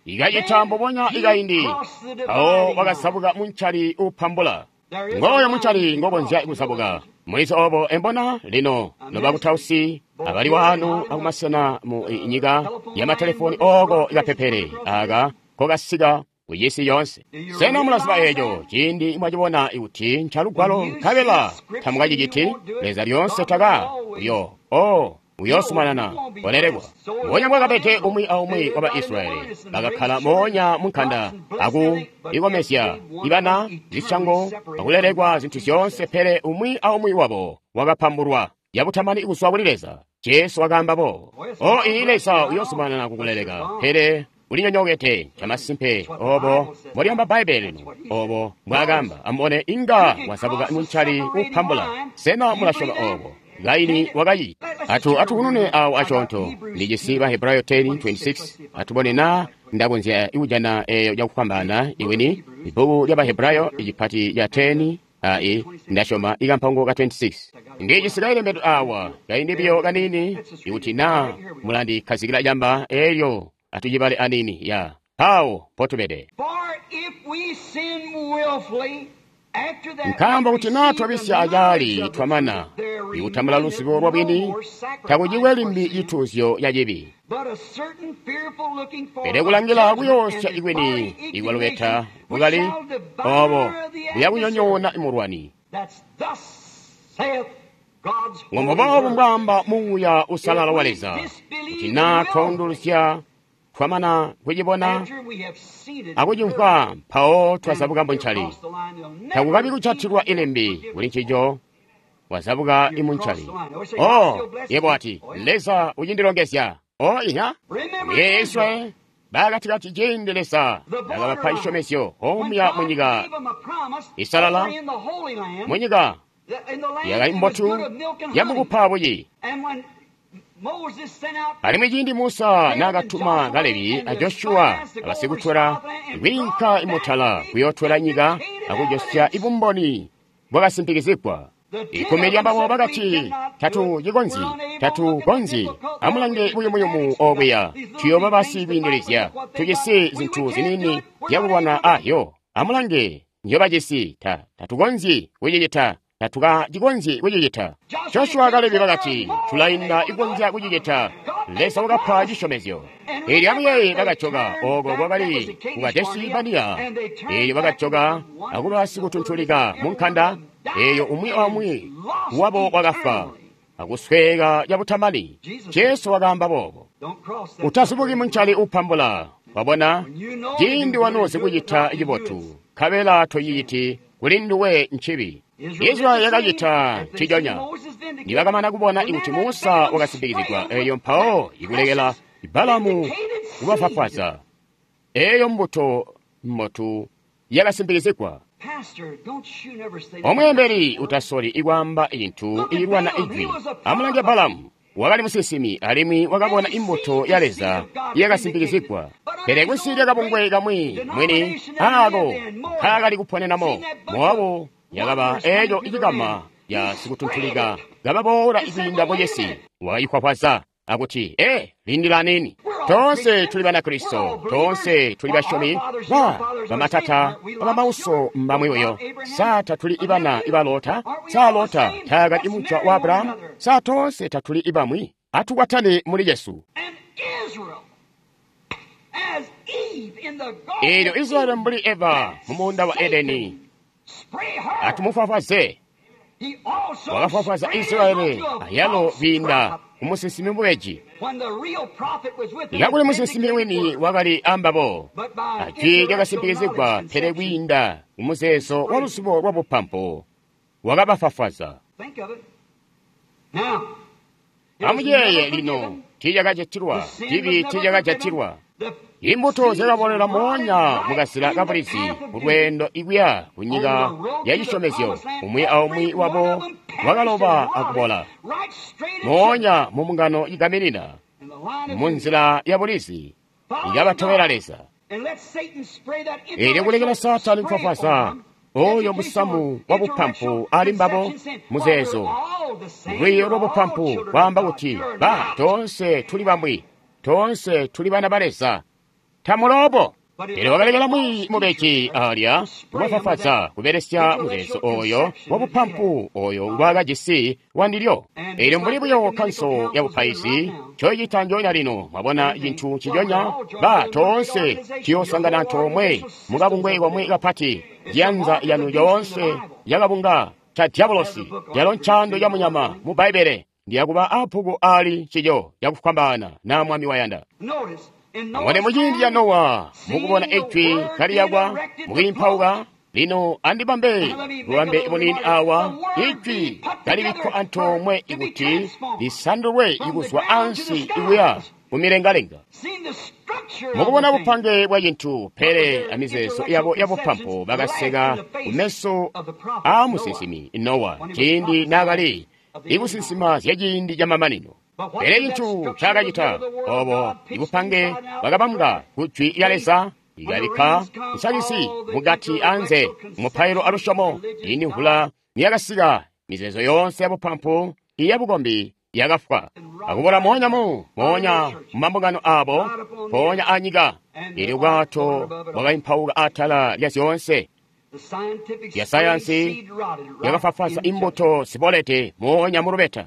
Ikacita mbubonya ikaindi, awo wakasabuka muncali uupambula. Ngooyo muncali ngokonzya kusabuka. Mulizi obo embona lino nobakutausi abali wanu akumasena mu nyika ya matelefoni oko ikapepele aka kokasika kuyisi yonse. Sena mulaziba eeco ciindi mwacibona ikuti ncalugwalo nkabela tamukaciciti? Leza lyoonse taka uyo o uyosumanana olelekwa. Mbonya mbwakabede umwi aumwi wa Baisilayeli bakakkala moonya munkanda aku ikomezya ibana zisyango akulelekwa zintu zyoonse, pele umwi aumwi wabo wakapambulwa yabutamani kuzwa kuli Leza. Jesu wakaamba boobo. O ii Leza uyosumanana kukuleleka, pele ulinyonyokete. Camasimpe obo mbwalyaamba Bbaibbele lino, obo mbwaakaamba. Amubone, inga wazabuka muncali upambula. Sena mulasyoma obo? Kaini wakacita. Atu atukunune awo aconto. Ndijisi ba Hebrayo ten twenty-six. Atubone na ndakonzya ikujana eyo cakufwambaana iwini. Ibbuku lya ba Hebrayo icipati ca ten ai ndasyoma ikampango ka twenty-six. Ndijisi kailembedwe awa kaindi biyo kanini, ikuti na mulandikhazikila camba elyo atucibale anini ya pawo potubede. Nkaambo kuti naa twabisya acaali twamana ikutambula luzibo lwa bwini, takucikwe limbi cituuzyo ca cibi. Pele kulangila kuyoosya ikwini ikwalubeta bukali obo buyakunyonyoona imulwani. Ngombobobo mbwaamba Muuya Usalala wa Leza, kuti naa twaundulusya twamana kucibona akucimvwa, mpawo twazabuka muncali. Takukabi kujatilwa ilimbi kuli ncico, wazabuka imuncali. O, yebo ati, Leza ucindilongezya. O inya, Yesu bakatikati ciindi Leza nakabapa cisyomezyo omuya munyika isalala, munyika yakali mbotu yamukupa buyi. Alimwi ciindi Musa naakatuma Kalebi a Joshua abasikutwela kwiinka imutala kuyootwela nyika akujosya ibumboni bwakasimpikizigwa. Ikumi lyambabo bakati, tatu cikonzyi, tatu konzyi. Amulange buyumuyumu obuya, tuyooba basikwiindilizya, tujisi zintu ziniini zyakulwana ahyo. Amulange nzyobajisi, ta tatukonzyi kucicita, tatukacikonzyi kucicita. Joshua Kalebi bakati, tulainda ikonzya kucicita. Leza wakapa cisyomezyo. Eelyo amuyeeye bakajoka oko kwakali ku Kadesi Bania. Eelyo bakajoka akuba sikutuntulika mu nkanda. Eeyo umwi aumwi wabo wakafwa akusweeka cabutamani. Jesu wakaamba boobo. Utazubuki muncali upambula. Wabona, ciindi wanuzi kucita cibotu, nkabela toyiciti, kuli nduwe ncibi. Israeli yakacita nciconya. Nibakamana kubona kuti Musa wakasimbikizigwa, eeyo mpawo ikulekela Balamu kubafwafwaza. Eeyo mbuto mbotu yakasimbikizigwa. Omweembeli utasoli ikwaamba cintu ilwana ijwi. Amulange Balamu, wakali musinsimi alimwi wakabona imbuto ya Leza yakasimbikizigwa. Pele kunsi lyakabungwe kamwi mwini aako nkaakali kuponenamo, Mowabu yakaba eeco icikama ya sikutuntulika kababoola ikwiinda bocesi. Wakayikhwakhwaza akuti, e lindila nini. Tonse tuli Banakristo, tonse tuli basyomi, ba bamatata abamauso mbamwi Sa tatuli ibana ibalota? Sa Lota taakali imujwa wa Abrahamu? Sa tonse tatuli ibamwi? Atukwatane muli Yesu. Eelyo Israeli mbuli Eva mu muunda wa Edeni, atumufwafwaze. Wakafwafwaza Israeli ayalo kwiinda kumusinsimi mubeji. Kakuli musinsimi wini wakali ambabo, ajwi lyakasimpikizigwa, pele kwiinda kumuzeezo wa luzubo lwa bupampu wakabafwafwaza. Amuyeeye lino, tiicakajatilwa, cibi tiicakajatilwa. Imbuto zyakabolela moonya mukazila kabulizi mulweendo ikuya kunyika ya cisyomezyo. Umwi aumwi wabo wakaloba akubola moonya mu mbungano igaminina munzila ya bulizi ikabatobela Leza. Eelyo kulekela Saatani kufwafwaza oyo musamu wa bupampu ali mbabo muzeezo lwiiyo lwa bupampu kwaamba kuti ba toonse tuli bamwi, toonse tuli bana ba Leza. Tamulobo. Pele wakalekela mwi mubeji alya kubafwafwaza kubelesya muzeezo oyo wabupampu oyo ngwaakajisi wandilyo. Eelyo mbuli buyo kanso ya bupaizi ncoyicita njoonya lino, mwabona cintu nciconya, ba toonse tuyoosangana antoomwe mukabungwe komwe kapati, yanza yanu yoonse yakabunga ca diabolosi, yalo ncando ya munyama mu Bbaibbele, ndiyakuba abbuku ali cico cakufwambaana na Mwami wayanda. Amubone muciindi ca Nowa, mukubona ijwi kaliyakwa mukwiimpauka. Lino andibambe bubambe bunini awa, ijwi kalibikkwa antoomwe ikuti lisandulwe ikuzwa ansi ikuya mumilengalenga. Mukubona bupange bwa cintu, pele amizeezo yabo yabupampu bakaseka kumeso aa musinsimi Nowa ciindi naakali ikusinsima zyaciindi camamanino. Pele cintu ncaakacita obo ibupange bwakabambwa ku jwi lya Leza, ikabikka nsakisi mukati anze mupailo alusyomo. Ciindi mvula niyakasika, mizeezo yoonse yabupampu iyabukombi yakafwa akubola moonya mu moonya mumambungano abo, mpoonya anyika. Eelyo bwato bwakaimpauka atala lya zyoonse ya sayansi yakafwafwaza imbuto zibolede moonya mulubeta.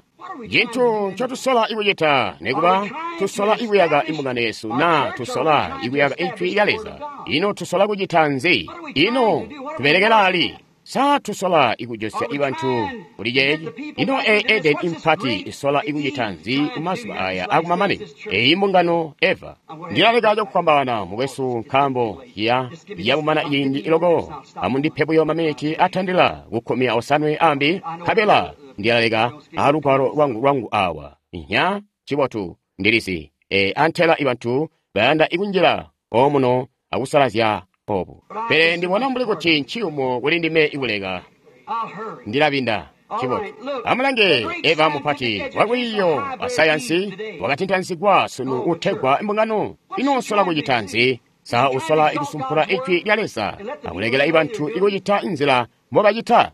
Cintu ncotusola ikucita nikuba tusola ikuyaka imbungano yesu na tusola ikuyaka ijwi lya Leza. Ino tusola kucita nzi? Ino tubelekela ali? Sa tusola ikujosya ibantu kuli ceeci? Ino e Eden impati isola ikucita nzi kumazuba aya akumamanino? Eyi mbungano Eva. Ndilaleka cakufwambaana mukwesu nkaambo ya yakumana ciindi iloko. Amundipe buyo maminiti atandila kukkumi osanwe ambi, nkabela ndilaleka alugwalo lwangu lwangu awa. Nya cibotu ndilizi e antela ibantu bayanda ikunjila omuno akusalazya obu. Pele ndibona mbuli kuti nciyumu kuli ndime ikuleka. Ndilabinda. Cibotu. Amulange Eva mupati walwiiyo wa sayansi wakatintanzigwa sunu utegwa imbungano. Ino usola kucita nzi? Sa usola ikusumpula ijwi lya Leza akulekela ibantu ikucita inzila mbobacita?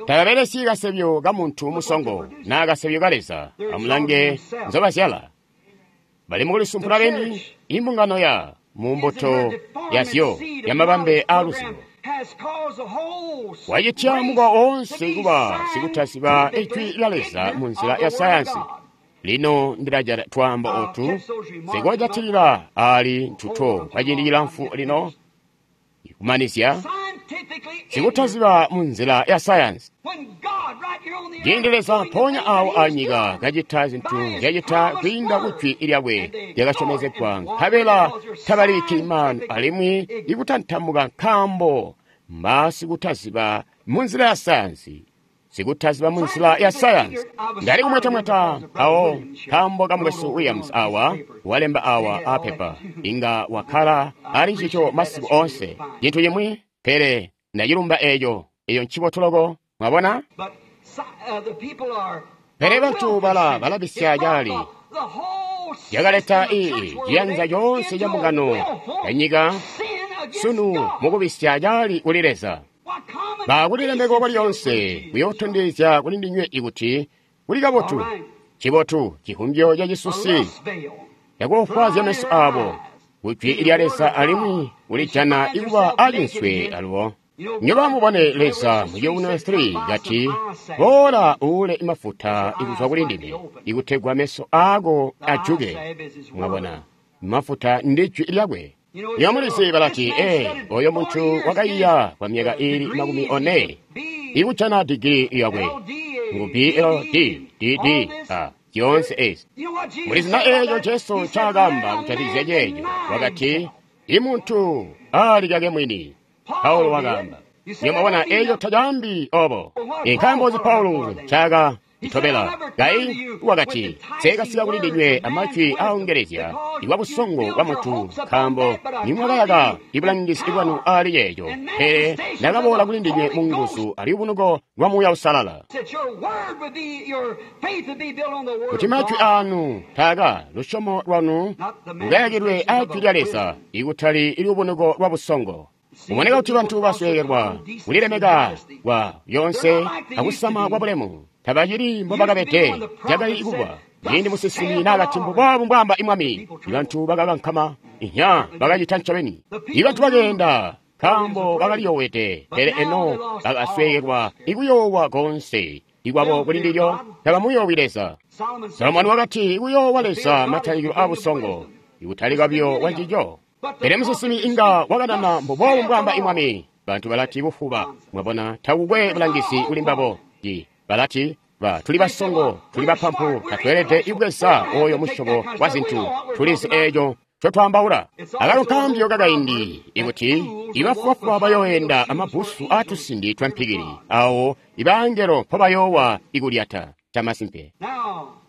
Tababelesyi kasebyo ka muntu musongo naa kasebyo ka Leza. Amulange nzobazyala. Bali mukulisumpula beni imbungano ya mumbuto yazyo yamabambe aaluzibo. Wacitya mukwa woonse kuba sikutaziba ijwi lya Leza mu nzila ya sayansi. Lino ndilajata twaambo otu sikojatilila ali ntuto kwa ciindi cilamfu lino kumanizya sikutaziba mu nzila ya sayansi. Ciindi Leza mpoonya awo anyika kacita zintu nzyacita kwiinda kujwi lyakwe lyakasyomezegwa, nkabela tabaliki maanu alimwi ikutantamuka nkaambo mbasikutaziba mu nzila ya sayansi. Sikutaziba mu nzila ya sayansi. Ndali kumwetamweta awo nkaambo ka mukwesu Williams awa walemba awa apepa inga wakkala ali ncico masiku onse cintu cimwi, pele ndacilumba eco. Eyo ncibotu loko, mwabona? Pele bantu bala balabisya cali yakaleta ii ciyanza coonse ca mbungano ya nyika sunu mukubisya cali kuli Leza. Bakulilemeko kwalyonse kuyootondezya kuli ndinywe ikuti kuli kabotu cibotu cihumbyo ca cisusi cakoofwaazya meso abo kujwi lya Leza alimwi kulijana ikuba acinswe alubo. Nyoba mubone Leza mu Yohane three kati, boola uule mafuta ikuzwa kuli ndime ikutegwa meso ako ajuke. Mwabona, mafuta ndi jwi lyakwe. Nyomulizi balati, ee, oyo muntu wakaiya kwa myaka ili makumi one ikujana digiri yakwe ngu B L D D D A zyonse ezi. Mulizi na eeco Jesu ncaakamba kujatikizya ceeco, wakati, imuntu alikake mwini. Paulo wakaamba. Nyamwabona eeco tacaambi obo. Nkaambo nzi Paulo ncaaka itobela? Kai wakati, nseekasika kuli ndinywe amajwi aaongelezya ikwa busongo bwa muntu, nkaambo nimwakayaka ibulangizi bwanu aali ceeco, pele ndakaboola kuli ndinywe mu nguzu alubunuko lwa Muuya Uusalala. Kuti majwi aanu taaka lusyomo lwanu lukayakilwe ajwi lya Leza, ikutali ilubunuko lwa busongo. Kuboneka kuti bantu basweekelwa kulilemeka kwa lyonse akusama kwa bulemu tabacili mbobakabede cakali kuba ciindi musinsimi naakati mbuboobu mbwaamba imwami. Ibantu bakakankama inya bakacita ncobeni. Ibantu bakeenda nkaambo bakaliyowede, pele eno bakasweekelwa ikuyoowa konse ikwabo kuli ndilyo tabamuyoowi Leza. Solomoni wakati ikuyoowa Leza matalikilo aabusongo, ikutalika buyo kwa ncico. Pele musinsimi inga wakanana mbuboobu mbwaamba imwami. Bantu balati bufuba, mwabona takukwe bulangizi kuli mbabo. Balati ba tuli basongo, tuli bapampu, tatweelede ikubweza oyo musyobo wa zintu, tulizi eeco ncotwaambaula. Akalo nkaambyo kakaindi ikuti ibafubafuba bayooenda amabbusu aatusindi twa mpikili, awo ibangelo mpobayoowa ikulyata. Camasimpe.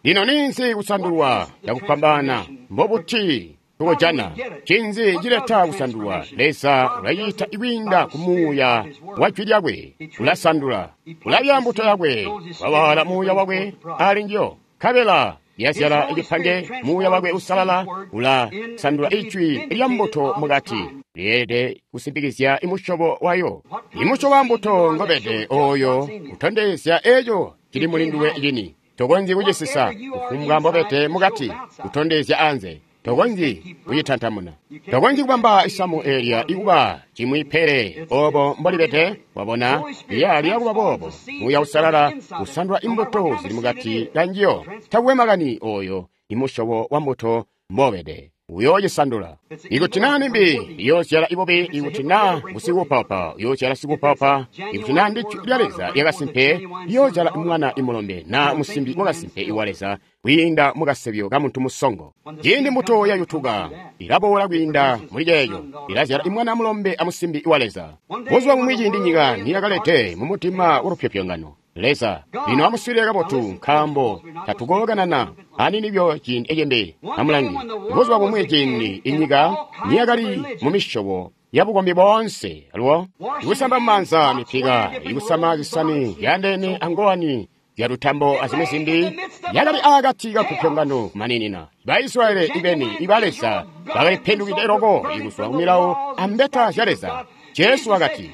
Lino ninzi kusandulwa cakufwambaana mbobuti tukojana? Cinzi cileta kusandulwa? Leza ulacita ikwiinda ku Muuya wa jwi lyakwe. Ulasandula, ulabya mbuto yakwe, wawala Muuya wakwe ali njiyo, nkabela yazyala icipange. Muuya wakwe usalala ulasandula ijwi lya mbuto mukati, lyeelede kusimpikizya imusyobo wayo. Imusyobo wa mbuto ngobede oyo utondezya eco cili muli nduwe cini. Tokonzyi kucisisa kufumbwa mbobede mukati, kutondezya anze. Tokonzyi kucitantamuna. Tokonzyi kubamba isamu eelya ikuba cimwi pele obo mbolibede. Wabona, lyali kuba boobo. Muuya Usalala usandula imbuto zili mukati kanjiyo. Takukwe makani oyo imusyobo wa mbuto mbobede, uyoocisandula. Ikuti naa nimbi iyoozyala ibubi, ikuti naa ngusikuupaupa uyoozyala sikuupaupa, ikuti naa ndi jwi lya Leza lyakasimpe liyoozyala mwana imulombe naa musimbi wakasimpe iwa Leza kwiinda mukasebyo ka muntu musongo. Ciindi mbuto yayutuka ilaboola kwiinda muli ceeco, ilazyala imwana mulombe amusimbi wa Leza. Buzuba bumwi ciindi nyika niyakalede mumutima walupyopyongano, Leza lino amuswiilile kabotu, nkaambo tatukookanana aninibyo ciindi ecembe. Amulangi, buzuba bumwi ciindi inyika niyakali mu misyobo yabukombi boonse, alubo ikusamba mumaanza mipika, ikusama zisani zyaandeene angowani zyalutambo azimwi zimbi, yakali akati kapupyongano kumaninina. Baisilayeli ibeni iba Leza bakalipendukide loko ikuzwa kumilawo ambeta zya Leza. Jesu wakati,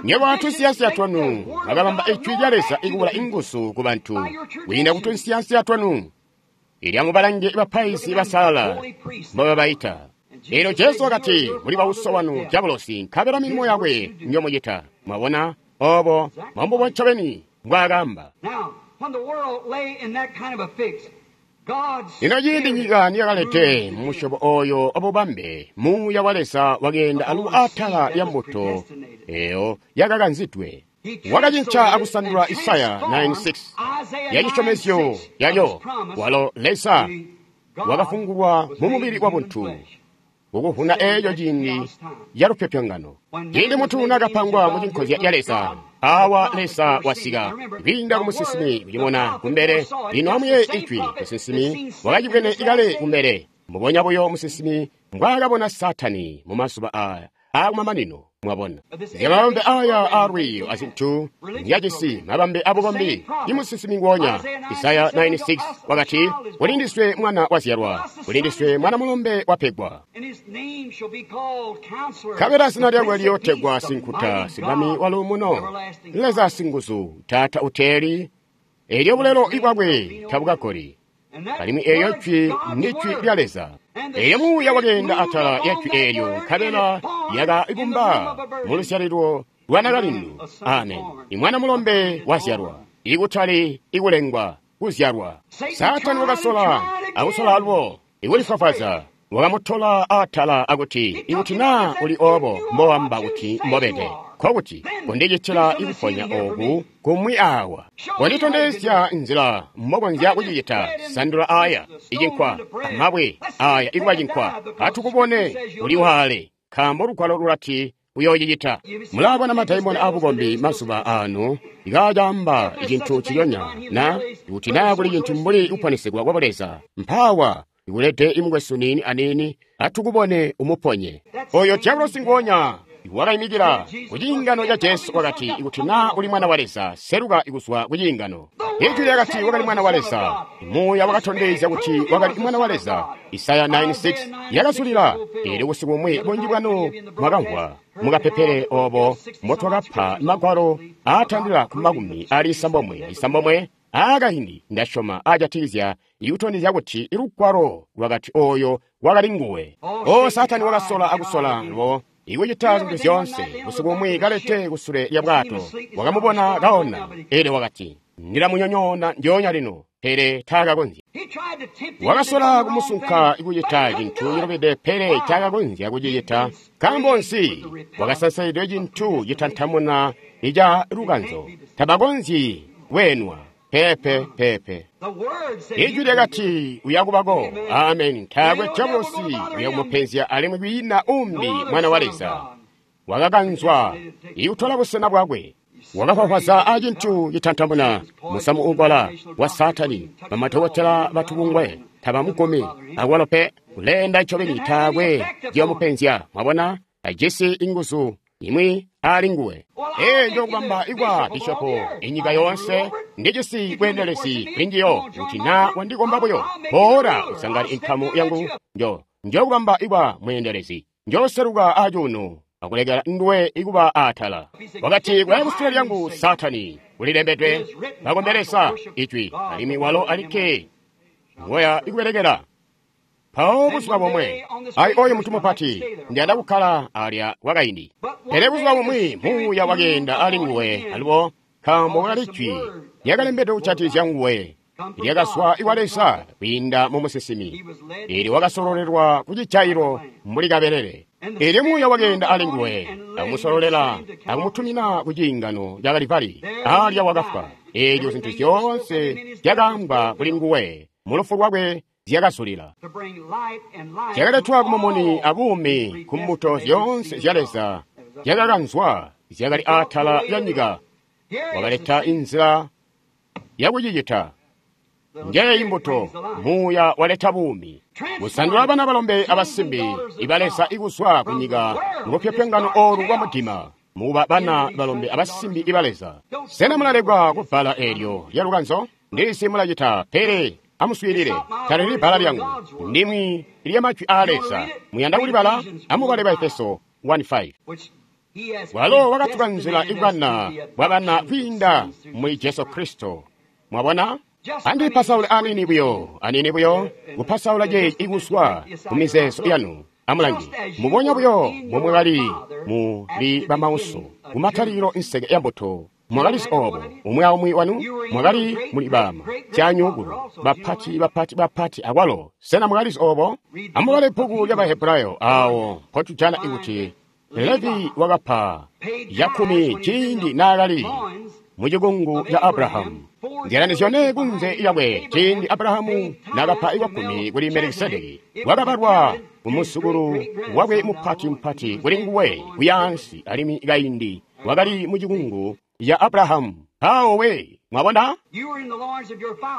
nywebo atunsiyansiya twanu mwakabamba ijwi lya Leza ikubula inguzu ku bantu kwiinda ku tunsiyansiya twanu. Ilya mubalange bapaizi basalala mbobabaita. Elyo Jesu wakati, muli bauso wanu dyabulosi, nkabela milimo yakwe njomucita. Mwabona obo mbombubo ncobeni mbwaakaamba. Lino ciindi nyika niyakalede mumusyobo oyo wabubambe, Muuya wa Leza wakeenda alubo atala lya mbuto eyo yakakanzidwe. Wakacinca akusandula Isaya nine six ya cisyomezyo yalyo, walo Leza wakafungulwa mu mubili wa buntu kukuvuna eeco ciindi ya lupyopyongano. Ciindi muntu nakapangwa mu cinkozya ca Leza, awa Leza wasika kwiinda ku musinsimi kucibona kumbele. Lino amuyeeye ijwi, musinsimi wakacibwene kale kumbele. Mbubonya buyo musinsimi mbwaakabona Saatani mu mazuba aya aakumamanino. Mwabona zya mabambe aya aalwiiyo azintu nzyajisi mabambe abukombi. Imusinsimi nguonya Isaya nine six wakati, kuli ndiswe mwana wazyalwa, kuli ndiswe mwana mulombe wapegwa, nkabela zina lyakwe liyootegwa Sinkuta, Simwami waluumuno, Leza Singuzu, Taata Uteeli. Elyo bulelo bwakwe tabukakoli. Alimwi eeyo jwi ndi jwi lya Leza. Elyo Muuya wakeenda atala lya jwi eelyo, nkabela lyakabumba mu luzyalilo lwa nakalindu. Amen. Imwana mulombe wazyalwa, ikutali ikulengwa, kuzyalwa. Saatani wakasola akusola alubo ikulifwafwaza, wakamutola atala akuti, ikuti naa uli obo mbowamba kuti mbobede, nkokuti kundicitila ikuponya oku kumwi awa, kunditondezya nzila mbokonzya kucicita. Sandula aya icinkwa amabwe aya ikuba cinkwa, atukubone uli waale, nkaambo lugwalo lulati uyoocicita. Mulaabona madaimona abukombi mazuba aano ikaacamba icintu ciyonya, na ikuti naa kuli cintu mbuli kuponesegwa kwa Buleza, mpaawa ikulede imukwesu niini aniini, atukubone umuponye. Oyo dyabulosi nguonya wakaimikila ku ciingano ca Jesu wakati, ikuti naa uli mwana wa Leza, seluka kuzwa ku ciingano. Ijwi lyakati wakali mwana wa Leza. Muuya wakatondezya kuti wakali mwana wa Leza. Isaya nine six yakazulila. Elyo busiku bumwi bunji bwanu mwakamvwa mukapepele obo mbotwakapa magwalo aatandila ku makumi ali isambomwe isambomwe aakaindi, ndasyoma aajatikizya ikutondezya kuti lugwalo lwakati oyo wakali nguwe. O Saatani wakasola akusola lubo ikucita zintu zyoonse. Busiku bumwi kalete kusule lya bwato, wakamubona kaona, elyo wakati, ndilamunyonyoona ndyoonya lino, pele taakakonzya. Wakasola kumusunka ikucita cintu cilubide, pele taakakonzya kucicita. Nkaambo nzi? Wakasansaidwe cintu citantamuna ica lukanzo. Tabakonzyi kweenwa. Pepe, pepe. Ijwi lyakati uyakubako. Amen. Taakwe dyabulosi uyakumupenzya, alimwi kwiina umbi mwana wa Leza wakakanzwa ikutola busena bwakwe. Wakafwafwaza acintu citantamuna musamu uukola wa Saatani. Bamadokotela batubungwe tabamugumi akwalo pe. Kuleenda ncobeni taakwe ciyomupenzya. Mwabona, tajisi inguzu imwi ali nguwe. Ee, njokubamba ikwa bishopo inyika yoonse ndijisi bweendelezi kulinjiyo. Kuti naa wandikomba buyo, boola usangane inkamu yangu. Njo njokubamba ikwa mweendelezi, njoseluka acuuno akulekela nduwe ikuba atala. Wakati, kulaya kusule lyangu Saatani, kulilembedwe, bakombelesa ijwi, alimwi walo alikke ngoya ikubelekela. Mpawo buzuba bomwe, ayi oyo muntu mupati, ndiyanda kukkala alya kwakaindi. Pele buzuba bumwi Muuya wakeenda ali nguwe alubo, nkaambo kwakali jwi lyakalembedwe kujatikizya nguwe, lyakazwa ikwa Leza kwiinda mu musinsimi. Elyo wakasololelwa ku cijailo mbuli kabelele. Elyo Muuya wakeenda ali nguwe, akumusololela akumutumina ku ciingano ca Kalivali. Alya wakafwa. Elyo zintu zyoonse zyakaambwa kuli nguwe mu lufu lwakwe zyakazulila. Zyakaletwa kumumuni abuumi ku mbuto zyoonse zya Leza zyakakanzwa zyakali atala lya nyika. Wakaleta inzila yakucicita. Njeeyi mbuto, Muuya waleta buumi. Kusandula bana balombe abasimbi iba Leza ikuzwa ku nyika mulupyopyongano oolu lwa mudima, mukuba bana balombe abasimbi iba Leza. Sena mulalekwa kubbala eelyo lya lukanzo? Ndisi mulacita, pele amuswiilile, talili bbala lyangu, ndimwi lya majwi aa Leza. Muyanda kulibala? Amubale Baefeso one five. Walo wakatukanzila ibwana bwabana kwiinda muli Jesu Kristo. Mwabona? Andipasaule aniini buyo, aniini buyo, kupasaula ceeci ikuswa ku mizeezo yanu. Amulangi, mubonya buyo momwakali muli bamauso, kumatalikilo inseke ya mbuto. Mwakalizi obo, umwi aumwi wanu mwakali muli bama, syanyukulu, bapati bapati bapati akwalo. Sena mwakalizi obo? Amubale bbuku lya Bahebrayo awo mpotujana ikuti Levi wakapa yakumi ciindi naakali mucikungu ca Abrahamu. Nzyalani zyone kunze yakwe ciindi Abrahamu naakapa iwakumi kuli Melikisedeki, wakabalwa kumusukulu wakwe mupati mupati kuli nguwe kuyaansi alimwi kaindi wakali mucikungu ya Abrahamu. Mpawo we, mwabona?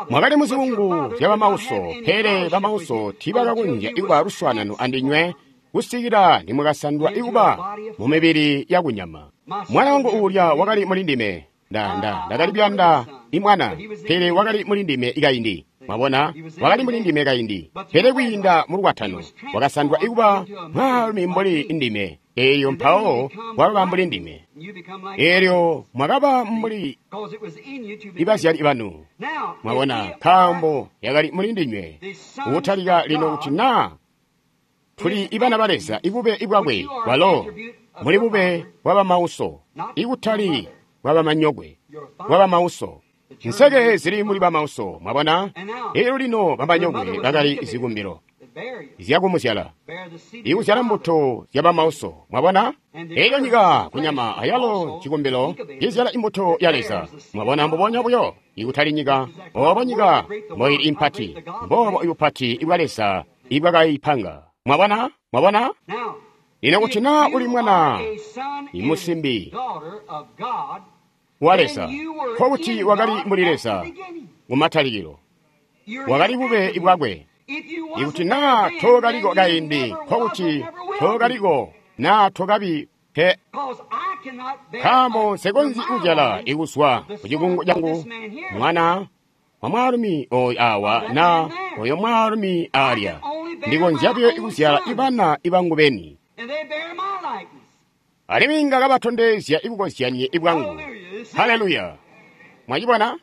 Mwakali muzikungu zya bamauso, pele bamauso tiibakakonzya ikuba luswaanano andinywe kusikila nimwakasandwa ikuba mu mibili yakunyama. Mwana wangu uulya wakali muli ndime. Nda, nda, ndakali kuyanda imwana, pele wakali muli ndime ikaindi. Mwabona, wakali muli ndime kaindi, pele kwiinda mu lukwatano wakasandwa ikuba mwaalumi mbuli ndime. Eyo mpawo wakaba mbuli ndime. Elyo mwakaba mbuli ibazyali banu. Mwabona, nkaambo yakali muli ndinywe. Ukutalika lino kuti naa tuli ibana ba Leza, ibube ibwakwe walo muli bube bwabamauso, ikutali bwabamanyokwe, bwabamauso. Nseke zili muli bamauso, mwabona? Elyo lino bamanyokwe bakali zikumbilo zyakumuzyala, ikuzyala mbuto zya bamauso, mwabona? Elyo nyika kunyama ayalo cikumbilo izyala imbuto ya Leza, mwabona? Mbubonya buyo, ikutali nyika, obo nyika mboili impati, mbobo ibupati ibwa Leza ibwakaipanga. Mwabona? Mwabona? Lino kuti naa uli mwana imusimbi wa Leza, nkokuti wakali muli Leza kumatalikilo, wakali bube bwakwe. Ikuti naa tookaliko kaindi, nkokuti tookaliko naa tokabi pe. Nkaambo nsikonzyi kuzyala ikuzwa ku cikungu cangu mwana wa mwaalumi oyu awa na oyo mwaalumi alya. Ndikonzya buyo ikuzyala ibana ibangu beni, alimwi inga kabatondezya ikukozyanye ibwangu. Haleluya! Mwacibona?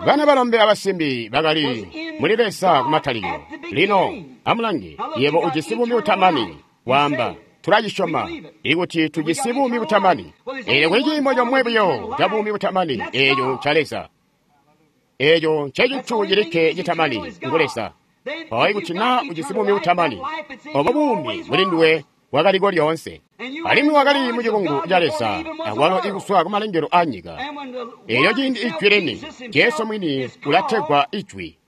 Bana balombe abasimbi bakali muli Leza kumatalikilo. Lino amulange, yebo ujisi buumi butamani. Waamba, tulacisyoma ikuti tujisi buumi butamani. Eelyo kuli ciimo comwe buyo ca buumi butamani, eeco nca Leza. Eeco ncecintu cilikke citamani, ngu Leza. Mpawo ikuti naa ujisi buumi butamani, obo buumi muli nduwe bwakaliko lyoonse, alimwi wakali mu cikungu ca Leza akwalo ikuswa kumalengelo a nyika. Eelyo ciindi Ijwi lini, Jesu mwini ulategwa Ijwi.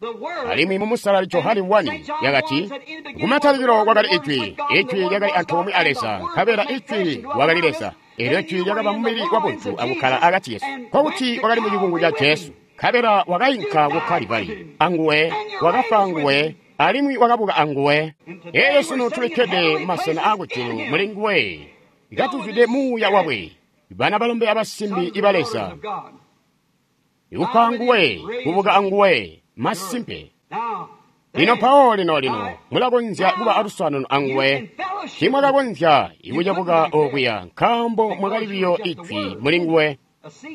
Alimwi mu Musalali Johane wani yakati, kumatalikilo kwakali Ijwi, Ijwi lyakali antoomwe a Leza, nkabela Ijwi wakali Leza. Eelyo Ijwi lyakaba mubili wabuntu akukkala akati kesu, nkokuti wakali mu cikungu ca Jesu. Nkabela wakainka ku Kalibali anguwe, wakafa anguwe, alimwi wakabuka anguwe. Elyo sunu tulikkede mumasena aakujulu muli nguwe, katuzwide muuya wakwe, bana balombe abasimbi iba Leza, ikufa anguwe, kubuka anguwe, masimpe. Lino mpawo lino lino mulakonzya kuba aluswaanano anguwe. Timwakakonzya ikucabuka okuya, nkaambo mwakali biyo ijwi muli nguwe,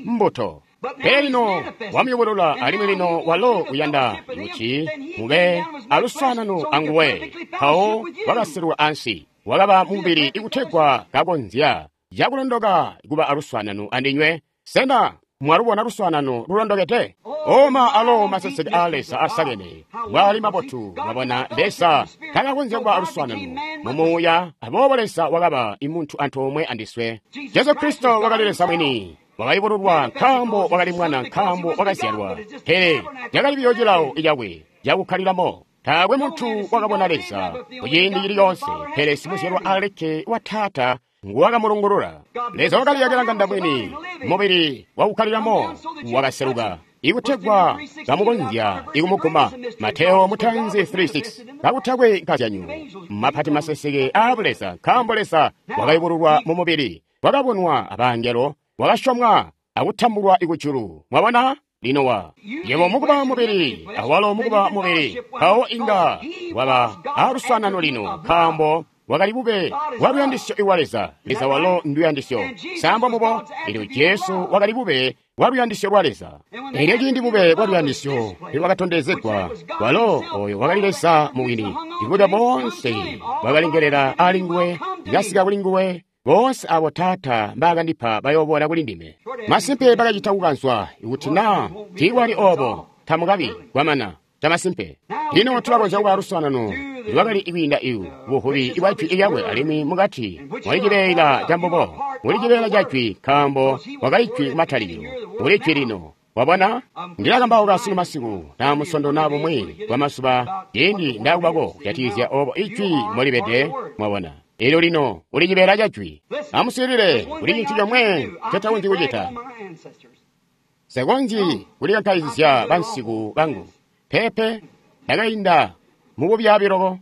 mbuto. Pele lino wamuyubulula, alimwi lino walo uyanda kuti mube aluswaanano anguwe. Mpawo wakaselwa ansi, wakaba mubili ikutegwa kakonzya cakulondoka kuba aluswaanano andinywe. Sena mwalubona luswaanano lulondokede? Oma alo maseseke a Leza asakene mbwali mabotu. Mwabona, Leza takakonzya kuba aluswaanano mumuuya, aboobo Leza wakaba imuntu antoomwe andiswe. Jesu Kristo wakali Leza mwini, wakayubululwa nkaambo wakali mwana, nkaambo wakazyalwa, pele lyakali biyo cilawo cakwe cakukkalilamo. Taakwe muntu wakabona Leza kuciindi cili coonse, pele simuzyalwa alikke wa Taata nguwakamulungulula. Leza wakaliyakila nganda mwini, mubili wakukkalilamo wakaseluka, ikutegwa kamukonzya ikumuguma. Mateo mutanzi three six. Kakutakwe nkazyanyu mapati maseseke aa Buleza, nkaambo Leza wakayubululwa mu mubili, wakabonwa abangelo, wakasyomwa akutambulwa ikujulu. Mwabona? Lino wa yebo mukuba mubili, awalo mukuba mubili, mpawo inga waba aluswaanano lino, nkaambo wakali bube bwa luyandisyo iwa Leza. Leza walo nduyandisyo. Sambo mubo, elyo Jesu wakali bube bwa luyandisyo lwa Leza. Elyo ciindi bube bwa luyandisyo lwakatondezegwa, walo oyo wakali Leza mubwini. Ibuda boonse bwakalengelela ali nguwe, lyasika kuli nguwe. Boonse abo Taata mbaakandipa bayoboola kuli ndime. Masimpe bakacita kukanzwa, ikuti naa tiikwali obo, tamukabi kwamana. Camasimpe. Lino tulakonzya kuba aluswaanano lwakali kwiinda iwu buvubi bwa jwi lyakwe alimwi mukati mwali cibeela ca mbubo, muli cibeela ca jwi, nkaambo wakali jwi kumatalikilo, muli jwi lino. Wabona? Ndilakambauka sunu masiku na musondo na bumwi bwa mazuba ciindi ndakubako kujatikizya obo ijwi molibede, mwabona. Elyo lino uli cibeela ca jwi. Amuswiilile, kuli cintu comwe ncetakonzyi kucita. Nsekonzyi kulikankaizya bansiku bangu. Pepe, ndakainda mububyaabi loko.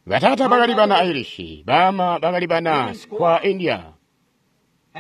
Bataata bakali bana Irish, baama bakali bana Squaw India.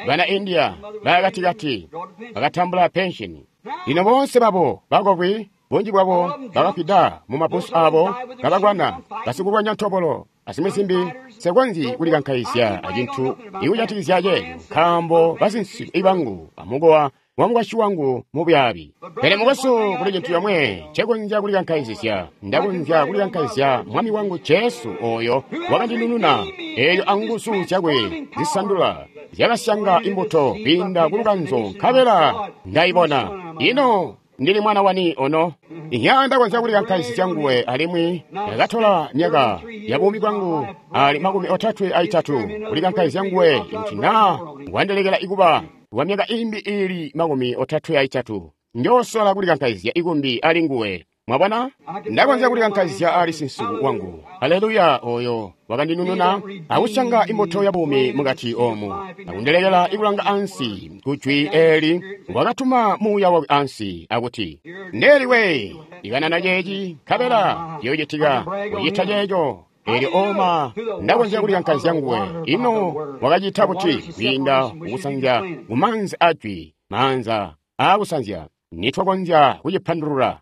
Bana India bakatikati bakatambula pensheni. Lino boonse babo bakokwi, bunji bwabo bakafwida mu mabusu abo kabakwana basikulwanya ntobolo azimwi zimbi. Nsekonzyi kulikankaizya acintu ikujatikizya ceeco, nkaambo basinsiku bangu amukowa wa mukwasyi wangu mubyaabi. Pele mukwesu, kuli cintu comwe ncekonzya kulikankaizya. Ndakonzya kulikankaizya Mwami wangu Jesu oyo wakandinununa, eelyo anguzu zyakwe zisandula zyakasyanga imbuto kwiinda ku lukanzo, nkabela ndayibona. Ino ndili mwana wani ono? Inya ndakonzya kulikankaizya nguwe, alimwi ndakatola myaka ya buumi bwangu ali makumi otatwe aitatu kulikankaizya nguwe, kuti naa wandelekela ikuba wa myaka imbi ili makumi otatwe aitatu, njosola kulikankaizya ikumbi ali nguwe. Mwabona? Ndakonzya kulikankaizya ali sinsiku wangu. Haleluya! Oyo wakandinununa akusyanga imbuto ya buumi mukati omu, akundelekela ikulanga ansi kujwi eli, wakatuma muuya wakwe ansi akuti, ndeliwe ikanana ceeci, nkabela ciyocitika kucita ceeco. Elyo oma ndakonzya kulikankaizya nguwe. Ino wakacita buti? Kwiinda kukusanzya kumaanzi ajwi, maanza aakusanzya. Nitwakonzya kucipandulula.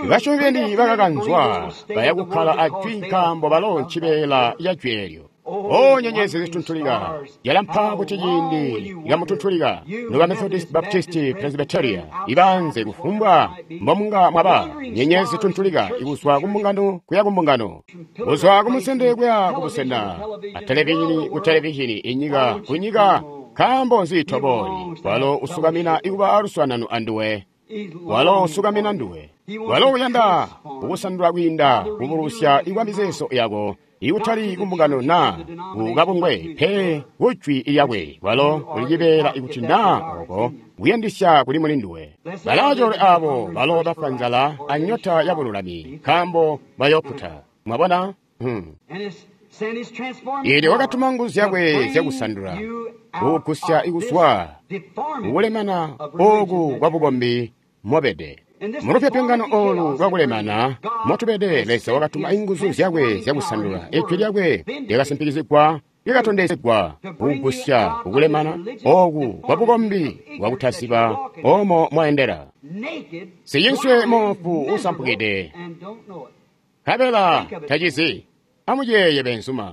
Basyomi beni bakakanzwa baya kukkala ajwi, nkaambo balo ncibeela ca jwi eelyo. O nyenyezi zituntulika, yalampa kuti ciindi likamutuntulika noba Methodist, Baptist, Presbyteria ibanze kufumbwa mbomunga mwaba, nyenyezi zituntulika ikuzwa kumbungano kuya kumbungano, kuzwa kumusende kuya kubusena, a televizhini ku televizhini, inyika kunyika. Nkaambo nzi toboli? Walo usukamina ikuba aluswaanano anduwe. Walo usukamina nduwe. Walo uyanda kukusandula kwiinda kubulusya ikwa mizeezo yako, ikutali kumbungano naa kukabungwe, pe kujwi lyakwe. Walo uli cibeela ikuti naa oko kuyandisya kuli muli nduwe. Balacoolwe abo balo bafwa nzala anyota ya bululami, nkaambo bayokkuta. Mwabona? Hmm. Eelyo wakatuma nguzu zyakwe zyakusandula, kukugusya ikuzwa kukulemana oku kwa bukombi mobede. Mulupyopyongano olu lwakulemana motubede, Leza wakatuma inguzu zyakwe zyakusandula. Ijwi lyakwe lyakasimpikizigwa, lyakatondezegwa kukugusya kukulemana oku kwa bukombi bwakutaziba omo mwaendela. Siyinswe moofu usampukide, nkabela tacizi. Amuyeeye benzuma.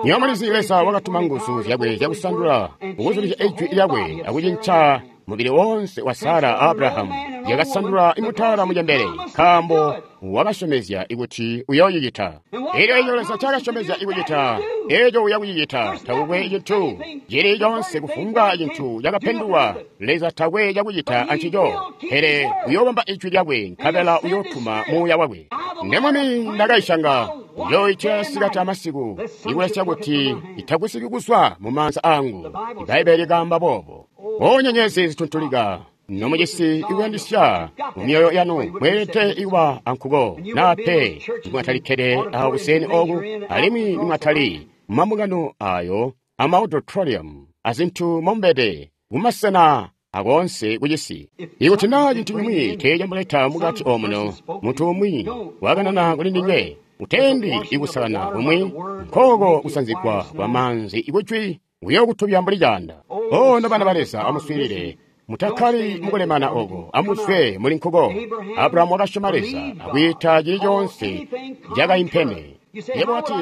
Nywebo mulizi Leza wakatuma nguzu zyakwe zyakusandula kukuzulizya ijwi lyakwe akucinca mubili wonse wa Sara a Abrahamu, yakasandula imutala mucembele, nkaambo wakasyomezya ikuti uyooyicita. Elyo eco Leza cakasyomezya ikucita, eco uyakucicita. Takukwe cintu cili conse kufumbwa cintu cakapendulwa, Leza takwe cakucita ancico, pele uyoobamba ijwi lyakwe, nkabela uyootuma muuya wakwe. Nde Mwami ndakayisyanga, njooyitya sikati amasiku, ikulesya kuti itagwisiki kuzwa mu maanza angu. Ibaibbele likaamba boobo. O nyenyezi zituntulika, nomucisi ikuyandisya mu myoyo yanu, mweelede ikuba ankuko, naa pe nimwatalikkede awo kuseni oku, alimwi nimwatali mumambungano ayo ama auditorium azintu momubede kumasena akoonse kucisi. Ikuti naa cintu cimwi teecamuleta mukati omuno, muntu umwi wakanana kuli ndinywe, utendi ikusalana kumwi, nkooko kusanzigwa kwa maanzi ikujwi kuyokutubya mbuli caanda. O nobana ba Leza, amuswiilile. Mutakkali mukulemana oko, amuzwe muli nkuko. Abrahamu wakasyoma Leza akwiita cili coonse cakaimpene. Yebo wati,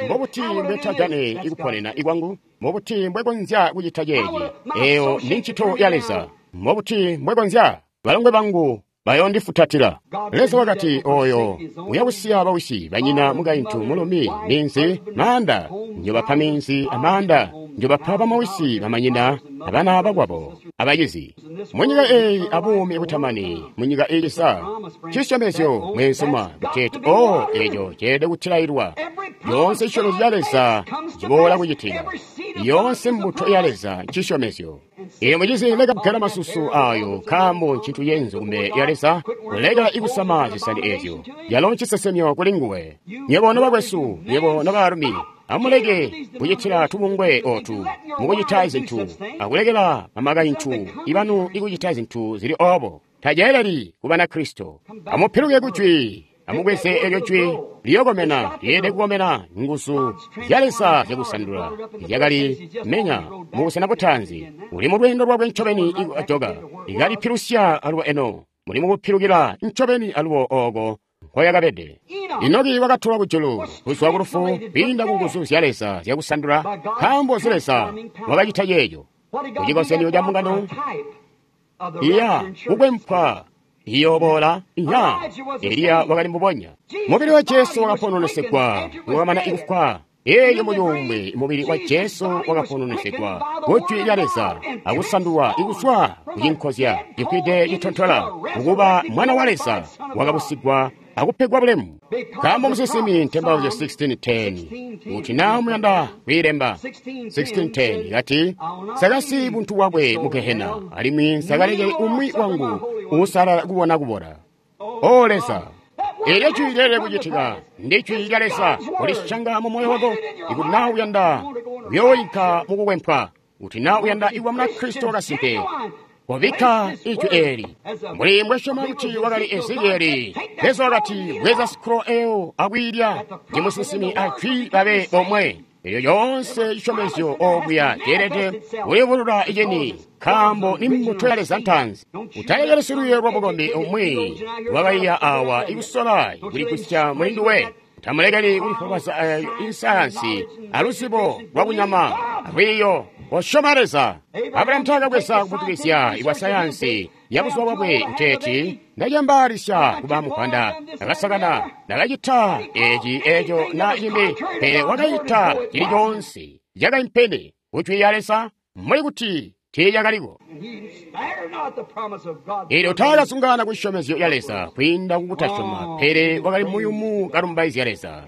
mbobuti mbwetagane ikuponena ikwangu? Mbobuti mbwekonzya kucita ceeci? Eyo ni ncito ya Leza. Mbobuti mbwekonzya? Balongwe bangu bayondifutatila. Leza wakati, oyo uyakusiya bawisi, banyina, mukaintu, mulumi, minzi, maanda, njobapa minzi amaanda, njobapa bamawisi, bamanyina, abana bakwabo, abacizi. Munyika eyi abuumi butamani, munyika iilisa. Cisyomezyo mweenzuma kuteeti, o eco ceelede kutilailwa. Yoonse cisyomezyo ca Leza ciboola kucitika. Yoonse mbuto ya Leza ncisyomezyo. Iyo mucizi leka kugela masusu ayo nkaambo ncintu yenzu kumbele ya Leza, kuleka ikusama zisani ezyo. Yalo ncisesemyo kuli nguwe. Nyebo nobakwesu, nyebo nobaalumi, amuleke kucitila tubungwe otu mukucita zintu, akulekela bamakaintu ibanu ikucita zintu zili obo. Taceeleli ku Banakristo. Amupiluke ku jwi. Amubweze elyo jwi liyokomena, lyeelede kukomena nguzu zya Leza zyakusandula zyakali menya mubusena butaanzi. Uli mu lweendo lwakwe ncobeni ikujoka, ikalipilusya alubo eno muli mukupilukila ncobeni alubo oko nkoyakabede. Enoki wakatolwa kujulu kuzwa ku lufu kwiinda ku nguzu zya Leza zyakusandula, nkaambo zi Leza wakacita ceeco. Kucikozyanyo ca mbungano iya kukwempwa iyoboola nya Eliya wakali mbubonya. Mubili wa Jesu wakapononesegwa wakamana ikufwa. Eyo muyumbwe mubili wa Jesu wakapononesegwa ku jwi lya Leza akusandulwa ikuzwa kucinkozya cifwide citontola kukuba mwana wa Leza wakabusigwa akupegwa bulemu. Nkaambo musinsimi Ntembauzyo sixteen ten kuti naa muyanda kwiilemba sixteen ten kati, sakasi buntu bwakwe mu Gehena, alimwi sakalekele umwi wangu uusalala kubona kubora. O Leza, elyo jwi lyeelede kucitika ndi jwi lya Leza kulisyanga mu moyo wako. Ikuti naa uyanda kuyooyinka mukukwempwa, kuti naa uyanda ikuba Munakristo wakasimpe, kobikka ijwi eeli. Mbuli mbwesyoma kuti wakali Ezekieli, Leza wakati, bweza scroll eyo akwiilya, ndi musinsimi ajwi babe bomwe. Elyo yoonse cisyomezyo okuya ceelede kulivulula iceni, nkaambo ni mbuto ya Leza ntaanzi. Utalekeli silwiiyo lwa bukombi umwi lwakaiya awa ikusola kuligusya muli nduwe. Utamulekeli kulifwabwaza isayansi aluzibo lwakunyama alwiiyo. Kosyoma Leza. Abrahamu taakabweza kuputukizya ibwa sayansi ya buzuba bwakwe nteeti, ndacembaalisya kuba mupanda, ndakasakana, ndakacita eci eco na cimbi, pele wakacita cili coonse cakaimpene ku jwi lya Leza mbuli kuti tiicakaliko. Elyo taakasungana ku cisyomezyo ya Leza kwiinda kukutasyoma, pele wakali muyumu kalumbaizya Leza.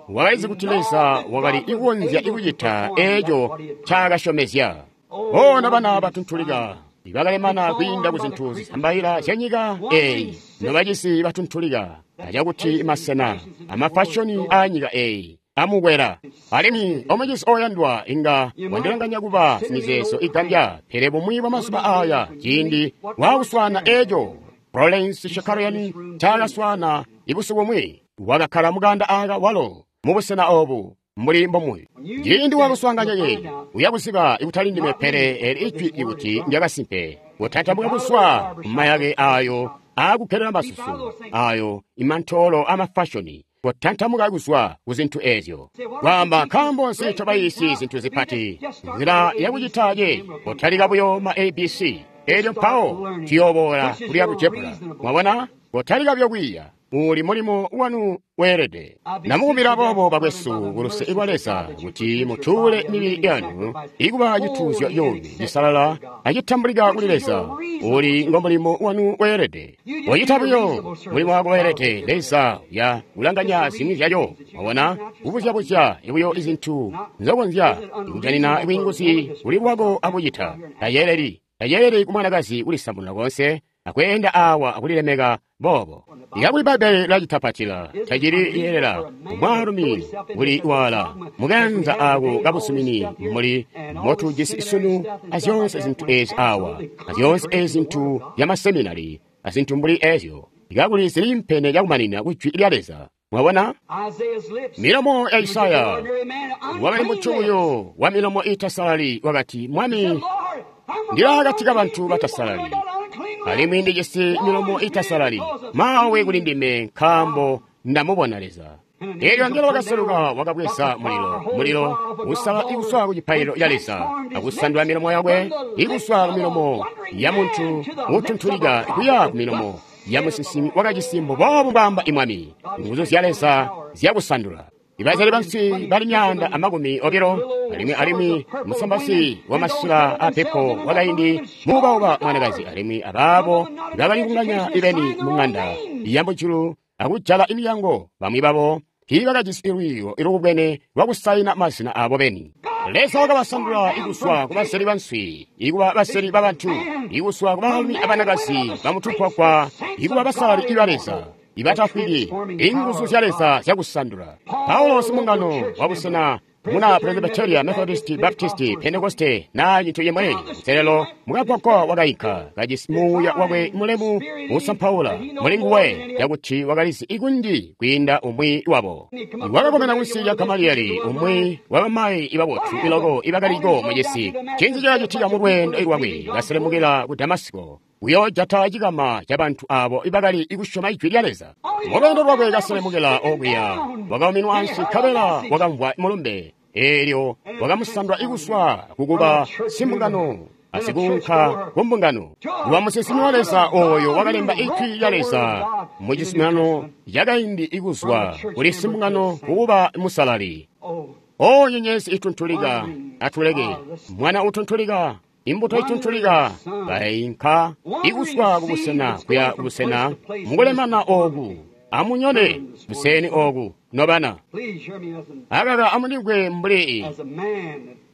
Wakalizi kuti Leza wakali ikukonzya ikucita eco ncaakasyomezya. Bona bana batuntulika ibakalemana kwiinda ku zintu zisambaila zyanyika eyi, nobacisi batuntulika acakuti masena amafashoni aanyika eyi amukwela. Alimwi omucisi oyandwa inga wandilanganya kuba mizeezo igambya, pele bumwi bwa mazuba aya ciindi waakuswaana eco Florence Shakarian ncaakaswaana ibusiku bumwi, wakakkala mukanda aka walo mubusena obu mbuli mbomuyu. Ciindi wakuswaanganya yeyi uyakuziba ikutali ndime pele eli ijwi ikuti ndyakasimpe. Kutantamuka kuzwa mumayake ayo aakugelela masusu ayo imantoolo amafashoni, kutantamuka kuzwa ku zintu ezyo. Kwaamba nkaambo nzi tobayiisi zintu zipati nzila yakucita ye kotalika buyo ma A B C, elyo mpawo tuyooboola kuli alujebula. Mwabona, kotalika buyo kwiiya. Uli mulimo wanu weelede. Namukumbila boobo bakwesu kuluse lwa Leza kuti mutuule mibili yanu ikuba cituuzyo cuumi cisalala acitambulika kuli Leza. Uli ngo mulimo wanu weelede. Wacita buyo mulimo wako weelede. Leza uya kulanganya zimwi zyaco. Wabona kubuzyabuzya buyo izintu nzokonzya ikujanina bwiinguzi kuli lwako akucita. Tayeeleli tayeeleli kumwanakazi kulisamununa konse akweenda awa akulilemeka boobo. Ikakuli Bbaibbele lacitapatila tacili yeelela mwaalumi kuli wala mukanza ako kabusumini muli motujisi sunu azyoonse zintu ezi awa azyoonse ezi zintu byamaseminari azintu mbuli ezyo ikakuli zilimpene cakumanina ku jwi lya Leza. Mwabona milomo ya Isaya wakali mutu uyo wa milomo itasalali wakati, Mwami, Ndili akati kabantu batasalali, alimwi ndijisi milomo itasalali. Maawe kuli ndime, nkaambo ndamubona Leza. Eelyo angelo wakaseluka wakabweza mulilo, mulilo usala ikuswa ku cipaililo ca Leza, akusandula milomo yakwe ikuswa ku milomo ya muntu utuntulika kuya ku milomo ya musinsimi wakajisi mbuboobu mbwaamba imwami. Nguzu zya Leza zyakusandula. Ibazyali banswi bali myaanda amakumi obilo, alimwi alimwi musambasi wamasila apepo wakaindi muubauba mwanakazi, alimwi abaabo bakali kunganya ibeni mung'anda yamujulu akujala imilyango. Bamwi babo tiibakajisi lwiiyo ilukubwene lwakusayina mazina abo beni. Leza wakabasandula ikuswa kubaseli banswi, ikuba baseli babantu, ikuswa kubaalumi abanakazi bamutukwakwa, ikuba basalali iba Leza ibatafwiki. Inguzu zya Leza zyakusandula. Paulo simungano wabusena muna Presbyteria, Methodist, Baptist, Pentecoste na cintu cimwi nselelo mukagwagwa wakainka kajisi muuya wakwe mulemu usampaula muli nguwe cakuti wakalizi ikunji kwiinda umwi wabo. Wakakomena kunsi lya Gamaliyeli, umwi wabamayi ibabotu iloko ibakaliko mucisi. Cinzi cakacitika mu lweendo lwakwe kaselemukila ku Damasiko kuyoojata cikama cabantu abo ibakali ikusyoma ijwi lya Leza. Mu lweendo lwakwe kaselemukila okuya wakauminwa ansi, nkabela wakamvwa mulumbe. Eelyo wakamusandula ikuswa kukuba simbungano asikuunka kumbungano. Kuba musinsimi wa Leza ooyo wakalemba ijwi lya Leza mu cizuminano cakaindi ikuzwa kuli simbungano kukuba musalali. O nyenyezi ituntulika, atuleke mwana utuntulika, imbuto ituntulika, bainka ikuswa kubusena kuya kubusena mukulemana ooku. Amunyone buseni ooku nobana. Akaka amundimvwe mbuli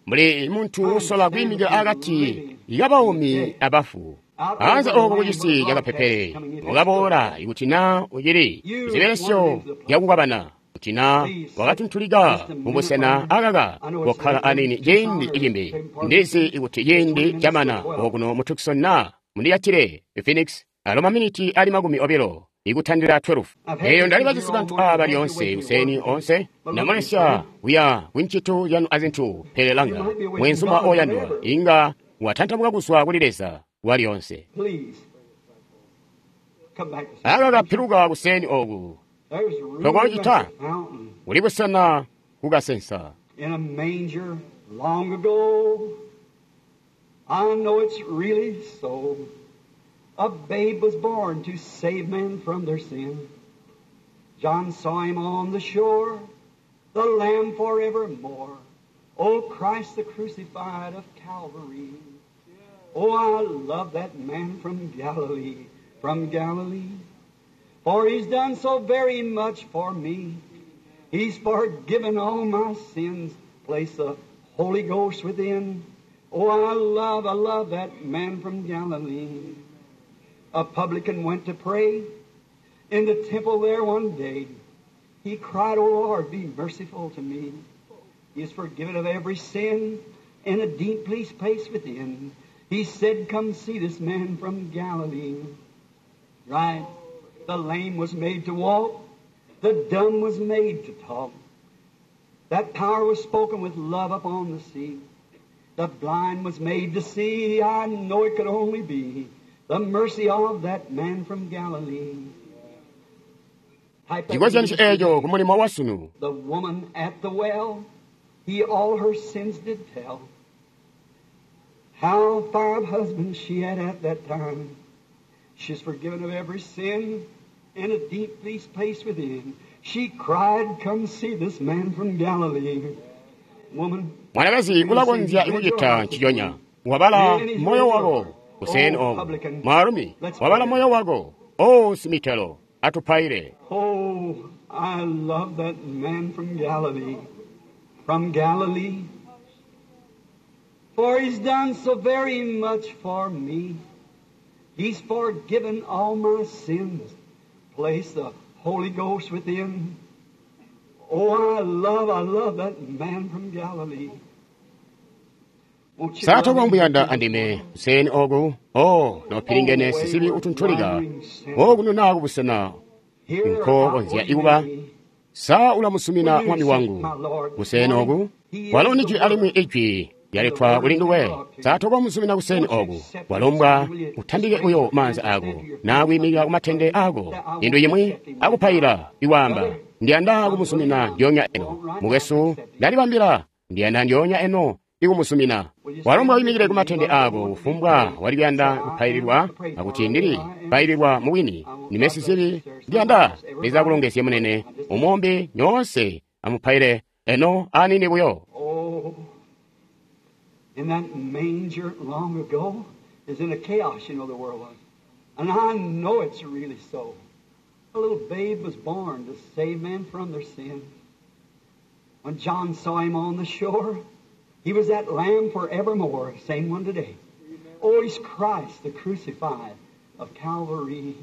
mbuli muntu usola kwiimikila akati kabaumi abafu. Anze ooko kucisi cakapepele wakaboola ikuti naa ucili zibelesyo zyakukwabana, kuti naa wakatuntulika mubusena akaka kokkala anini ciindi cimbi. Ndizi ikuti ciindi camana okuno mu Tucson naa mundiyatile Phoenix alo maminiti ali makumi obilo ikutandila twelve. Eyo ndali bajisi bantu aba lyoonse kuseni onse ndamulesya kuya kuncitu yanu azintu, pele langa mwenzuma oyandwa inga watantamuka kuzwa kuli Leza walyonse. Akaka piluka kuseni oku tokocita kuli busena kukasensa. In a manger long ago, I know it's really so. A babe was born to save men from their sin. John saw him on the shore, the Lamb forevermore. Oh, Christ the crucified of Calvary. Oh, I love that man from Galilee, from Galilee. For he's done so very much for me. He's forgiven all my sins, placed the Holy Ghost within. Oh, I love, I love that man from Galilee. A publican went to pray in the temple there one day. He cried, O Lord, be merciful to me. He is forgiven of every sin in a deep place within. He said, come see this man from Galilee. Right. The lame was made to walk. The dumb was made to talk. That power was spoken with love upon the sea. The blind was made to see. I know it could only be the mercy of that man from Galilee. Chikozyano echo kumulimo wasunu. The woman at the well, he all her sins did tell. How five husbands she had at that time. She's forgiven of every sin in a deep place within. She cried, come see this man from Galilee. Woman, mwanakazi ulakonzya ikucita nchichonya. Wabala moyo wako kuseni oko. Mwaalumi, wabala moyo wako. O simitelo, atupaile. Oh, I love that man from Galilee. From Galilee. For he's done so very much for me. He's forgiven all my sins. Place the Holy Ghost within. Oh, I love, I love that man from Galilee. Won't you love Satoko him? mbuyanda andime kuseni oku. Oh, nopilingene sisibi utuntulika. Okuno naku busena Here nko konzya ikuba sa ulamusumina mwami wangu kuseni oku. Walo ni jwi alimwi ijwi Lyaletwa kuli nduwe. Sa tokomuzumina kuseni oku? Walombwa utambike buyo maanza ako na kwiimikila kumatende ako indu imwi akupaila iwaamba, ndiyanda kumuzumina ndyoonya eno. Mukwesu, ndalibambila, ndiyanda ndyoonya eno ikumuzumina. Walombwa wiimikile kumatende ako kufumbwa wali kuyanda kupaililwa akuti ndili paililwa mubwini ndime sizibi, ndiyanda Leza akulongezye munene umombe nyoonse amupaile eno anini buyo. Oh, in that manger long ago is in a chaos, you know, the world was. And I know it's really so. A little babe was born to save men from their sin. When John saw him on the shore, he was that lamb forevermore, same one today. Oh, he's Christ, the crucified of Calvary.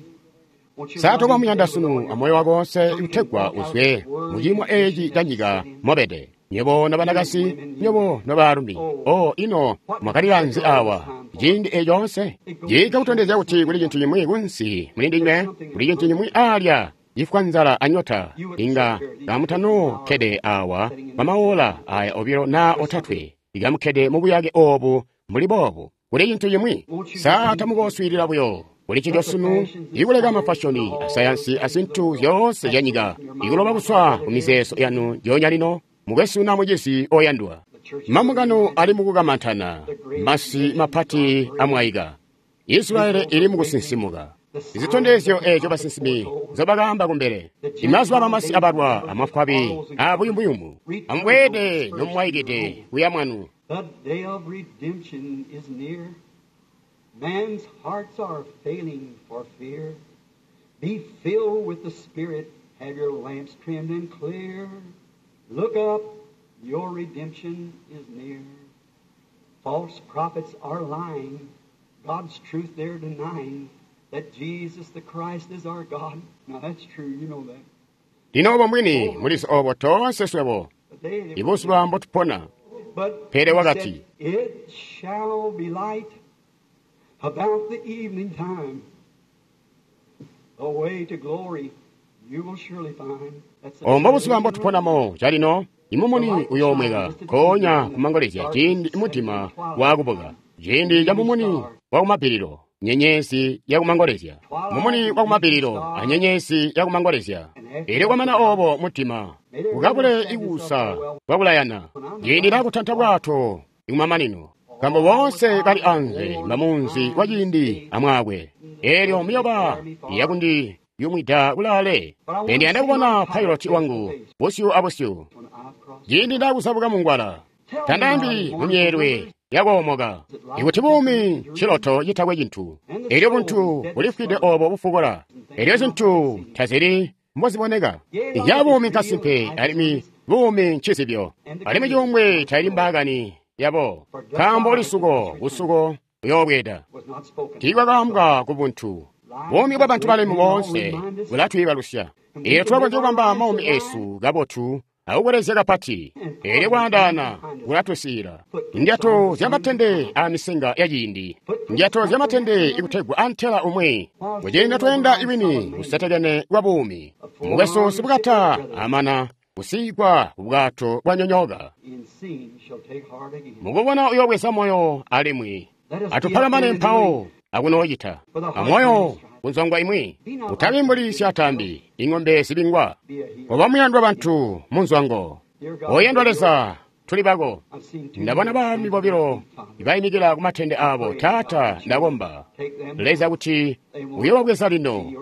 Won't you Sa love him tokomuyanda today with all sunu your amoyo wako wonse So you can kutegwa walk out uzwe worthy muciimo eci ca nyika sitting. mobede nyebo nobanakasi nyebo nobaalumi. O ino mwakalila nzi awa ciindi eco onse? Ciika kutondezya kuti kuli cintu cimwi kunsi muli ndinywe, kuli cintu cimwi alya cifwa nzala anyota. Inga kamutanokkede awa kwa maola aya obilo na otatwe, ikamukkede mubuyake obu mbuli boobu. Kuli cintu cimwi. Sa tamukoswiilila buyo kuli ncico sunu, ikuleka mafashoni asayansi azintu zyoonse zya nyika ikuloba kuswa ku mizeezo yanu ndyoonya lino. Mukwesu na mucizi oyandwa, mambungano ali mukukamantana, masi mapati amwaika, Israeli ili mukusinsimuka. Zitondezyo eco basinsimi nzobakaamba kumbele. Imazuba bamasi abalwa amafwabi abuyumuyumu. Amubweede nomwaikide kuya mwanu. The day of redemption is near. Man's hearts are failing for fear. Be filled with the Spirit. Have your lamps trimmed and clear. Look up. Your redemption is near. False prophets are lying. God's truth they're denying. That Jesus the Christ is our God. Now that's true. You know that. Lino obo mbwini mulizi obo toonse swebo But they, ibuzuba mbotupona. But Pele he wakati, said, it shall be light about the evening time. The way to glory you will surely find. That's the Ombo buzuba mbotuponamo calino imumuni uyoomweka konya kumangolezya ciindi mutima wakubuka, ciindi ca mumuni wakumapiliro, nyenyezi yakumangolezya, mumuni wakumapiliro anyenyezi yakumangolezya. Elyo kwamana obo mutima ukabule ikuusa kwakulayana, ciindi lakutanta bwato ikumamanino, nkambo boonse bali anze mbamunzi wa ciindi amwaakwe. Elyo miyoba yakundi yumwida kulaale. Ndiyanda kubona piloti wangu busyu abusyu When I've crossed ciindi ndakusabuka mungwala, tandambi mumyeelwe yakoomoka. Ikuti buumi nciloto citakwe cintu, elyo buntu bulifwide obo bufukola, elyo zintu tazili mboziboneka. Ya buumi nkasimpe alimwi buumi ncizibyo, alimwi cuumbwe taili mbaakani yabo, nkaambo lisuko busuko buyoobweeda. was not spoken. Tiikwakaambwa ku buntu. Buumi bwa bantu balemu boonse bulatwiibalusya. Eelyo tulakonzya kubamba maumi esu kabotu akukwelezya kapati. Eelyo kwaandaana kulatusiila. Ndyato zyamatende amisinga ya ciindi. Ndyato zyamatende ikutegwa antela umwi. Kuciindi tweenda iwini kusetekene kwa buumi. Mukwesu sibukata amana kusiigwa ku bwato bwanyonyoka. In seeing shall take heart again. Mukubona uyobweza moyo alimwi atupalamane mpawo akunoocita amoyo kunzongwa imwi utabi mbuli syatambi ing'ombe zibingwa. Be a hero. Oba muyandwa bantu munzwango oyandwa Leza tuli bako. I've seen two Ndabona baalumi bobilo bayimikila ku matende abo. Taata, ndakomba Leza kuti uyobabweza lino,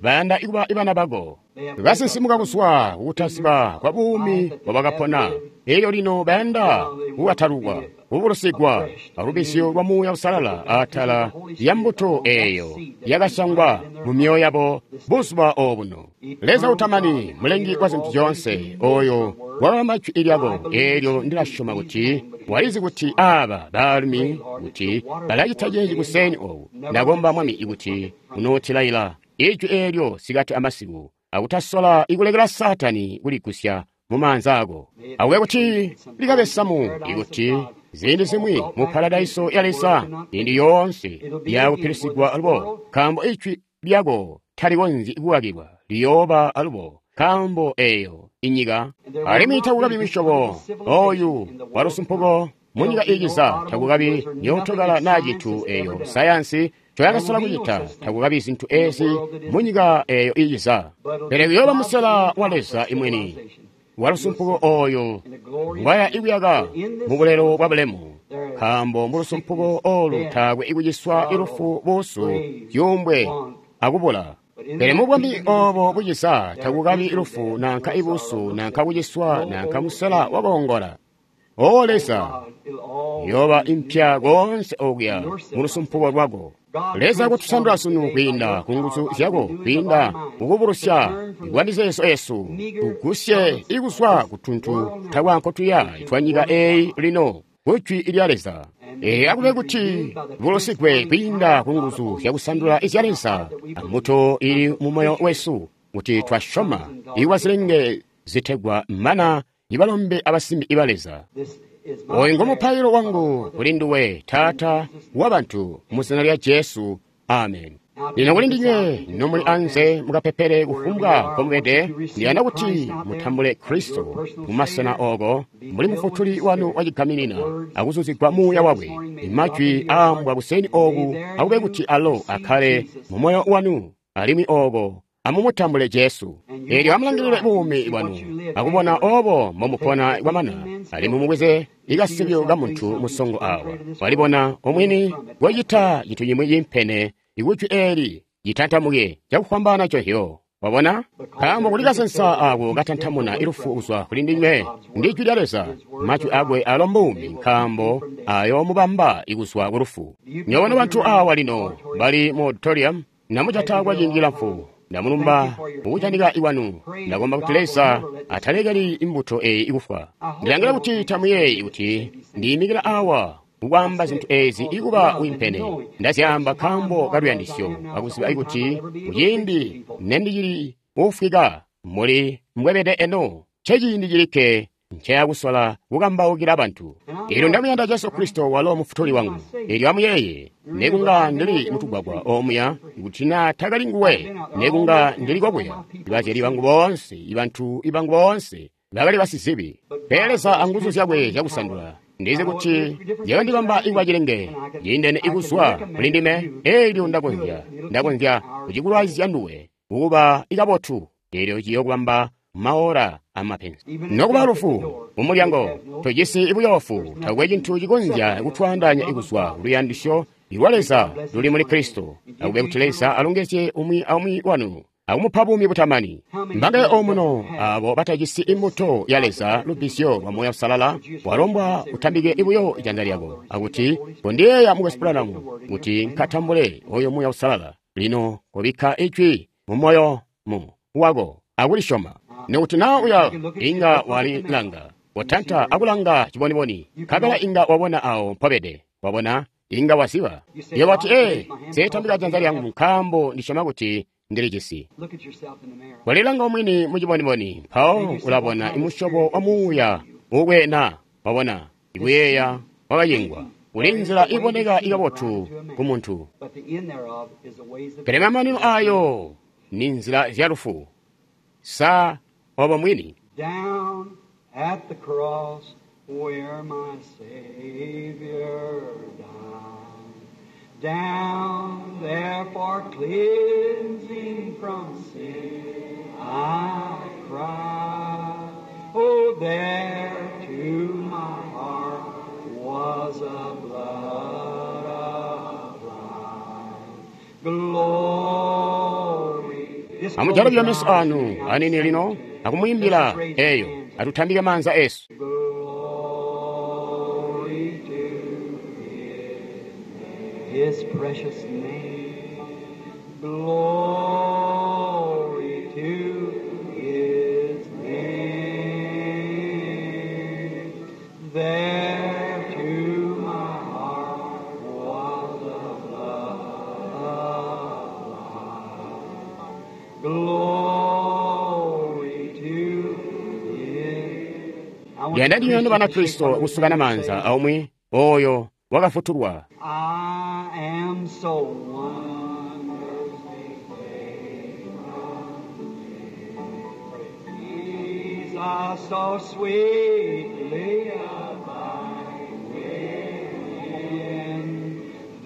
bayanda ikuba ibana bako basinsimuka kuzwa kukutasiba kwa buumi bwabakapona. Elyo lino bayanda kukatalukwa, kubulusigwa alubisyo lwa Muuya Usalala atala ya mbuto eyo yakasyangwa mu myoyo yabo buzuba obuno. Leza utamani, mulengi wa zintu zyoonse, oyo wakabamba jwi lyako, eelyo ndilasyoma kuti walizi kuti aba baalumi kuti balacita ceeci kuseni obu. Ndakomba Mwami ikuti unootilaila ijwi eelyo sikati amasiku, akutasola ikulekela Satani kuligusya mu maanza ako. Akube kuti likabe samu ikuti ziindi zimwi mu paradaiso ya Leza indi yoonse yakupilisigwa alubo, nkaambo ijwi lyako talikonzyi kukakilwa, liyooba alubo, nkaambo eyo inyika alimwi takukabi misyobo oyu walusumpuko Munyika iiciza takukabi myootokala naa cintu eyo sayansi ncoyakasola kucita, takukabi zintu ezi munyika eyo iiciza. Pele kuyooba musela wa Leza imwini walusumpuko oyo ngwaya ikuyaka mubulelo bwa bulemu, nkaambo mulusumpuko olu taakwe ikuciswa ilufu, buusu, zyuumbwe akubula. Pele mubwami obo buciza takukabi lufu nanka ibuusu nanka kuciswa nanka musela wakoongola. O Leza, yoba impya koonse okuya mulusumpuko lwako. Leza kutusandula sunu kwiinda ku nguzu zyako, kwiinda mukubulusya kwa mizeezo yesu, tugusye ikuzwa ku tuntu takwankotuya twa nyika eyi lino ku Jwi lya Leza. Ee, akube kuti bulusigwe kwiinda ku nguzu zyakusandula izya Leza ambuto ili mu moyo wesu, kuti twasyoma ikwa zilenge zitegwa mana ibalombe abasimbi iba Leza. Oyu ngo mupailo wangu kuli nduwe, Taata wa bantu, mu zina lya Jesu. Amen. Lino kuli ndinywe nomuli anze mukapepele kufumbwa nkomubede, ndiyanda kuti mutambule Kristo mumasena oko mbuli mufutuli wanu wacigaminina akuzuzigwa muuya wakwe. Imajwi aambwa kuseni oku akube kuti alo akhale mu moyo wanu, alimwi oko amumutambule Jesu. Eelyo amulangilile buumi bwanu akubona obo mbomupona kwamana, alimwi mubweze ikasibyo ka muntu musongo awa walibona omwini kocita cintu cimwi cimpene ikujwi eeli citantamuke cakufwambaana cohyo. Wabona? Nkaambo kuli kasensa ako katantamuna ilufu kuzwa kuli ndinywe ndi jwi lya Leza. Majwi akwe alo mbuumi, nkaambo ayoomubamba ikuzwa ku lufu. Nyobona bantu awa lino bali mu auditorium namucata kwa ciindi cilamfu. Ndamulumba mukujanika iwanu. Ndakomba kuti Leza atalekeli imbuto eyi ikufwa. Ndilangila kuti tamuyeeyi kuti ndiyimikila awa kukwaamba zintu ezi ikuba wimpene. Ndazyaamba nkaambo kaluyandisyo akuziba kuti kuciindi nendicili kufwika muli mbwebede eno, nceciindi cilikke nceyakusola kukambaukila bantu. Eelyo ndamuyanda Jesu Kristo walo mufutuli wangu. Eelyo amuyeeye, nekunga ndili mutugwagwa omuya, kuti naa takali nguwe, nekunga ndili kokuya. Ibazyali bangu boonse, ibantu ibangu boonse bakali basizibi. Pele Leza anguzu zyakwe zyakusandula, ndizi kuti zyakandibamba ikuba cilenge ciindene ikuzwa kuli ndime. Eelyo ndakonzya, ndakonzya kucikulwaizya nduwe kukuba ikabotu. Eelyo ciyokubamba maora amapenzi nokuba lufu mumulyango. Tojisi ibuyoofu, takwe cintu cikonzya kutwaandaanya ikuzwa kuluyandisyo lwa Leza luli muli Kristo. Akube kuti Leza alongezye umwi aumwi wanu akumupa buumi butamani. Mbangaye omuno abo batajisi imbuto ya Leza, lubbizyo lwa Muuya Uusalala, walombwa utambike ibuyo ijanza lyako akuti kondiyeeya Mukwesu Branham kuti nkatambule oyo Muuya Uusalala. Lino kobikka ijwi mu moyo mu wako akulisyoma. Nikuti naa uya inga walilanga, watanta akulanga ciboniboni, nkabela inga wabona awo mpobede. Wabona, inga waziba. Iye wati, ee, nseetambika janza lyangu nkaambo ndisyoma kuti ndilijisi. Walilanga omwini mu ciboniboni, mpawo ulabona imusyobo wa muuya ukwena. Wabona, ikuyeeya wakacingwa. Uli nzila iboneka ikabotu ku muntu, pele mamanino ayo ni nzila zya lufu. Sa obo mwini. Down at the cross where my Savior died, down there for cleansing from sin I cried. Oh, there to my heart was a blood applied. Glory. Amujalabya meso anu anini lino akumuyimbila eyo atutambike manza esu. Glory to His, His precious name. Glory to His name. There to my heart was the blood applied. Glory to His. I want Yanda to ndiyo preach bana to Kristo shake kusukana one manza aumwi oyo wakafutulwa. I am so wonderfully saved from sin. Jesus, so sweetly abide with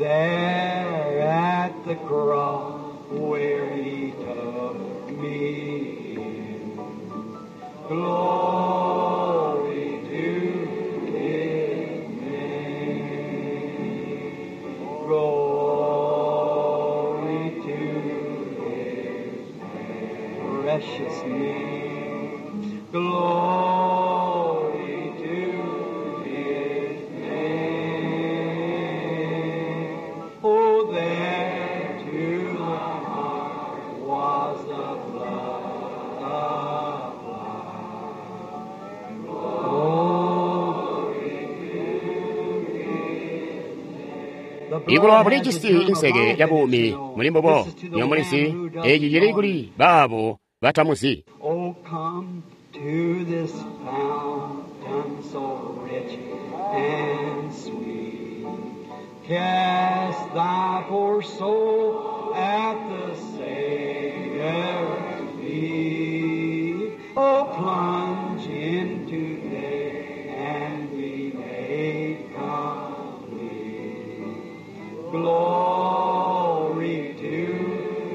There at the cross where he took me in. Glory to his name. Glory to his precious name. Glory to his name. Oh, there to my heart was the blood applied. Glory to his Ikulowa bulijisi inseke ya buumi muli mbubo nyomulisi eci cili kuli baabo batamuzi. Oh, come to this fountain so rich and sweet. Cast thy poor soul at the Savior's feet. Oh, plunge in today and be made complete. Glory to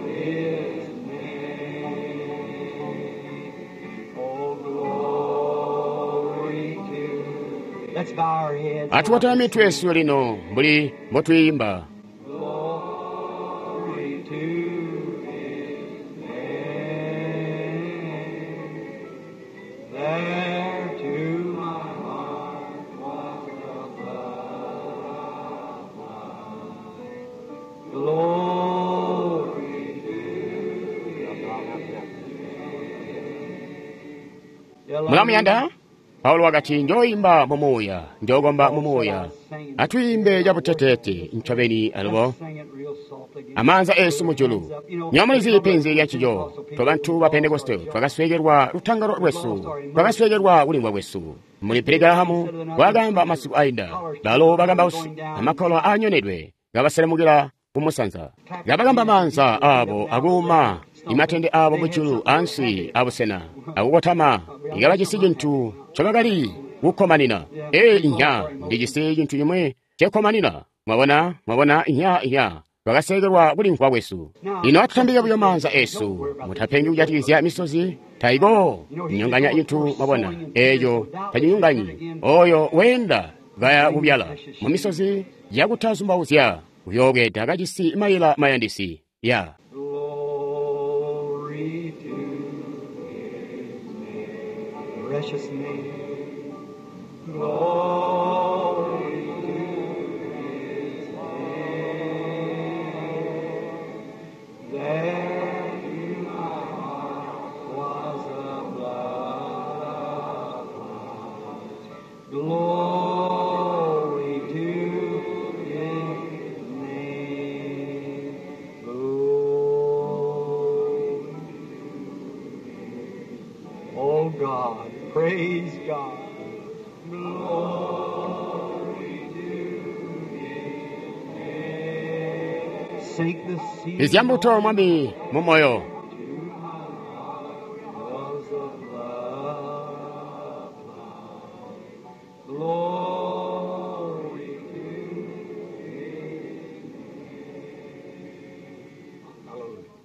His name. Oh, glory to. Let's bow our heads. Atuwatame mitwe yesu lino mbuli mbotwiimba. Glory to His name. There to my heart was the blood applied. Glory to His name. Mulamuyanda? Paulo wakati njoyimba mumuuya, njokomba mumuuya. Atwiimbe cabuteteete ncobeni alubo. Amaanza esu mujulu. Nyomulizi penzi lya ncico. Tobantu ba Pentekoste twakasweekelwa lutangalo lwesu, twakasweekelwa kulimvwa kwesu. Muli Billy Graham wakamba masiku ainda, balo bakambausi amakolo aanyonedwe kabaselemukira kumusanza. Kabakamba maanza abo akuuma imatende abo mujulu ansi abusena akukotama ikabacisi cintu ncobakali kukkomanina. Ee inya ndijisi cintu cimwe cekkomanina. Mwabona, mwabona inya inya twakasekelwa kulimvwa kwesu. Lino atutambike buyo maanza esu, mutapengi kujatikizya misozi taiko nyonganya cintu mwabona eeco tacinyonganyi. Oyo weenda kaya kubyala mu misozi yakutazumbauzya uyoobweda kajisi mayila mayandisi ya. Glory to His name, precious name. Glory to His name. There to my heart was the blood applied. Glory to His name. Glory. Oh God, praise God. Glory to His name. Sink the seed Izyambuto mwami mumoyo. to my heart was the blood applied. Glory to His name. Hallelujah.